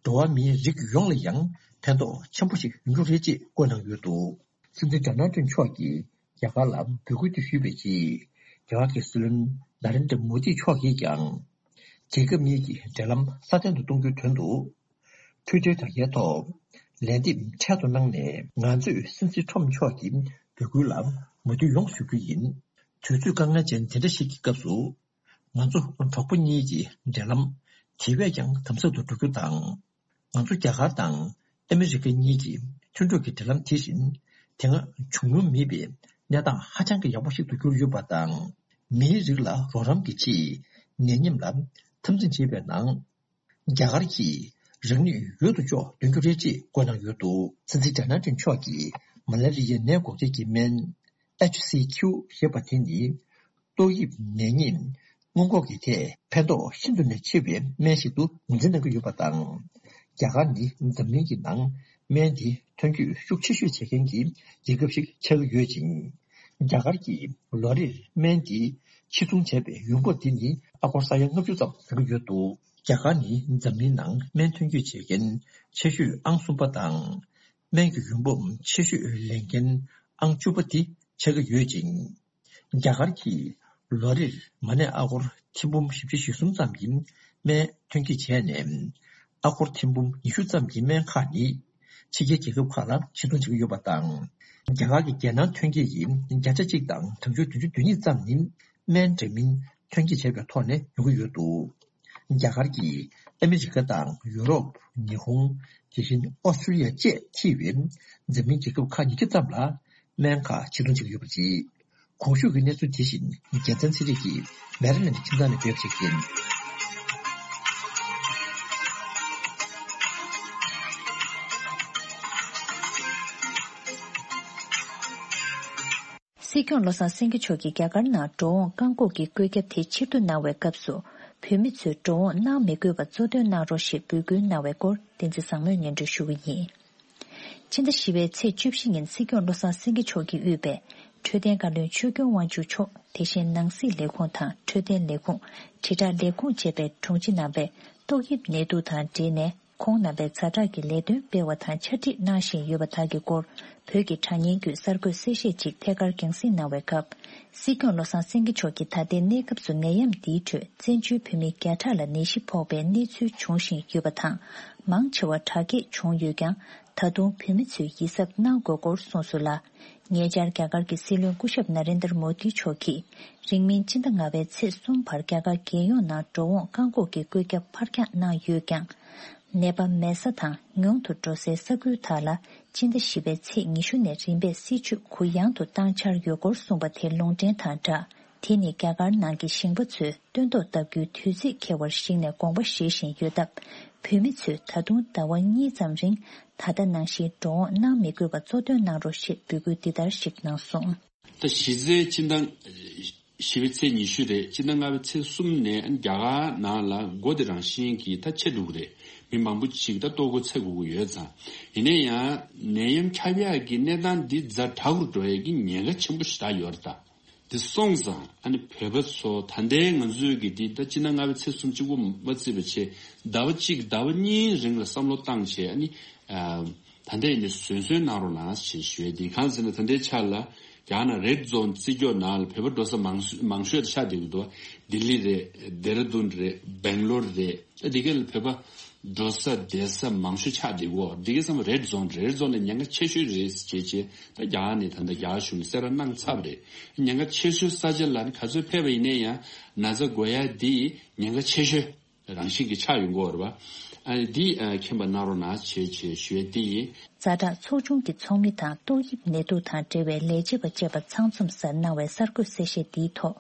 འགྲོ་བ་མིའི་རིགས་ཡོངས་ལ་ཡང་ཕན་ཐོགས་ཆེན་པོ་ཞིག་ཡོང་རྒྱུ་རེད་ཅེས་བཀོད་གནང་ཡོད་འདུག་སྲིད་འཛིན་ཌོ་ནལ་ཊམ་མཆོག་གིས་རྒྱ་གར་ལ་འབོད་སྐུལ་དེ་ཞུས་པའི་རྗེས། རྒྱ་གར་གྱི་སྲིད་བློན་ནཱ་རེན་དྲ་མོ་དི་མཆོག་གིས་ཀྱང་། རྒྱལ་ཁབ་གཉིས་ཀྱི་འབྲེལ་ལམ་སྲ་བརྟན་དུ་གཏོང་རྒྱུའི་དོན་དུ། ཊུའི་ཊར་དྲ་རྒྱའི་ཐོག་ལན་འདེབས་འཕྲལ་དུ་གནང་ནས། ང་ཚོས་སྲིད་འཛིན་ཁྲོམ་མཆོག་གི་འབོད་སྐུལ་ལ་མོས་མཐུན་ཡོང་ཞུ་རྒྱུ་ཡིན། དུས་ཚོད་དཀའ་ངལ་ཅན་དེ་འདྲ་ཞིག་གི་སྐབས་སུ། ང་ཚོ་གྲོགས་པོ་གཉིས་ཀྱི་འབྲེལ་ལམ་དེ་བས་ཀྱང་དམ་ཟབ་ཏུ་འགྲོ་རྒྱུ་དང་། ང་ཚོ་རྒྱ་གར་དང་ཨ་མི་རི་ཀ་གཉིས་ཀྱི་མཐུན་གྲོགས་ཀྱི་འབྲེལ་ལམ་དེ་བཞིན་དེ་སྔ་བྱུང་མྱོང་མེད་པའི་གནས་སྟངས་ཧ་ཅང་གི་ཡག་པོ་ཞིག་ཏུ་གྱུར་ཡོད་པ་དང་། མིའི་རིགས་ལ་རོགས་རམ་གྱི་ཆེད་ནད་ཡམས་ལ་འཐབ་འཛིང་བྱེད་པའི་ནང་། རྒྱ་གར་གྱིས་རང་ནུས་ཡོད་དོ་ཅོག་འདོན་རྒྱུ་རེད་ཅེས་བཀོད་གནང་ཡོད་འདུག་སྲིད་འཛིན་ཌོ་ནལ་ཊམ་མཆོག་གིས་མ་ལ་རི་ཡའི་ནད་འགོག་བྱེད་ཀྱི་སྨན་ཨེཆ་སི་ཁྱུ་ཞེས་པ་དེ་ནི། ཏོག་དབྱིབས་ནད་ཉེན་སྔོན་འགོག་གི་ཐད་ཕན་ཐོགས་ཤིན་ཏུ་ནས་ཆེ་བའི་སྨན་ཞིག་ཏུ་ངོས་འཛིན་གནང་གི་ཡོད་པ་དང་། རྒྱ་གར་ནི་འཛམ་གླིང་གི་ནང་སྨན་དེ་ཐོན་སྐྱེད་ཤུགས་ཆེ་ཤོས་བྱེད་མཁན་གྱི་རྒྱལ་ཁབ་ཞིག་ཆགས་ཀྱི་ཡོད་ཅིང་། རྒྱ་གར་གྱིས་ལོ་རེར་སྨན་དེ་ཕྱིར་ཚོང་བྱས་པའི་ཡོང་འབབ་དེ་ནི་ཨ་སྒོར་ས་ཡ་ལྔ་བཅུ་ཙམ་ཡོང་གི་ཡོད་འདུག་རྒྱ་གར་ནི་འཛམ་གླིང་ནང་སྨན་ཐོན་སྐྱེད་བྱེད་མཁན་ཆེ་ཤོས་ཨང་གསུམ་པ་དང་། སྨན་གྱི་ཡོང་འབབ་ཆེ་ཤོས་ལེན་མཁན་ཨང་བཅུ་པ་དེ་ཆགས་ཀྱི་ཡོད་ཅིང་། རྒྱ་གར་གྱིས་ལོ་རེར་མ་ནས་ཨ་སྒོར་ཐེར་འབུམ་བཞི་བཅུ་ཞེ་གསུམ་ཙམ་གྱི་སྨན་ཐོན་སྐྱེད་བྱས་ནས། ཨ་སྒོར་ཐེར་འབུམ་ཉི་ཤུ་ཙམ་གྱི་སྨན་ཁག་ནི་ཕྱི་རྒྱལ་རྒྱལ་ཁབ་ཁག་ལ་ཕྱིར་ཚོང་བྱེད་ཀྱི་ཡོད་པ་དང་། རྒྱ་གར་གྱི་རྒྱལ་ནང་ཐོན་སྐྱེད་ཀྱི་བརྒྱ་ཆ་གཅིག་དང་གྲངས་ཆུང་བདུན་ཅུ་དོན་གཉིས་ཙམ་ནི་སྨན་འདྲ་མིན་ཐོན་སྐྱེད་བྱས་པའི་ཐོག་ནས་ཡོང་གི་ཡོད་འདུག་རྒྱ་གར་གྱིས་ཨ་མི་རི་ཀ་དང་ཡུ་རོབ། ཉི་ཧོང་། དེ་བཞིན་ཨོ་སི་ཀྲི་ལི་ཡ་བཅས་ཐེ་བའི་འཛམ་གླིང་རྒྱལ་ཁབ་ཁག་ཉི་ཤུ་ཙམ་ལ་སྨན་ཁག་ཕྱིར་ཚོང་བྱེད་ཀྱི་ཡོད་པ་རེད། གོང་ཞུས་ཀྱི་གནས་ཚུལ་དེ་བཞིན་རྒྱལ་མཚན་ཚེ་རིང་གིས་མེ་རི་ལེན་ཌི་ཁྱིམ་ཚང་ནས་བསྡུས་པ་ཞིག་ཡིན། སྲིད་སྐྱོང་བློ་བཟང་སེང་གེ་མཆོག་གིས་རྒྱ་གར་ནང་འགྲོ་འོང་བཀག་འགོག་གི་བཀོད་ཁྱབ་དེ་ཕྱིར་བསྡུ་གནང་བའི་སྐབས་སུ། བོད་མི་ཚོས་འགྲོ་འོང་གནང་མི་དགོས་པ་གཙོ་འདོན་གནང་རོགས་ཞེས་འབོད་སྐུལ་གནང་བའི་སྐོར། བསྟན་འཛིན་བཟང་མོས་སྙན་སྒྲོན་ཞུ་གི་ཡིན། ཕྱི་ཟླ་བཞི་པའི་ཚེས་བཅུ་བཞི་ཉིན་སྲིད་སྐྱོང་བློ་བཟང་སེང་གེ་མཆོག་གིས་དབུས་པའི་འཕྲོད་བསྟེན་བཀའ་བློན་ཆོས་སྐྱོང་དབང་ཕྱུག་མཆོག་དེ་བཞིན་ནང་སྲིད་ལས་ཁུངས་དང་འཕྲོད་བསྟེན་ལས་ཁུངས། དྲིལ་བསྒྲགས་ལས་ཁུངས་བཅས་པའི་དྲུང་ཆེ་རྣམ་པས་ཏོག་དབྱིབས་ནད་དུག་དང་འབྲེལ་ནས། ཁོང་རྣམ་པས་ཛ་དྲག་གི་ལས་དོན་སྤེལ་བ་དང་ཕྱག་བྲིས་གནང་བཞིན་ཡོད་པ་དག་གི་སྐོར། བོད་ཀྱི་དྲ་བརྙན་བརྒྱུད་གསར་འགོད་གསལ་བཤད་ཅིག་ཐད་ཀར་རྒྱང་སྲིང་གནང་བའི་སྐབས། སྲིད་སྐྱོང་བློ་བཟང་སེང་གེ་མཆོག་གིས་ད་ལྟའི་གནས་སྐབས་སུ་ནད་ཡམས་འདིའི་ཁྲོད་བཙན་བྱོལ་བོད་མི་བརྒྱ་ཕྲག་ལ་ནད་གཞི་ཕོག་པའི་གནས་ཚུལ་འབྱུང་བཞིན་ཡོད་པ་དང་། མང་ཆེ་བ་དྲག་སྐྱེད་བྱུང་ཡོད་ཀྱང་། ད་དུང་བོད་མི་ཚོས་ཡིད་གཟབ་གནང་དགོས་སྐོར་གསུངས་སོང་ལ། ཉེ་ཆར་རྒྱ་གར་གྱི་སྲིད་བློན་སྐུ་ཞབས་ན་རེན་དར་མོ་དི་མཆོག་གིས། རིང་མིན་སྤྱི་ཟླ་ལྔ་པའི་ཚེས་གསུམ་བར་རྒྱ་གར་རྒྱལ་ཡོངས་ནང་འགྲོ་འོང་བཀག་འགོག་གི་བཀོད་ཁྱབ་ཕར་འགྱངས་གནང་ཡོད་ཀྱང་། ནད་པ་མེད་ས་དང་ཉུང་དུ་འགྲོ་སའི་ས་ཁུལ་དག་ལ་སྤྱི་ཟླ་བཞི་པའི་ཚེས་ཉི་ཤུ་ནས་རིམ་པས་སྲིད་ཇུས་གུ་ཡངས་དུ་བཏང་འཆར་ཡོད་སྐོར་གསུངས་པ་དེ་ལུང་འདྲེན་དང་སྦྲགས། དེ་ནི་རྒྱ་གར་ནང་གི་ཞིང་པ་ཚོས་སྟོན་ཐོག་བཏབ་རྒྱུའི་དུས་ཚིགས་འཁེལ་བར་གཞིགས་ནས་དགོངས་པ་བཞེས་བཞིན་ཡོད་སྟབས། བོད་མི་ཚོས་ད་དུང་ཟླ་བ་གཉིས་ཙམ་རིང་ད་ལྟ་ནང་བཞིན་འགྲོ་འོང་གནང་མི་དགོས་པ་གཙོ་དོན་གནང་རོགས་ཞེས་འབོད་སྐུལ་འདི་ལྟར་ཞིག་གནང་སོང་། ད་གཞི་རྩའི་སྤྱི་ཟླ་བཞི་པའི་ཚེས་ཉི་ཤུ་རེད། སྤྱི་ཟླ་ལྔ་པའི་ཚེས་གསུམ་ནས་རྒྱ་གར་ནང་ལ་སྒོ་དེ་རང་བཞིན་གྱིས་ད་ཕྱེ་འགྲོ་གི་རེད། མི་མང་པོ་ཅིག་ད་ལྟོ་གོས་འཚོལ་དགོས་ཀྱི་ཡོད་ཙང་། ཡིན་ན་ཡང་ནད་ཡམས་ཁྱབ་ཡག་གི་གནས་སྟངས་འདི་ཛ་དྲག་རུ་འགྲོ་ཡག་གི་ཉེན་ཁ་ཆེན་པོ་ཞེ་དྲག་ཡོད་རེད་ད། འདི་སོང་ཙང་ཨ་ནི་བོད་པ་ཚོ་ད་ལྟའི་ང་ཚོའི་གི་འདི་ད་སྤྱི་ཟླ་ལྔ་པའི་ཚེས་གསུམ་གཅིག་པོ་མ་བརྩིས་པ་བྱས། ཟླ་བ་གཅིག་ཟླ་བ་གཉིས་རིང་ལ་བསམ་བློ་བཏང་བྱས། ཨ་ནི་ཨ་ད་ལྟ་ཡིན་ནའི་བཟོད་བསྲན་གནང་རོགས་གནང་ཞེས་ཞུ་ཡས་འདི། གང་ཟེར་ན་ད་ལྟའི་ཆ་ལ་རྒྱ་ནག་རེད་ཛོན་རྩིས་འཇོག་ནང་ལ་བོད་པ་འགྲོ་ས་མང་ཤོས་མང་ཤོས་ཆགས་བསྡད་ཀྱི་འདུག། ལྡི་ལི་རེད། ལྡེ་ར་ལྡུན་རེད། སྦེང་ལོར་རེད། ཨ་འདི་ག་ལ་བོད་པ་འགྲོ་ས་བསྡད་ས་མང་ཤོས་ཆགས་བསྡད་ཀྱི་ཡོད། འདི་གའི་བསམ་པ་རེད་ཛོན་རེད། རེད་ཛོན་ལ་ཉེན་ཁ་ཆེ་ཤོས་རེད་ཅེས་བྱས། ད་རྒྱ་གར་ནས་ད་ལྟ་རྒྱ་གར་གཞུང་ནས་གསལ་བསྒྲགས་གནང་ཚར་བ་རེད། ཉེན་ཁ་ཆེ་ཤོས་ས་ཆ་ལ་ནི་ག་ཚོད་ཕེབས་པ་ཡིན་ན་ཡང་ན་ཚ་འགོས་ཡ་འདི་ཉེན་ཁ་ཆེ་ཤོས་རང་བཞིན་གྱི་ཆགས་ཡོང་གི་ཡོད་རེད་པ། ཨ་ནི་འདི་ཨ་མཁྱེན་པ་གནང་རོགས་གནང་བྱས་བྱས་ཞུ་ཡ་འདི་ཡིན། ཛ་དྲག་ཚོགས་ཆུང་གི་ཚོགས་མི་དང་ཏོག་དབྱིབས་ནད་དུག་དང་འབྲེལ་བའི་ལས་བྱེད་པ་བཅས་པ་ཚང་འཛོམས་སར་གནང་བའི་གསར་འགོད་གསལ་བཤད་འདིའི་ཐོག།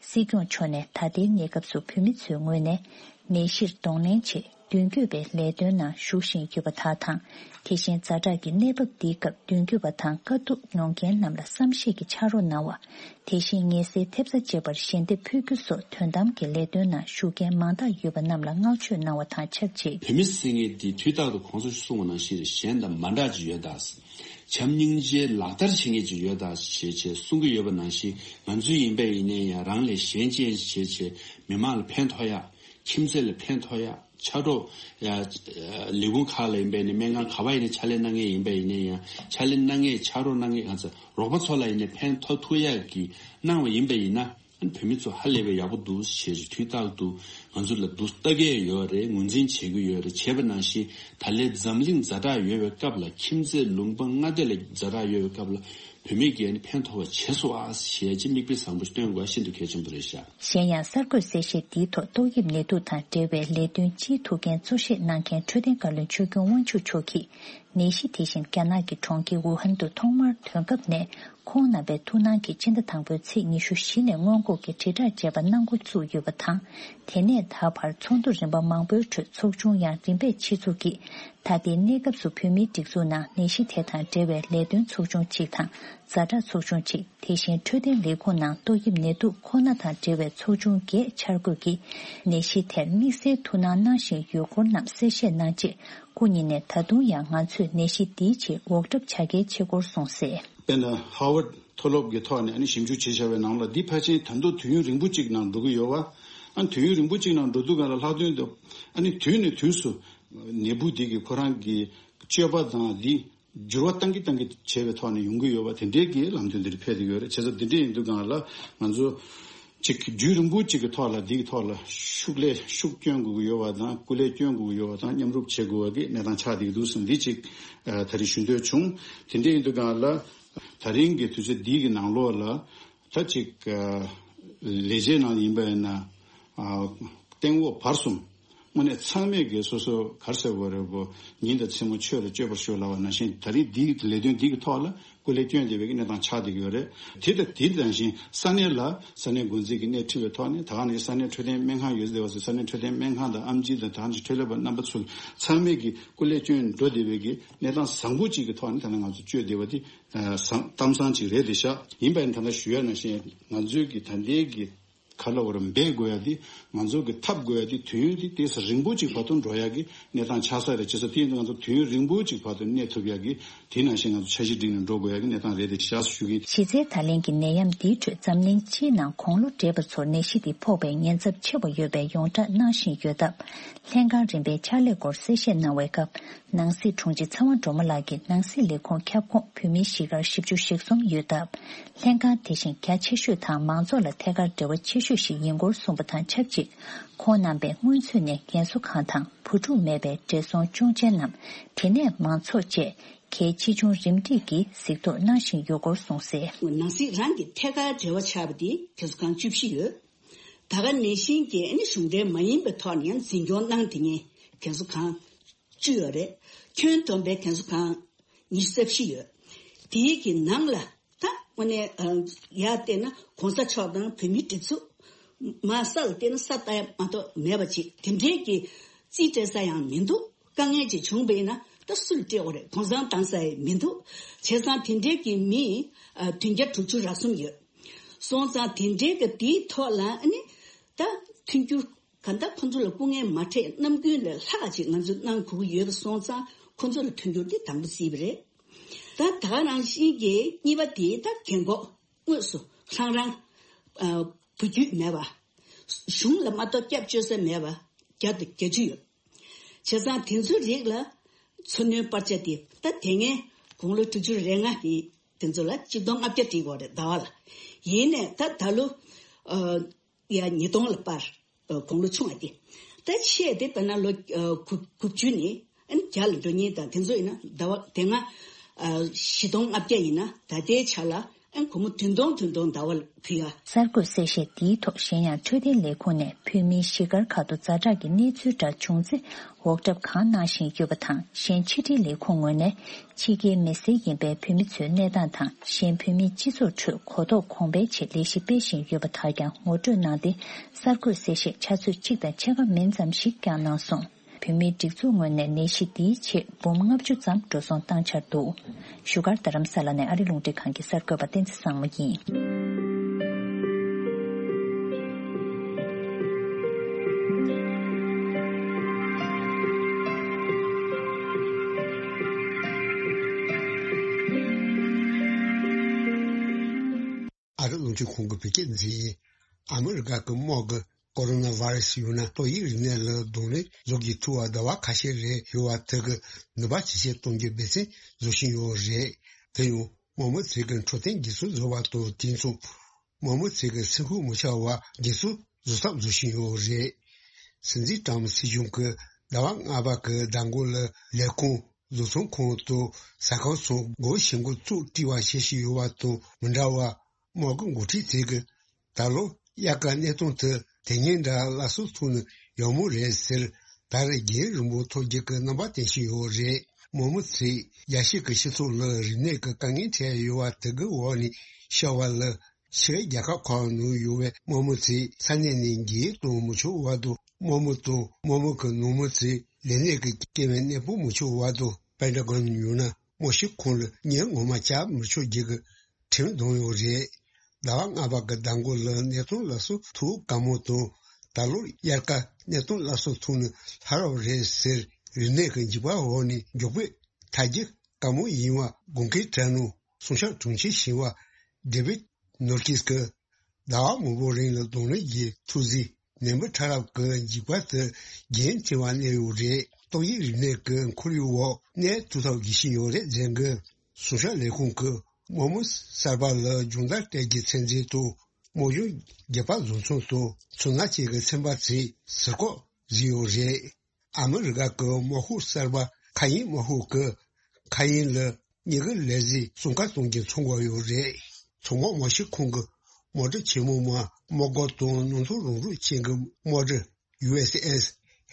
སྲིད་སྐྱོང་མཆོག་ནས་ད་ལྟའི་གནས་སྐབས་སུ་བོད་མི་ཚོའི་ངོས་ནས་ནད་གཞིར་གདོང་ལེན་ཆེད་མདུན་སྐྱོད་པའི་ལས་དོན་ནང་ཞུགས་བཞིན་ཡོད་པ་དག་དང་། དེ་བཞིན་ཛ་དྲག་གི་གནས་བབ་འདིའི་སྐབས་མདུན་སྐྱོད་པ་དང་དཀའ་སྡུག་མྱོང་མཁན་རྣམས་ལ་བསམ་ཤེས་ཀྱི་ཕྱག་རོགས་གནང་བ། དེ་བཞིན་ངལ་སེལ་ཐེབས་རྩ་བཅས་པར་ཞལ་འདེབས་ཕུལ་རྒྱུ་སོགས་དོན་དམ་གྱི་ལས་དོན་ནང་ཞུགས་མཁན་མང་དག་ཡོད་པ་རྣམས་ལ་བསྔགས་བརྗོད་གནང་བ་དང་ཆབས་ཅིག། བོད་མི་ཟེར་མཁན་འདི་དུས་རྟག་ཏུ་གོང་ས་མཆོག་གསུངས་པ་ནང་བཞིན་གཞན་དང་མ་འདྲ་ཅིག་ཡོད་ད། བྱམས་སྙིང་རྗེ་ལག་བསྟར་བྱེད་མཁན་ཅིག་ཡོད་ད་ཞེས་བྱས་གསུང་གི་ཡོད་པ་ནང་བཞིན། ང་ཚོ་ཡིན་པ་ཡིན་ནའི་ཡང་རང་ལས་གཞན་གཅེས་བྱས་བྱས་མི་མང་ལ་ཕན་ཐོགས་ཡ། ཁྱིམ་མཚེས་ལ་ཕན་ཐོགས་ཡ། ཕྱག་རོགས་ཡ། ལས་ཁུངས་ཁག་ལ་ཡིན་པ་ཡིན་ནའི་སྨན་ཁང་ག་པར་ཡིན་ནའི་ཕྱག་ལས་གནང་མཁན་ཡིན་པ་ཡིན་ནའི་ཡང་ཕྱག་ལས་གནང་མཁན་ཕྱག་རོགས་གནང་མཁན་གང་ཚ་རོགས་པ་ཚོ་ལ་ཡིན་ནའི་ཕན་ཐོགས་ཐུབ་ཡ་གི་གནང་བ་ཡིན་པ་ཡིན་ན། ཨ་ནི་བོད་མི་ཚོ་ཧ་ལས་པའི་ཡག་པོ་འདུག་ཞེས་དུས་རྟག་ཏུ་ང་ཚོ་ལ་འདུག་ལྟ་གི་ཡོད་རེད། ངོས་འཛིན་བྱེད་ཀྱི་ཡོད་རེད། བྱས་པ་ནང་བཞིན་ད་ལན་འཛམ་གླིང་ཛ་དྲག་ཡོད་པའི་སྐབས་ལ། ཁྱིམ་མཚེས་ལུང་པ་མངའ་སྡེ་ལ་ཛ་དྲག་ཡོད་པའི་སྐབས་ལ་བོད་མི་གིས་ཨ་ནི་ཕན་ཐོགས་པ་བྱས་སོང་ཨ་ཞེས་ཀྱི་མིག་དཔེ་བཟང་པོ་སྟོན་དགོས་ཤིན་ཏུ་གལ་ཆེན་པོ་རེད་ཤག། གཞན་ཡང་གསར་འགོད་གསལ་བཤད་འདིའི་ཐོག་ཏོག་དབྱིབས་ནད་དུག་དང་འབྲེལ་བའི་ལས་དོན་སྤྱིའི་ཐུགས་འགན་གཙོ་བཞེས་གནང་མཁན་འཕྲོད་བསྟེན་བཀའ་བློན་ཆོས་སྐྱོང་དབང་ཕྱུག་མཆོག་གིས། ནད་གཞི་དེ་བཞིན་རྒྱ་ནག་གི་གྲོང་ཁྱེར་ཝུ་ཧན་དུ་ཐོག་མར་ཐོན་སྐབས་ནས། ཁོང་རྣམ་པའི་ཐུགས་སྣང་གིས་སྤྱི་ཟླ་དང་པོའི་ཚེས་ཉི་ཤུ་བཞི་ནས་སྔོན་འགོག་གི་དྲིལ་བསྒྲགས་བྱས་པ་གནང་འགོ་བཙུགས་ཡོད་པ་དང་། དེ་ནས་ད་བར་ཚོགས་འདུ་རིམ་པ་མང་པོའི་ཁྲོད་ཚོགས་ཆུང་ཡང་རིམ་པས་ཆེད་འཛུགས་ཀྱིས། ད་ལྟའི་གནས་སྐབས་སུ་བོད་མིའི་སྒྲིག་འཛུགས་ནང་ནད་གཞི་དེ་དང་འབྲེལ་བའི་ལས་དོན་ཚོགས་ཆུང་གཅིག་དང་། ཛ་དྲག་ཚོགས་ཆུང་གཅིག། དེ་བཞིན་འཕྲོད་བསྟེན་ལས་ཁུངས་ནང་ཏོག་དབྱིབས་ནད་དུག་ཁོ་ན་དང་འབྲེལ་བའི་ཚོགས་ཆུང་བརྒྱད་འཆར་འགོད་ཀྱིས། ནད་གཞི་དེར་དམིགས་བསལ་ཐུགས་སྣང་གནང་བཞིན་ཡོད་སྐོར་རྣམས་གསལ་བཤད་གནང་རྗེས། སྐུ་ཉིད་ནས་ད་དུང་ཡང་ང་ཚོས་ནད་གཞི་འདིའི་ཆེད་འུག་སྒྲ་བྱ་གལ་ཆེ་སྐོར་གསུངས་གསལ། དཔེར་ན་ཧར་ཝརཌ་མཐོ་སློབ་ཀྱི་ཐོག་ནས་ཨ་ནི་ཞིབ་འཇུག་བྱས་བཞག་པའི་ནང་ལ། འདི་ཕལ་ཆེར་ད་དུང་དུས་ཡུན་རིང་པོ་གཅིག་ནང་འགྲོ་གི་ཡོད་པ། ཨ་ནི་དུས་ཡུན་རིང་པོ་གཅིག་ནང་འགྲོ་དུས་སྒང་ལ་ལྷག་དོན་དུ་ཨ་ནི་དུས་ནས་དུས་སུ་ནད་འབུ་འདི་གི་ཁོ་རང་གི་སྤྱོད་པ་དང་འདི་འགྱུར་བ་བཏང་གི་བཏང་གི་བྱས་པའི་ཐོག་ནས་ཡོང་གི་ཡོད་པ། དེ་འདྲའི་གི་ལམ་སྟོན་འདིར་ཕེབས་ཀྱི་ཡོད་རེད། བྱས་ཙང་འདི་འདྲ་ཡིན་དུས་སྒང་ལ་ང་ཚོ་ཅིག་རྒྱུན་རིང་པོ་ཅིག་གི་ཐོག་ལ་འདི་གི་ཐོག་ལ་ཤུགས་ལས་ཤུགས་སྐྱོན་དགོས་ཀྱི་ཡོད་པ་དང་། སྐུ་ལས་སྐྱོན་དགོས་ཀྱི་ཡོད་པ་དང་། མཉམ་རུབ་བྱེད་དགོས་པ་གི་གནས་སྟངས་ཆགས་བསྡད་ཀྱི་འདུག་ཟེར་འདི་ཅིག་ཨ་ད་རེས་ཞུ་འདོད་བྱུང་། དེ་འདྲ་ཡིན་དུས་སྒང་ལ་ད་རིང་གི་དུས་ཚོད་འདི་གི་ནང་ལོགས་ལ་ད་ཅིག་ཨ་ལས་བྱེད་ནང་ཡིན་པ་ཡིན་ན་ཨ་སྟེང་འོག་བར་གསུམ་དངོས་གནས་ཚང་མས་ཀྱི་སོ་སོ་ག་རེ་ཟེར་དགོས་རེད་པོ། ཉིན་དང་མཚན་མོ་ཆོས་རེ་སྤྱོད་པར་ཤོག་ལབ་པ་ནང་བཞིན། ད་རིང་འདིའི་ལས་དོན་འདི་གི་ཐོག་ལ་སྐུ་ལས་བསྐྱོན་བསྡད་པའི་གནས་སྟངས་ཆགས་བསྡད་ཀྱི་ཡོད་རེད། དེ་དང་དེ་ནང་བཞིན་ས་གནས་ལ་ས་གནས་འགོ་འཛིན་གྱི་སྣེ་ཁྲིད་པའི་ཐོག་ནས། ད་ག་ནས་ས་གནས་འཕྲོད་བསྟེན་སྨན་ཁང་ཡོད་བསྡད་པ་ཚོ་ས་གནས་འཕྲོད་བསྟེན་སྨན་ཁང་དང་། ཨེམ་ཆི་དང་། ད་ག་ནས་འཕྲོད་ལས་པ་རྣམ་པ་ཚོ་ཚང་མས་ཀྱི་སྐུ་ལས་བསྐྱོན་འགྲོ་བསྡད་པའི་གི་གནས་སྟངས་བཟང་པོ་ཅིག་གི་ཐོག་ནས་ད་ནང་ང་ཚོ་བསྐྱོད་བསྡད་པ་དེ་གཏམ་བཟང་ཅིག་རེད་དེ་ཤག། ཡིན་པ་ཡིན་ད་ལྟ་ཞུ་ཡ་ནང་བཞིན་ང་ཚོའི་གི་ད་ལྟའི་གི་ག་ལ་བར་འབད་དགོས་ཡ་དེ། ང་ཚོ་གི་འཐབ་དགོས་ཡ་དེ་དུས་ཡུན་དེ་ཏོག་ཙམ་རིང་པོ་ཅིག་བར་དུ་འགྲོ་ཡ་གི་གནས་སྟངས་ཆགས་ས་རེད། བྱས་ཙང་དེ་ཡིན་དུས་ང་ཚོ་དུས་ཡུན་རིང་པོ་ཅིག་བར་དུ་གནས་ཐུབ་ཡ་གི་དེ་ནང་བཞིན་ང་ཚོ་འཆར་གཞི་སྒྲིག་ནས་འགྲོ་དགོས་ཡ་གི་གནས་སྟངས་རེད་དེ་བཞག་ཞུ་གི། གཞི་རྩའི་ད་ལན་གྱི་ནད་ཡམས་འདིའི་ཁྲོད་འཛམ་གླིང་སྤྱིའི་ནང་དགུང་ལོ་བགྲེས་པ་ཚོར་ནད་གཞི་འདི་ཕོག་པའི་ཉེན་ཚབས་ཆེ་བ་ཡོད་པའི་ཡོངས་བསྒྲགས་གནང་བཞིན་ཡོད་སྟབས། ལྷན་ཁང་རིམ་པའི་ཕྱག་ལས་སྐོར་གསལ་བཤད་གནང་བའི་སྐབས། ནང་སྲིད་དྲུང་ཆེ་ཚེ་དབང་སྒྲོལ་མ་ལགས་ཀྱིས་ནང་སྲིད་ལས་ཁུངས་ཁྱབ་ཁོངས་བོད་མིའི་གཞིས་སྒར་བཞི་བཅུ་ཞེ་གསུམ་ཡོད་སྟབས། ལྷན་ཁང་དེ་བཞིན་རྒྱ་ཆེ་ཤོས་དང་མང་ཚོགས་ལ་ཐད་ཀར་འབྲེལ་བ་ཆེ་ཤོས་ཤིག་ཡིན་སྐོར་གསུངས་པ་དང་ཆབས་ཅིག་ཁོང་རྣམ་པས་སྔོན་ཚུད་ནས་རྒན་གསོ་ཁང་དང་བུ་ཕྲུག་མེད་པའི་བགྲེས་སོང་སྐྱོང་ཆེན་རྣམས། དེ་ནས་མང་ཚོགས་བཅས་གལ་ཆེ་ཆུང་རིམ་བསྒྲིགས་ཀྱིས་གཟིགས་རྟོག་གནང་བཞིན་ཡོད་སྐོར་གསུངས་གསལ། ནང་སྲིད་རང་གི་ཐད་ཀར་འབྲེལ་བ་ཆགས་པ་དེ་རྒན་གསོ་ཁང་བཅུ་བཞི་ཡོད། ད་ག་ནང་བཞིན་གྱི་ཨ་ནི་གཞུང་འབྲེལ་མ་ཡིན་པའི་ཐོག་ནས་ཡང་འཛིན་སྐྱོང་གནང་དེ་ཉིད་རྒན་གསོ་ཁང་བཅུ་ཡོད་རེད། ཁྱོན་བསྡོམས་པའི་རྒན་གསོ་ཁང་ཉི་ཤུ་རྩ་བཞི་ཡོད། དེའི་གི་ནང་ལ་ད་དངོས་གནས་ཡར་བལྟས་ན་གོང་ས་མཆོག་དང་བོད་མིའི་སྒྲིག་འཛུགས་མར་ས་ལ་བལྟས་ན་ས་ལྟ་ཡ་མ་གཏོགས་མེད་པ་ཅིག་དེ་འདྲའི་གི་རྩིས་སྤྲད་ས་ཡང་མི་འདུག་དཀའ་ངལ་ཅིག་བྱུང་བས་ན་ད་སུ་ལ་སྤྲད་དགོས་རེད། གུང་སེང་བཏང་ས་ཡང་མི་འདུག་བྱས་ཙང་དེ་འདྲའི་གི་མི་བདུན་བརྒྱ་དྲུག་ཅུ་རེ་གསུམ་ཡོད། སོང་ཙང་དེ་འདྲའི་གི་དེའི་ཐོག་ལ་ཨ་ནི་ད་མཐུན་འགྱུར་གང་ལྟར་ཁོང་ཚོ་ལ་སྐུ་ངལ་མ་འཕྲད་ནམ་རྒྱུན་ལས་ལྷག་ཅིག་ང་ཚོས་གནང་དགོས་ཀྱི་ཡོད་པ་སོང་ཙང་ཁོང་ཚོ་ལ་མཐུན་འགྱུར་དེ་དང་པོ་བརྩིས་པ་རེད། ད་ད་ག་ནང་བཞིན་གྱི་གཉིས་པ་དེ་ད་རྒན་གོག་དངོས་སུ་རང་རང་བུ་རྒྱུད་མེད་པ། གཞུང་ལ་མ་གཏོགས་སྐྱབས་བཅོལ་ས་མེད་པ་བརྒྱ་དང་བརྒྱད་ཅུ་ཡོད། བྱས་ཙང་དེ་ཚོའི་རིགས་ལ་འཚོ་སྣོན་སྤར་ཆ་དེ་ད་དེ་སྔའི་དགུང་ལོ་དྲུག་ཅུ་རེ་ལྔ་དེ་དེ་ཚོ་ལ་གཅིག་སྟོང་ལྔ་བརྒྱ་སྤྲད་དགོས་རེད་ཟླ་བ་ལ། ཡིན་ནས་ད་ད་ལོ་ཡ་ཉིས་སྟོང་ལ་སྤར། དགུང་ལོ་ཆུང་བ་དེ་ད་ཆེ་དེ་དཔེར་ན་ལོ་དགུ་དགུ་བཅུ་ནས་ཨ་ནི་བརྒྱ་ལ་འགྲོ་མཁན་དང་དེ་ཚོ་ཡིན་ན་ཟླ་བ་དེ་སྔ་བཞི་སྟོང་ལྔ་བརྒྱ་ཡིན་ན་ད་ལྟའི་ཆ་ལ། ཨན་སྒོར་མོ་བདུན་སྟོང་བདུན་སྟོང་ཟླ་བ་ལ་ཕུལ་ཡ། གསར་འགོད་གསལ་བཤད་འདིའི་ཐོག་གཞན་ཡང་འཕྲོད་བསྟེན་ལས་ཁུངས་ནས་བོད་མིའི་གཞིས་སྒར་ཁག་ཏུ་ཛ་དྲག་གི་གནས་ཚུལ་འདྲ་བྱུང་ཚེ་འོག་གྲབས་གང་གནང་བཞིན་ཡོད་པ་དང་། གཞན་ཕྱི་འབྲེལ་ལས་ཁུངས་ངོས་ནས་ཕྱི་རྒྱལ་མི་སེར་ཡིན་པའི་བོད་མི་ཚོའི་གནས་སྟངས་དང་། གཞན་བོད་མིའི་སྤྱི་ཚོགས་ཁྲོད་གོ་རྟོགས་གོང་འཕེལ་ཆེད་ལས་གཞི་སྤེལ་བཞིན་ཡོད་པ་དག་ཀྱང་ངོ་སྤྲོད་གནང་སྟེ། གསར་འགོད་གསལ་བཤད་ཆུ་ཚོད་གཅིག་དང་ཕྱེད་ཀ་མིན་ཙམ་ཞིག་བསྐྱངས་གནང་སོང་། བོད་མིའི་སྒྲིག་འཛུགས་ངོས་ནས་ནད་གཞི་འདིའི་ཆེད་འབུམ་ལྔ་བཅུ་ཙམ་འགྲོ་སོང་བཏང་འཆར་འདུག་བཞུགས་སྒར་རྡ་རམ་ས་ལ་ནས་ཨ་རི་རླུང་འཕྲིན་ཁང་གི་གསར་འགོད་པ་བསྟན་འཛིན་བཟང་མོ་ཡིན། ཨ་རི་རླུང་འཕྲིན་ཁང་གི་བོད་སྐད་འཛིན་ཡིན། ཨ་མི་རི་ཀ་གི་དམག་གི་ཀོ་རོ་ན་བྷ་ར་སི་ཡོད་ན་ཏོག་དབྱིབས་རིམས་ནད་ལ་གདོང་ལེན་བཟོ་དགོས་ཐུག་པ་ཟླ་བ་ཁ་ཤས་རེད་ཡོད་པ་དེ་གི་ནུས་པ་ཇེ་ཆེར་གཏོང་རྒྱུའི་འབད་བརྩོན་བཟོ་བཞིན་ཡོད་རེད། དེ་ཡང་དམག་མི་ཚོས་གི་འཕྲོད་བསྟེན་སྒྲིག་སྲོལ་བཟོ་བ་དང་དེ་མཚུངས་དམག་མི་ཚོས་གི་སེམས་ཤུགས་མི་ཆག་པར་སྒྲིག་སྲོལ་བཟོ་ཐབས་བཟོ་བཞིན་ཡོད་རེད། སྲིད་འཛིན་ཀྲམ་སྲིད་གཞུང་གི་ཟླ་བ་ལྔ་པ་གི་ཟླ་འགོ་ལ་ལས་ཁུངས་བཟོ་ཚོང་ཁང་དང་ཟ་ཁང་སོགས་སྒོ་ཕྱེ་འགོ་བཙུགས་དཀྲིས་པ་བྱེད་བཞིན་ཡོད་པ་དང་མི་འདྲ་བར། དམག་གི་འགོ་ཁྲིད་ཚོས་གི་ད་ལོ་དབྱར་ཁ་གནས་སྟངས་དེ་དེ་སྔའི་འདྲ་སླར་གསོ་ཐུབ་ན་ཡག་མོ་རེད་ཟེར། ད་རེས་རྒྱུན་རིང་པོ་ཐོག་རྒྱག་གི་རྣམ་པ་བསྟན་བཞིན་ཡོད་རེད། དམག་མི་ཚོས་རྒྱལ་སྤྱི་གི་སྤྱི་ཚོགས་ལ་རིམས་ནད་ཀྱི་དཀའ་ངལ་འཕྲད་ཡོད་པ་དེ་གི་འོག་ནས་ཤར་བ་ལ་ཕྱིའི་རྒྱལ་ཁབ་ཁག་ནང་ཡོད་པའི་དམག་མི་ཚོས་ས་གནས་ནས་འགྱེལ་གཏོང་མི་ཆོག་པ་དང་། དམག་མི་དང་དམག་མི་གི་ནང་མི་ཚོས་ལས་གནས་ཀྱི་སྐྱེ་བའི་གནས་སྤོ་མི་ཆོག་པ་དང་། པེན་ཊ་གོན་ཡོད་ན་དམག་སྤྱི་ཁང་ལ་ཉིན་ངོ་མ་བཅར་མི་ཆོག་རྒྱུ་གི་ཁྲིམས་བསྡམས་ཡོད་རེད། ཟླ་བ་ལྔ་པ་གི་ཟླ་འགོ་ལ་གནས་སྟངས་སླར་གསོ་ཐུབ་དཀའ་མོ་དང་། ད་ལོར་དབྱར་ཁ་གནས་སྟངས་སླར་གསོ་ཐུབ་ན་ཧ་རབ་རེད་ཟེར། རིམས་ནད་ཀྱི་འཇིགས་པ་འོག་ནས་མགྱོགས་པོས་ཐར་རྒྱུ་དཀའ་མོ་ཡིན་པ་དགོངས་འགལ་བྲལ་གནང་སྲུང་སྐྱོབ་དྲུང་ཆེ་ཞིང་པ་ཌེ་བིད་ནོར་ཀིས་ཀྱིས་ཟླ་བ་མང་པོ་རིང་ལ་གདོང་ལེན་གྱི་ཐུགས་བརྩེ་ནད་འབུ་ཕྲ་རབ་ཀྱི་འཇིགས་པ་དེ་རྒྱུན་ཆད་པ་གནས་ཡོད་རེད། ཏོག་དབྱིབས་རིམས་ནད་ཀྱི་ཁོར་ཡུག་འོག་གནས་ཐུབ་ཐབས་བྱེད་བཞིན་ཡོད་རེད་ཟེར་གི། སྲུང་སྐྱོབ་ལས་ཁུངས་ཀྱིས་དམག་མི་གསར་པ་ལ་སྦྱོང་བརྡར་སྤྲད་རྒྱུའི་ཚད་འཛིན་དང་། དམག་སྦྱོང་རྒྱག་པ་བཟོ་ཚོང་དང་ཚོང་ལས་བྱེད་ཀྱི་ཚན་པ་ཚོས་ཟུར་བཀག་བཟོས་ཡོད་རེད། ཨ་མི་རི་ཀ་གི་དམག་ཤོག་གསར་པ་མཁའ་དབྱིངས་དམག་ཤོག་གིས་མཁའ་དབྱིངས་ལ་མྱི་གི་ལས་གཟིགས་སྲུང་སྐར་གཏོང་རྒྱུ་ཚོང་སྒོ་ཡོད་རེད། ཚོང་འགུགས་དམག་སྤྱི་ཁང་གི་དམག་གྲུ་ཆེན་མོ་མ་དམག་སྒར་དང་སྣུམ་འཁོར་རོགས་རམ་ཅན་གྱི་དམག་གྲུ་ཡུ་ཨེས་ཨེས་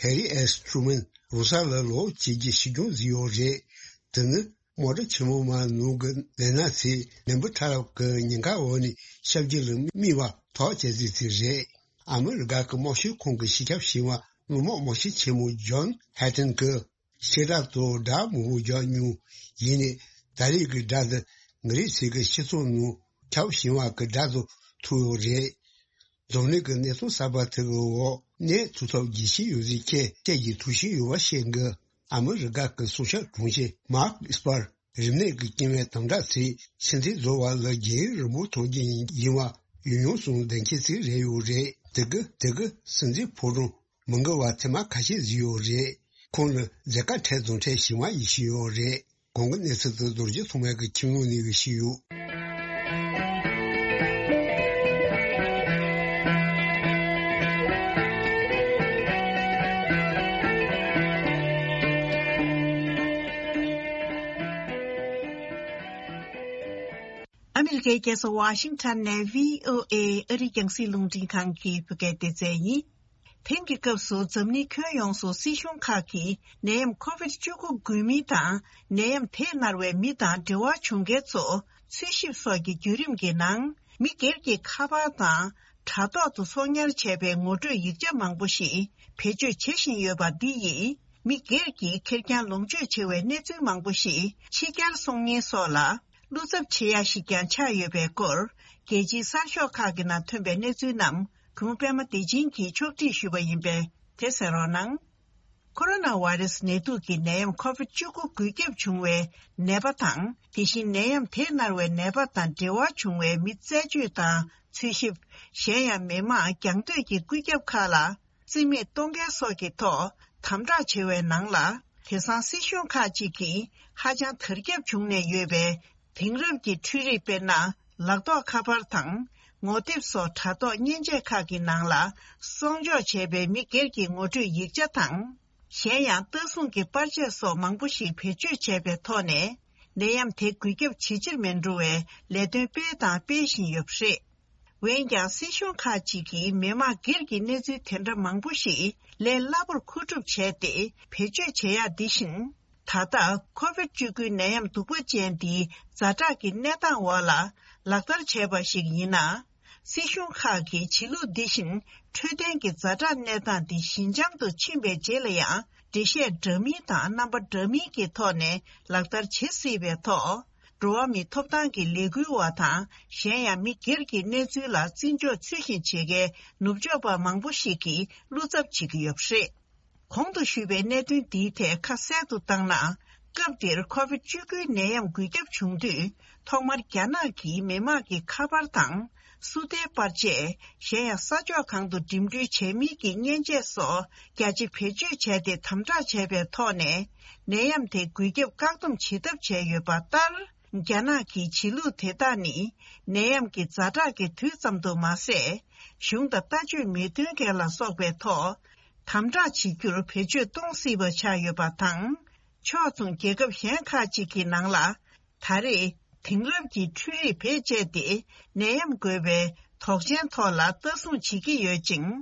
ཧེ་རི་ཨེས་ཊུ་རུ་མན་རང་ས་ལ་ལོག་བྱེད་རྒྱུ་ཕྱིར་འགྱངས་བཟོས་ཡོད་རེད། དེ་ནི་དམག་གྲུ་ཆེན་མོ་མ་ནང་གི་ལས་སྣ་ཚོས་ནད་འབུ་ཕྲ་རབ་ཀྱི་ཉེན་ཁ་འོག་ནས་ཤ་བགྱི་ལ་དམིགས་པ་ཐག་བཅད་ཚུལ་དེ་རེད། ཨ་མི་རི་ཀ་གི་དམག་སྤྱི་ཁང་གི་སྤྱི་ཁྱབ་ཞིང་པ་གླུ་མག་དམག་སྤྱི་ཆེན་མོ་ཇོན་ཧེ་ཊན་གྱིས་བཤད་གྲྭ་དང་སྒྲ་མང་པོ་རྒྱག་མྱོང་། ཡིན་ནའི་ད་རེས་ཀྱི་སྒྲ་དེ་ང་རང་ཚོའི་གི་སྤྱི་ཚོགས་ནང་ཁྱབ་ཞིང་པ་གི་སྒྲ་དང་ཐུག་ཡོད་རེད། འཛམ་གླིང་གི་གནས་ཚུལ་གསར་པ་དེ་གི་འོག་གནས་ཐུབ་ཐབས་བགྱིད་བཞིན་ཡོད་ཟེར་མཁན་བཅས་ཀྱི་ཐུགས་བཞེད་ཡོད་པ་བཤད་འདུག་ཨ་མི་རི་ཀ་གི་སྲུང་སྐྱོབ་དྲུང་ཆེ་མཱརྐ་ཨེས་པར་རིམས་ནད་ཀྱི་རྐྱེན་པས་དམ་དྲག་ཚེ་ཚེ་འདི་རྫོགས་པ་ལ་རྒྱལ་ཡུམ་རིན་པོ་ཐོབ་རྒྱུ་ཡིན་པ་ཡོད་མྱོང་གསུངས་བསྡད་མཁན་ཅིག་རེད་ཡོད་རེད། དེ་གི་དེ་གི་སྲིད་འཛིན་ཕོ་བྲང་མི་འགལ་བ་ཐེངས་མ་ཁ་ཤས་ཟིན་ཡོད་རེད། ཁོང་ནི་མཛད་དཀའ་འཕྲད་དང་འཕྲད་བཞིན་པ་ཡིན་བཞིན་ཡོད་རེད། གོང་གི་གནས་ཚུལ་དེ་རྡོ་རྗེ་ཐོགས་མེད་ཀྱི་ཁྱིམ་ལུང་ནས་ཞུས་ཡོད། ཨ་མི་རི་ཀའི་རྒྱལ་ས་ཝ་ཤིང་ཊོན་ནས་བྷི་ཨོ་ཨེ་ཨ་རིའི་རྒྱང་སྲིང་རླུང་འཕྲིན་ཁང་གི་བོད་སྐད་སྡེ་ཚན་ཡིན། དེང་གི་སྐབས་སུ་འཛམ་གླིང་ཁྱོན་ཡོངས་སུ་སྲིད་གཞུང་ཁག་གིས་ནད་ཡམས་ཁོ་བིད་བཅུ་དགུ་འགོས་མི་དང་ནད་ཡམས་དེས་མནར་བའི་མི་དང་འབྲེལ་བ་བྱུང་མཁན་ཚོ་འཚོལ་ཞིབ་སོགས་ཀྱི་བརྒྱུད་རིམ་གྱི་ནང་མི་སྒེར་གྱི་ཁ་པར་དང་དྲ་ཐོག་ཏུ་ཚོང་གཉེར་བྱས་པའི་ངོ་སྤྲོད་ཡིག་ཆ་མང་པོ་ཞིག་བེད་སྤྱོད་བྱེད་བཞིན་ཡོད་པ་འདི་ཡིས་མི་སྒེར་གྱི་ཁེར་རྐྱང་ལོངས་སྤྱོད་བྱེད་པའི་གནས་ཚུལ་མང་པོ་ཞིག་ཕྱི་གྱར་སོང་ཉེན་སོགས་ལ་བློ་འཚབ་བྱེད་ཡ་ཞིག་ཀྱང་ཆགས་ཡོད་པའི་སྐོར་རྒྱལ་སྤྱིའི་གསར་ཤོག་ཁག་གི་ནང་ཐོན་པའི་གནས་ཚུལ་རྣམས། གུང་པད་མ་བདེ་ཆེན་གྱིས་ཕྱོགས་སྒྲིག་ཞུས་པ་ཡིན་པས་དེ་གསན་རོགས་གནང་། ཁོ་རོ་ན་བྷ་རེ་སི་ནད་དུག་གི་ནད་ཡམས་ཁོ་བིད་བཅུ་དགུ་འགོས་ཁྱབ་བྱུང་བའི་ནད་པ་དང་དེ་བཞིན་ནད་ཡམས་དེས་མནར་བའི་ནད་པ་དང་འབྲེལ་བ་བྱུང་བའི་མི་རྩད་གཅོད་དང་འཚོལ་ཞིབ། གཞན་ཡང་མི་མང་རྒྱང་སྡོད་ཀྱི་བཀོད་ཁྱབ་ཁག་ལ་རྩིས་མེད་གཏོང་མཁན་སོགས་ཀྱི་ཐོག་དམ་དྲག་བྱེད་པའི་ནང་ལ་དེང་སང་སྲིད་གཞུང་ཁག་ཅིག་གིས་ཧ་ཅང་དར་ཁྱབ་བྱུང་ནས་ཡོད་པའི། དེང་རབས་ཀྱི་འཕྲུལ་རིག་དཔེར་ན་ལག་ཐོགས་ཁ་པར་དང་ངོ་དེབ་སོགས་དྲ་ཐོག་མཉེན་ཆས་ཁག་གི་ནང་ལ་གསོག་འཇོག་བྱས་པའི་མི་སྒེར་གྱི་ངོ་སྤྲོད་ཡིག་ཆ་དང་། གཞན་ཡང་ལྟ་སྲུང་གི་པར་ཆས་སོགས་མང་པོ་ཞིག་བེད་སྤྱོད་བྱས་པའི་ཐོག་ནས་ནད་ཡམས་དེ་འགོས་ཁྱབ་ཇེ་ཆེར་མི་འགྲོ་བའི་ལས་དོན་སྤེལ་དང་སྤེལ་བཞིན་ཡོད་པ་རེད། འོན་ཀྱང་སྲིད་གཞུང་ཁག་ཅིག་གིས་མི་མང་སྒེར་གྱི་གནས་ཚུལ་དེ་འདྲ་མང་པོ་ཞིག་ལས་སླ་པོར་མཁོ་སྒྲུབ་བྱས་ཏེ་བེད་སྤྱོད་བྱེད་ཡག་འདི་བཞིན། ད་ལྟ་ཁོ་བིད་བཅུ་དགུའི་ནད་ཡམས་གདུག་པ་ཅན་འདིའི་ཛ་དྲག་གི་གནས་སྟངས་འོག་ལ་ལག་བསྟར་བྱས་པ་ཞིག་ཡིན་ན། སྲིད་གཞུང་ཁག་གིས་བྱེད་ལུགས་འདི་བཞིན་འཕྲོད་བསྟེན་གྱི་ཛ་དྲག་གནས་སྟངས་འདི་ཞི་འཇམ་དུ་ཕྱིན་པའི་རྗེས་ལ་ཡང་འགྲེལ་བཤད་འདྲ་མིན་དང་རྣམ་པ་འདྲ་མིན་གྱི་ཐོག་ནས་ལག་བསྟར་བྱེད་སྲིད་པའི་ཐོག་འགྲོ་བ་མིའི་ཐོབ་ཐང་གི་ལས་འགུལ་བ་དང་གཞན་ཡང་མི་སྒེར་གྱི་གནས་ཚུལ་ལ་བརྩི་འཇོག་ཚུལ་བཞིན་བྱེད་མཁན་ནུབ་ཕྱོགས་པ་མང་པོ་ཞིག་གིས་བློ་འཚབ་བྱེད་ཀྱི་ཡོད་པ་རེད། གོང་དུ་ཞུས་པའི་གནད་དོན་འདིའི་ཐད་ཁ་གསལ་དུ་བཏང་ན། སྐབས་འདིར་ཁོ་བིད་བཅུ་དགུའི་ནད་ཡམས་འགོས་ཁྱབ་བྱུང་དུས་ཐོག་མར་རྒྱ་ནག་གིས་མི་དམངས་ཀྱི་ཁ་པར་དང་སུ་ཏའི་པར་ཆས། གཞན་ཡང་ས་ཕྱོགས་གང་དུ་འགྲིམ་འགྲུལ་བྱེད་མིན་གྱི་མཉེན་ཆས་སོགས་རྒྱ་ཆེ་བེད་སྤྱོད་བྱས་ཏེ་དམ་དྲག་བྱས་པའི་ཐོག་ནས་ནད་ཡམས་དེ་འགོས་ཁྱབ་བཀག་སྡོམ་བྱེད་ཐབས་བྱས་ཡོད་པ་ལྟར། རྒྱ་ནག་གི་བྱེད་ལུགས་དེ་དག་ནི་ནད་ཡམས་ཀྱི་ཛ་དྲག་གི་དུས་ཙམ་དུ་མ་ཟད། གཞུང་དང་ལྟ་སྤྱོད་མི་མཐུན་མཁན་ལ་སོགས་པའི་ཐོག་དམ་དྲག་བྱེད་རྒྱུར་བེད་སྤྱོད་གཏོང་སྲིད་པ་ཆགས་ཡོད་པ་དང་། ཕྱོགས་མཚུངས་རྒྱལ་ཁབ་གཞན་ཁག་ཅིག་གི་ནང་ལ་ད་རེས་དེང་རབས་ཀྱི་འཕྲུལ་རིག་བེད་སྤྱད་དེ་ནད་ཡམས་འགོས་པའི་དོགས་ཅན་ཐོག་ལ་ལྟ་སྲུང་བྱེད་ཀྱི་ཡོད་ཅིང་།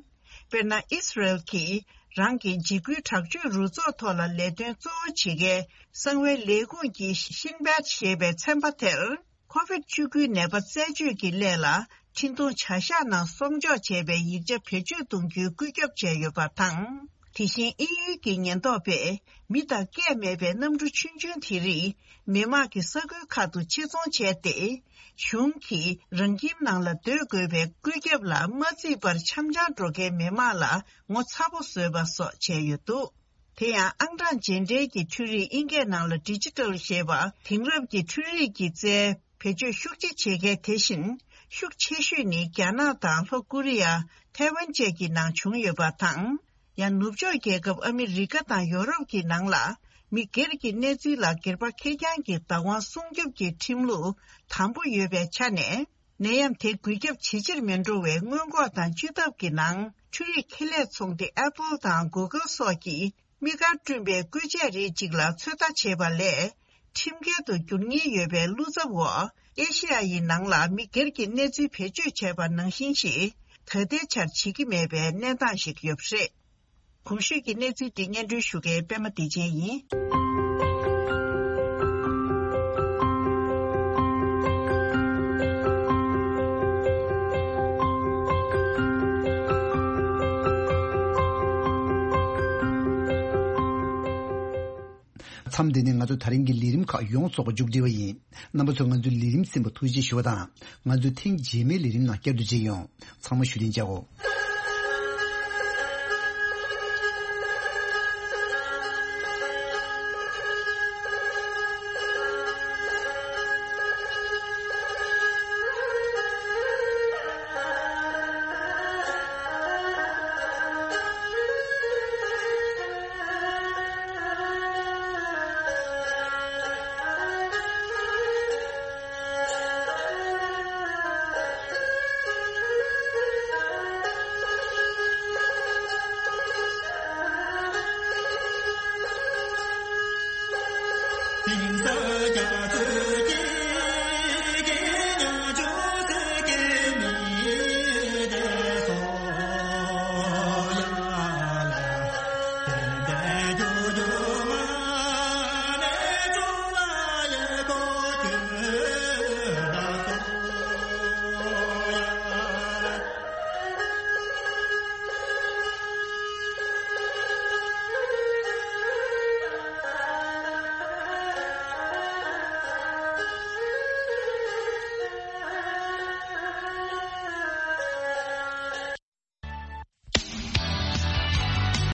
དཔེར་ན། ཨི་སི་རེལ་གྱིས་རང་གི་འཇིགས་སྐུལ་དྲག་སྤྱོད་རུ་ཚོགས་ཐོག་ལ་ལས་དོན་གཙོ་བོ་བྱེད་མཁན་གསང་བའི་ལས་ཁུངས་ཀྱི་ཤིན་བེད་ཞེས་པའི་ཚན་པ་དེར། ཁོ་བིད་བཅུ་དགུའི་ནད་པ་རྩད་གཅོད་ཀྱི་སླད་ལ་འཕྲིན་གཏོང་བྱ་གཞག་ནང་གསོག་འཇོག་བྱས་པའི་ཡིག་ཆ་བེད་སྤྱོད་གཏོང་རྒྱུའི་བཀོད་ཁྱབ་བྱས་ཡོད་པ་དང་། དེ་བཞིན་དབྱིན་ཡུལ་གྱི་ཉེན་རྟོག་པས་མི་དང་སྐད་མེད་པའི་གནམ་གྲུ་ཆུང་ཆུང་དེ་རིགས་མི་དམངས་ཀྱི་ས་ཁུལ་ཁག་ཏུ་ཕྱིར་ཚོང་བྱས་ཏེ། གཞུང་གིས་རང་ཁྱིམ་ནང་ལ་སྡོད་དགོས་པའི་བཀོད་ཁྱབ་ལ་མ་བརྩིས་པར་འཆམ་འཆམ་འགྲོ་མཁན་མི་མང་ལ་ངོ་ཚ་པོ་བཟོས་པ་སོགས་བྱས་ཡོད་འདུག་དེ་ཡང་ཨང་གྲངས་རྗེས་འབྲེལ་གྱི་འཕྲུལ་རིག་ཨིན་སྐད་ནང་ལ་ཌི་ཇི་ཊལ་ཞེས་པ་དེང་རབས་ཀྱི་འཕྲུལ་རིག་གི་རྩལ་བེད་སྤྱོད་ཤུགས་ཆེ་བྱེད་མཁན་དེ་བཞིན་ཤུགས་ཆེ་ཤོས་ནི་རྒྱ་ནག་དང་ལྷོ་ཀོ་རི་ཡ། ཐའེ་ཝན་བཅས་ཀྱི་ནང་བྱུང་ཡོད་པ་དང་། ཡང་ནུབ་ཕྱོགས་རྒྱལ་ཁབ་ཨ་མི་རི་ཀ་དང་ཡོ་རོབ་ཀྱི་ནང་ལ་མི་སྒེར་གྱི་གནས་ཚུལ་ལ་སྒེར་པ་ཁེར་རྐྱང་གི་བདག་དབང་སྲུང་སྐྱོབ་ཀྱི་ཁྲིམས་ལུགས་དམ་པོ་ཡོད་པའི་ཆ་ནས། ནད་ཡམས་དེ་འགོས་ཁྱབ་ཇེ་ཆེར་མི་འགྲོ་བའི་སྔོན་འགོག་དང་བཅོས་ཐབས་ཀྱི་ནང་འཕྲུལ་རིག་ཁེ་ལས་ཚོང་སྡེ་ཨེ་པལ་དང་གུ་གལ་སོགས་ཀྱིས་དམིགས་བཀར་བསྐྲུན་པའི་བཀོལ་ཆས་རིགས་གཅིག་ལ་ཚོད་ལྟ་བྱས་པ་ལས་ཁྲིམས་འགལ་དུ་འགྱུར་ཉེན་ཡོད་པའི་བློ་འཚབ་འོག་ཨེ་ཤེ་ཡ་ཡི་ནང་ལ་མི་སྒེར་གྱི་གནས་ཚུལ་བེད་སྤྱོད་བྱས་པ་ནང་བཞིན་ཞིག་ད་ལྟའི་ཆར་བྱེད་ཀྱི་མེད་པའི་གནས་སྟངས་ཤིག་ཡོད་པ་རེད། གོང་ཞུས་ཀྱི་གནས་ཚུལ་འདི་སྙན་སྒྲོན་ཞུ་མཁན་པད་མ་བདེ་ཆེན་ཡིན། མཚམས་འདི་ནས་ང་ཚོ་ད་རིང་གི་ལས་རིམ་ཁག་ཡོངས་རྫོགས་པ་མཇུག་སྒྲིལ་བ་ཡིན། རྣམ་པ་ཚོ་ང་ཚོའི་ལས་རིམ་གསན་པར་ཐུགས་རྗེ་ཞུ་བ་དང་། ང་ཚོ་ཐེངས་རྗེས་མའི་ལས་རིམ་ནང་བསྐྱར་དུ་མཇལ་ཡོང་། ཚང་མ་བཞུགས་གདན་འཇགས་གོ།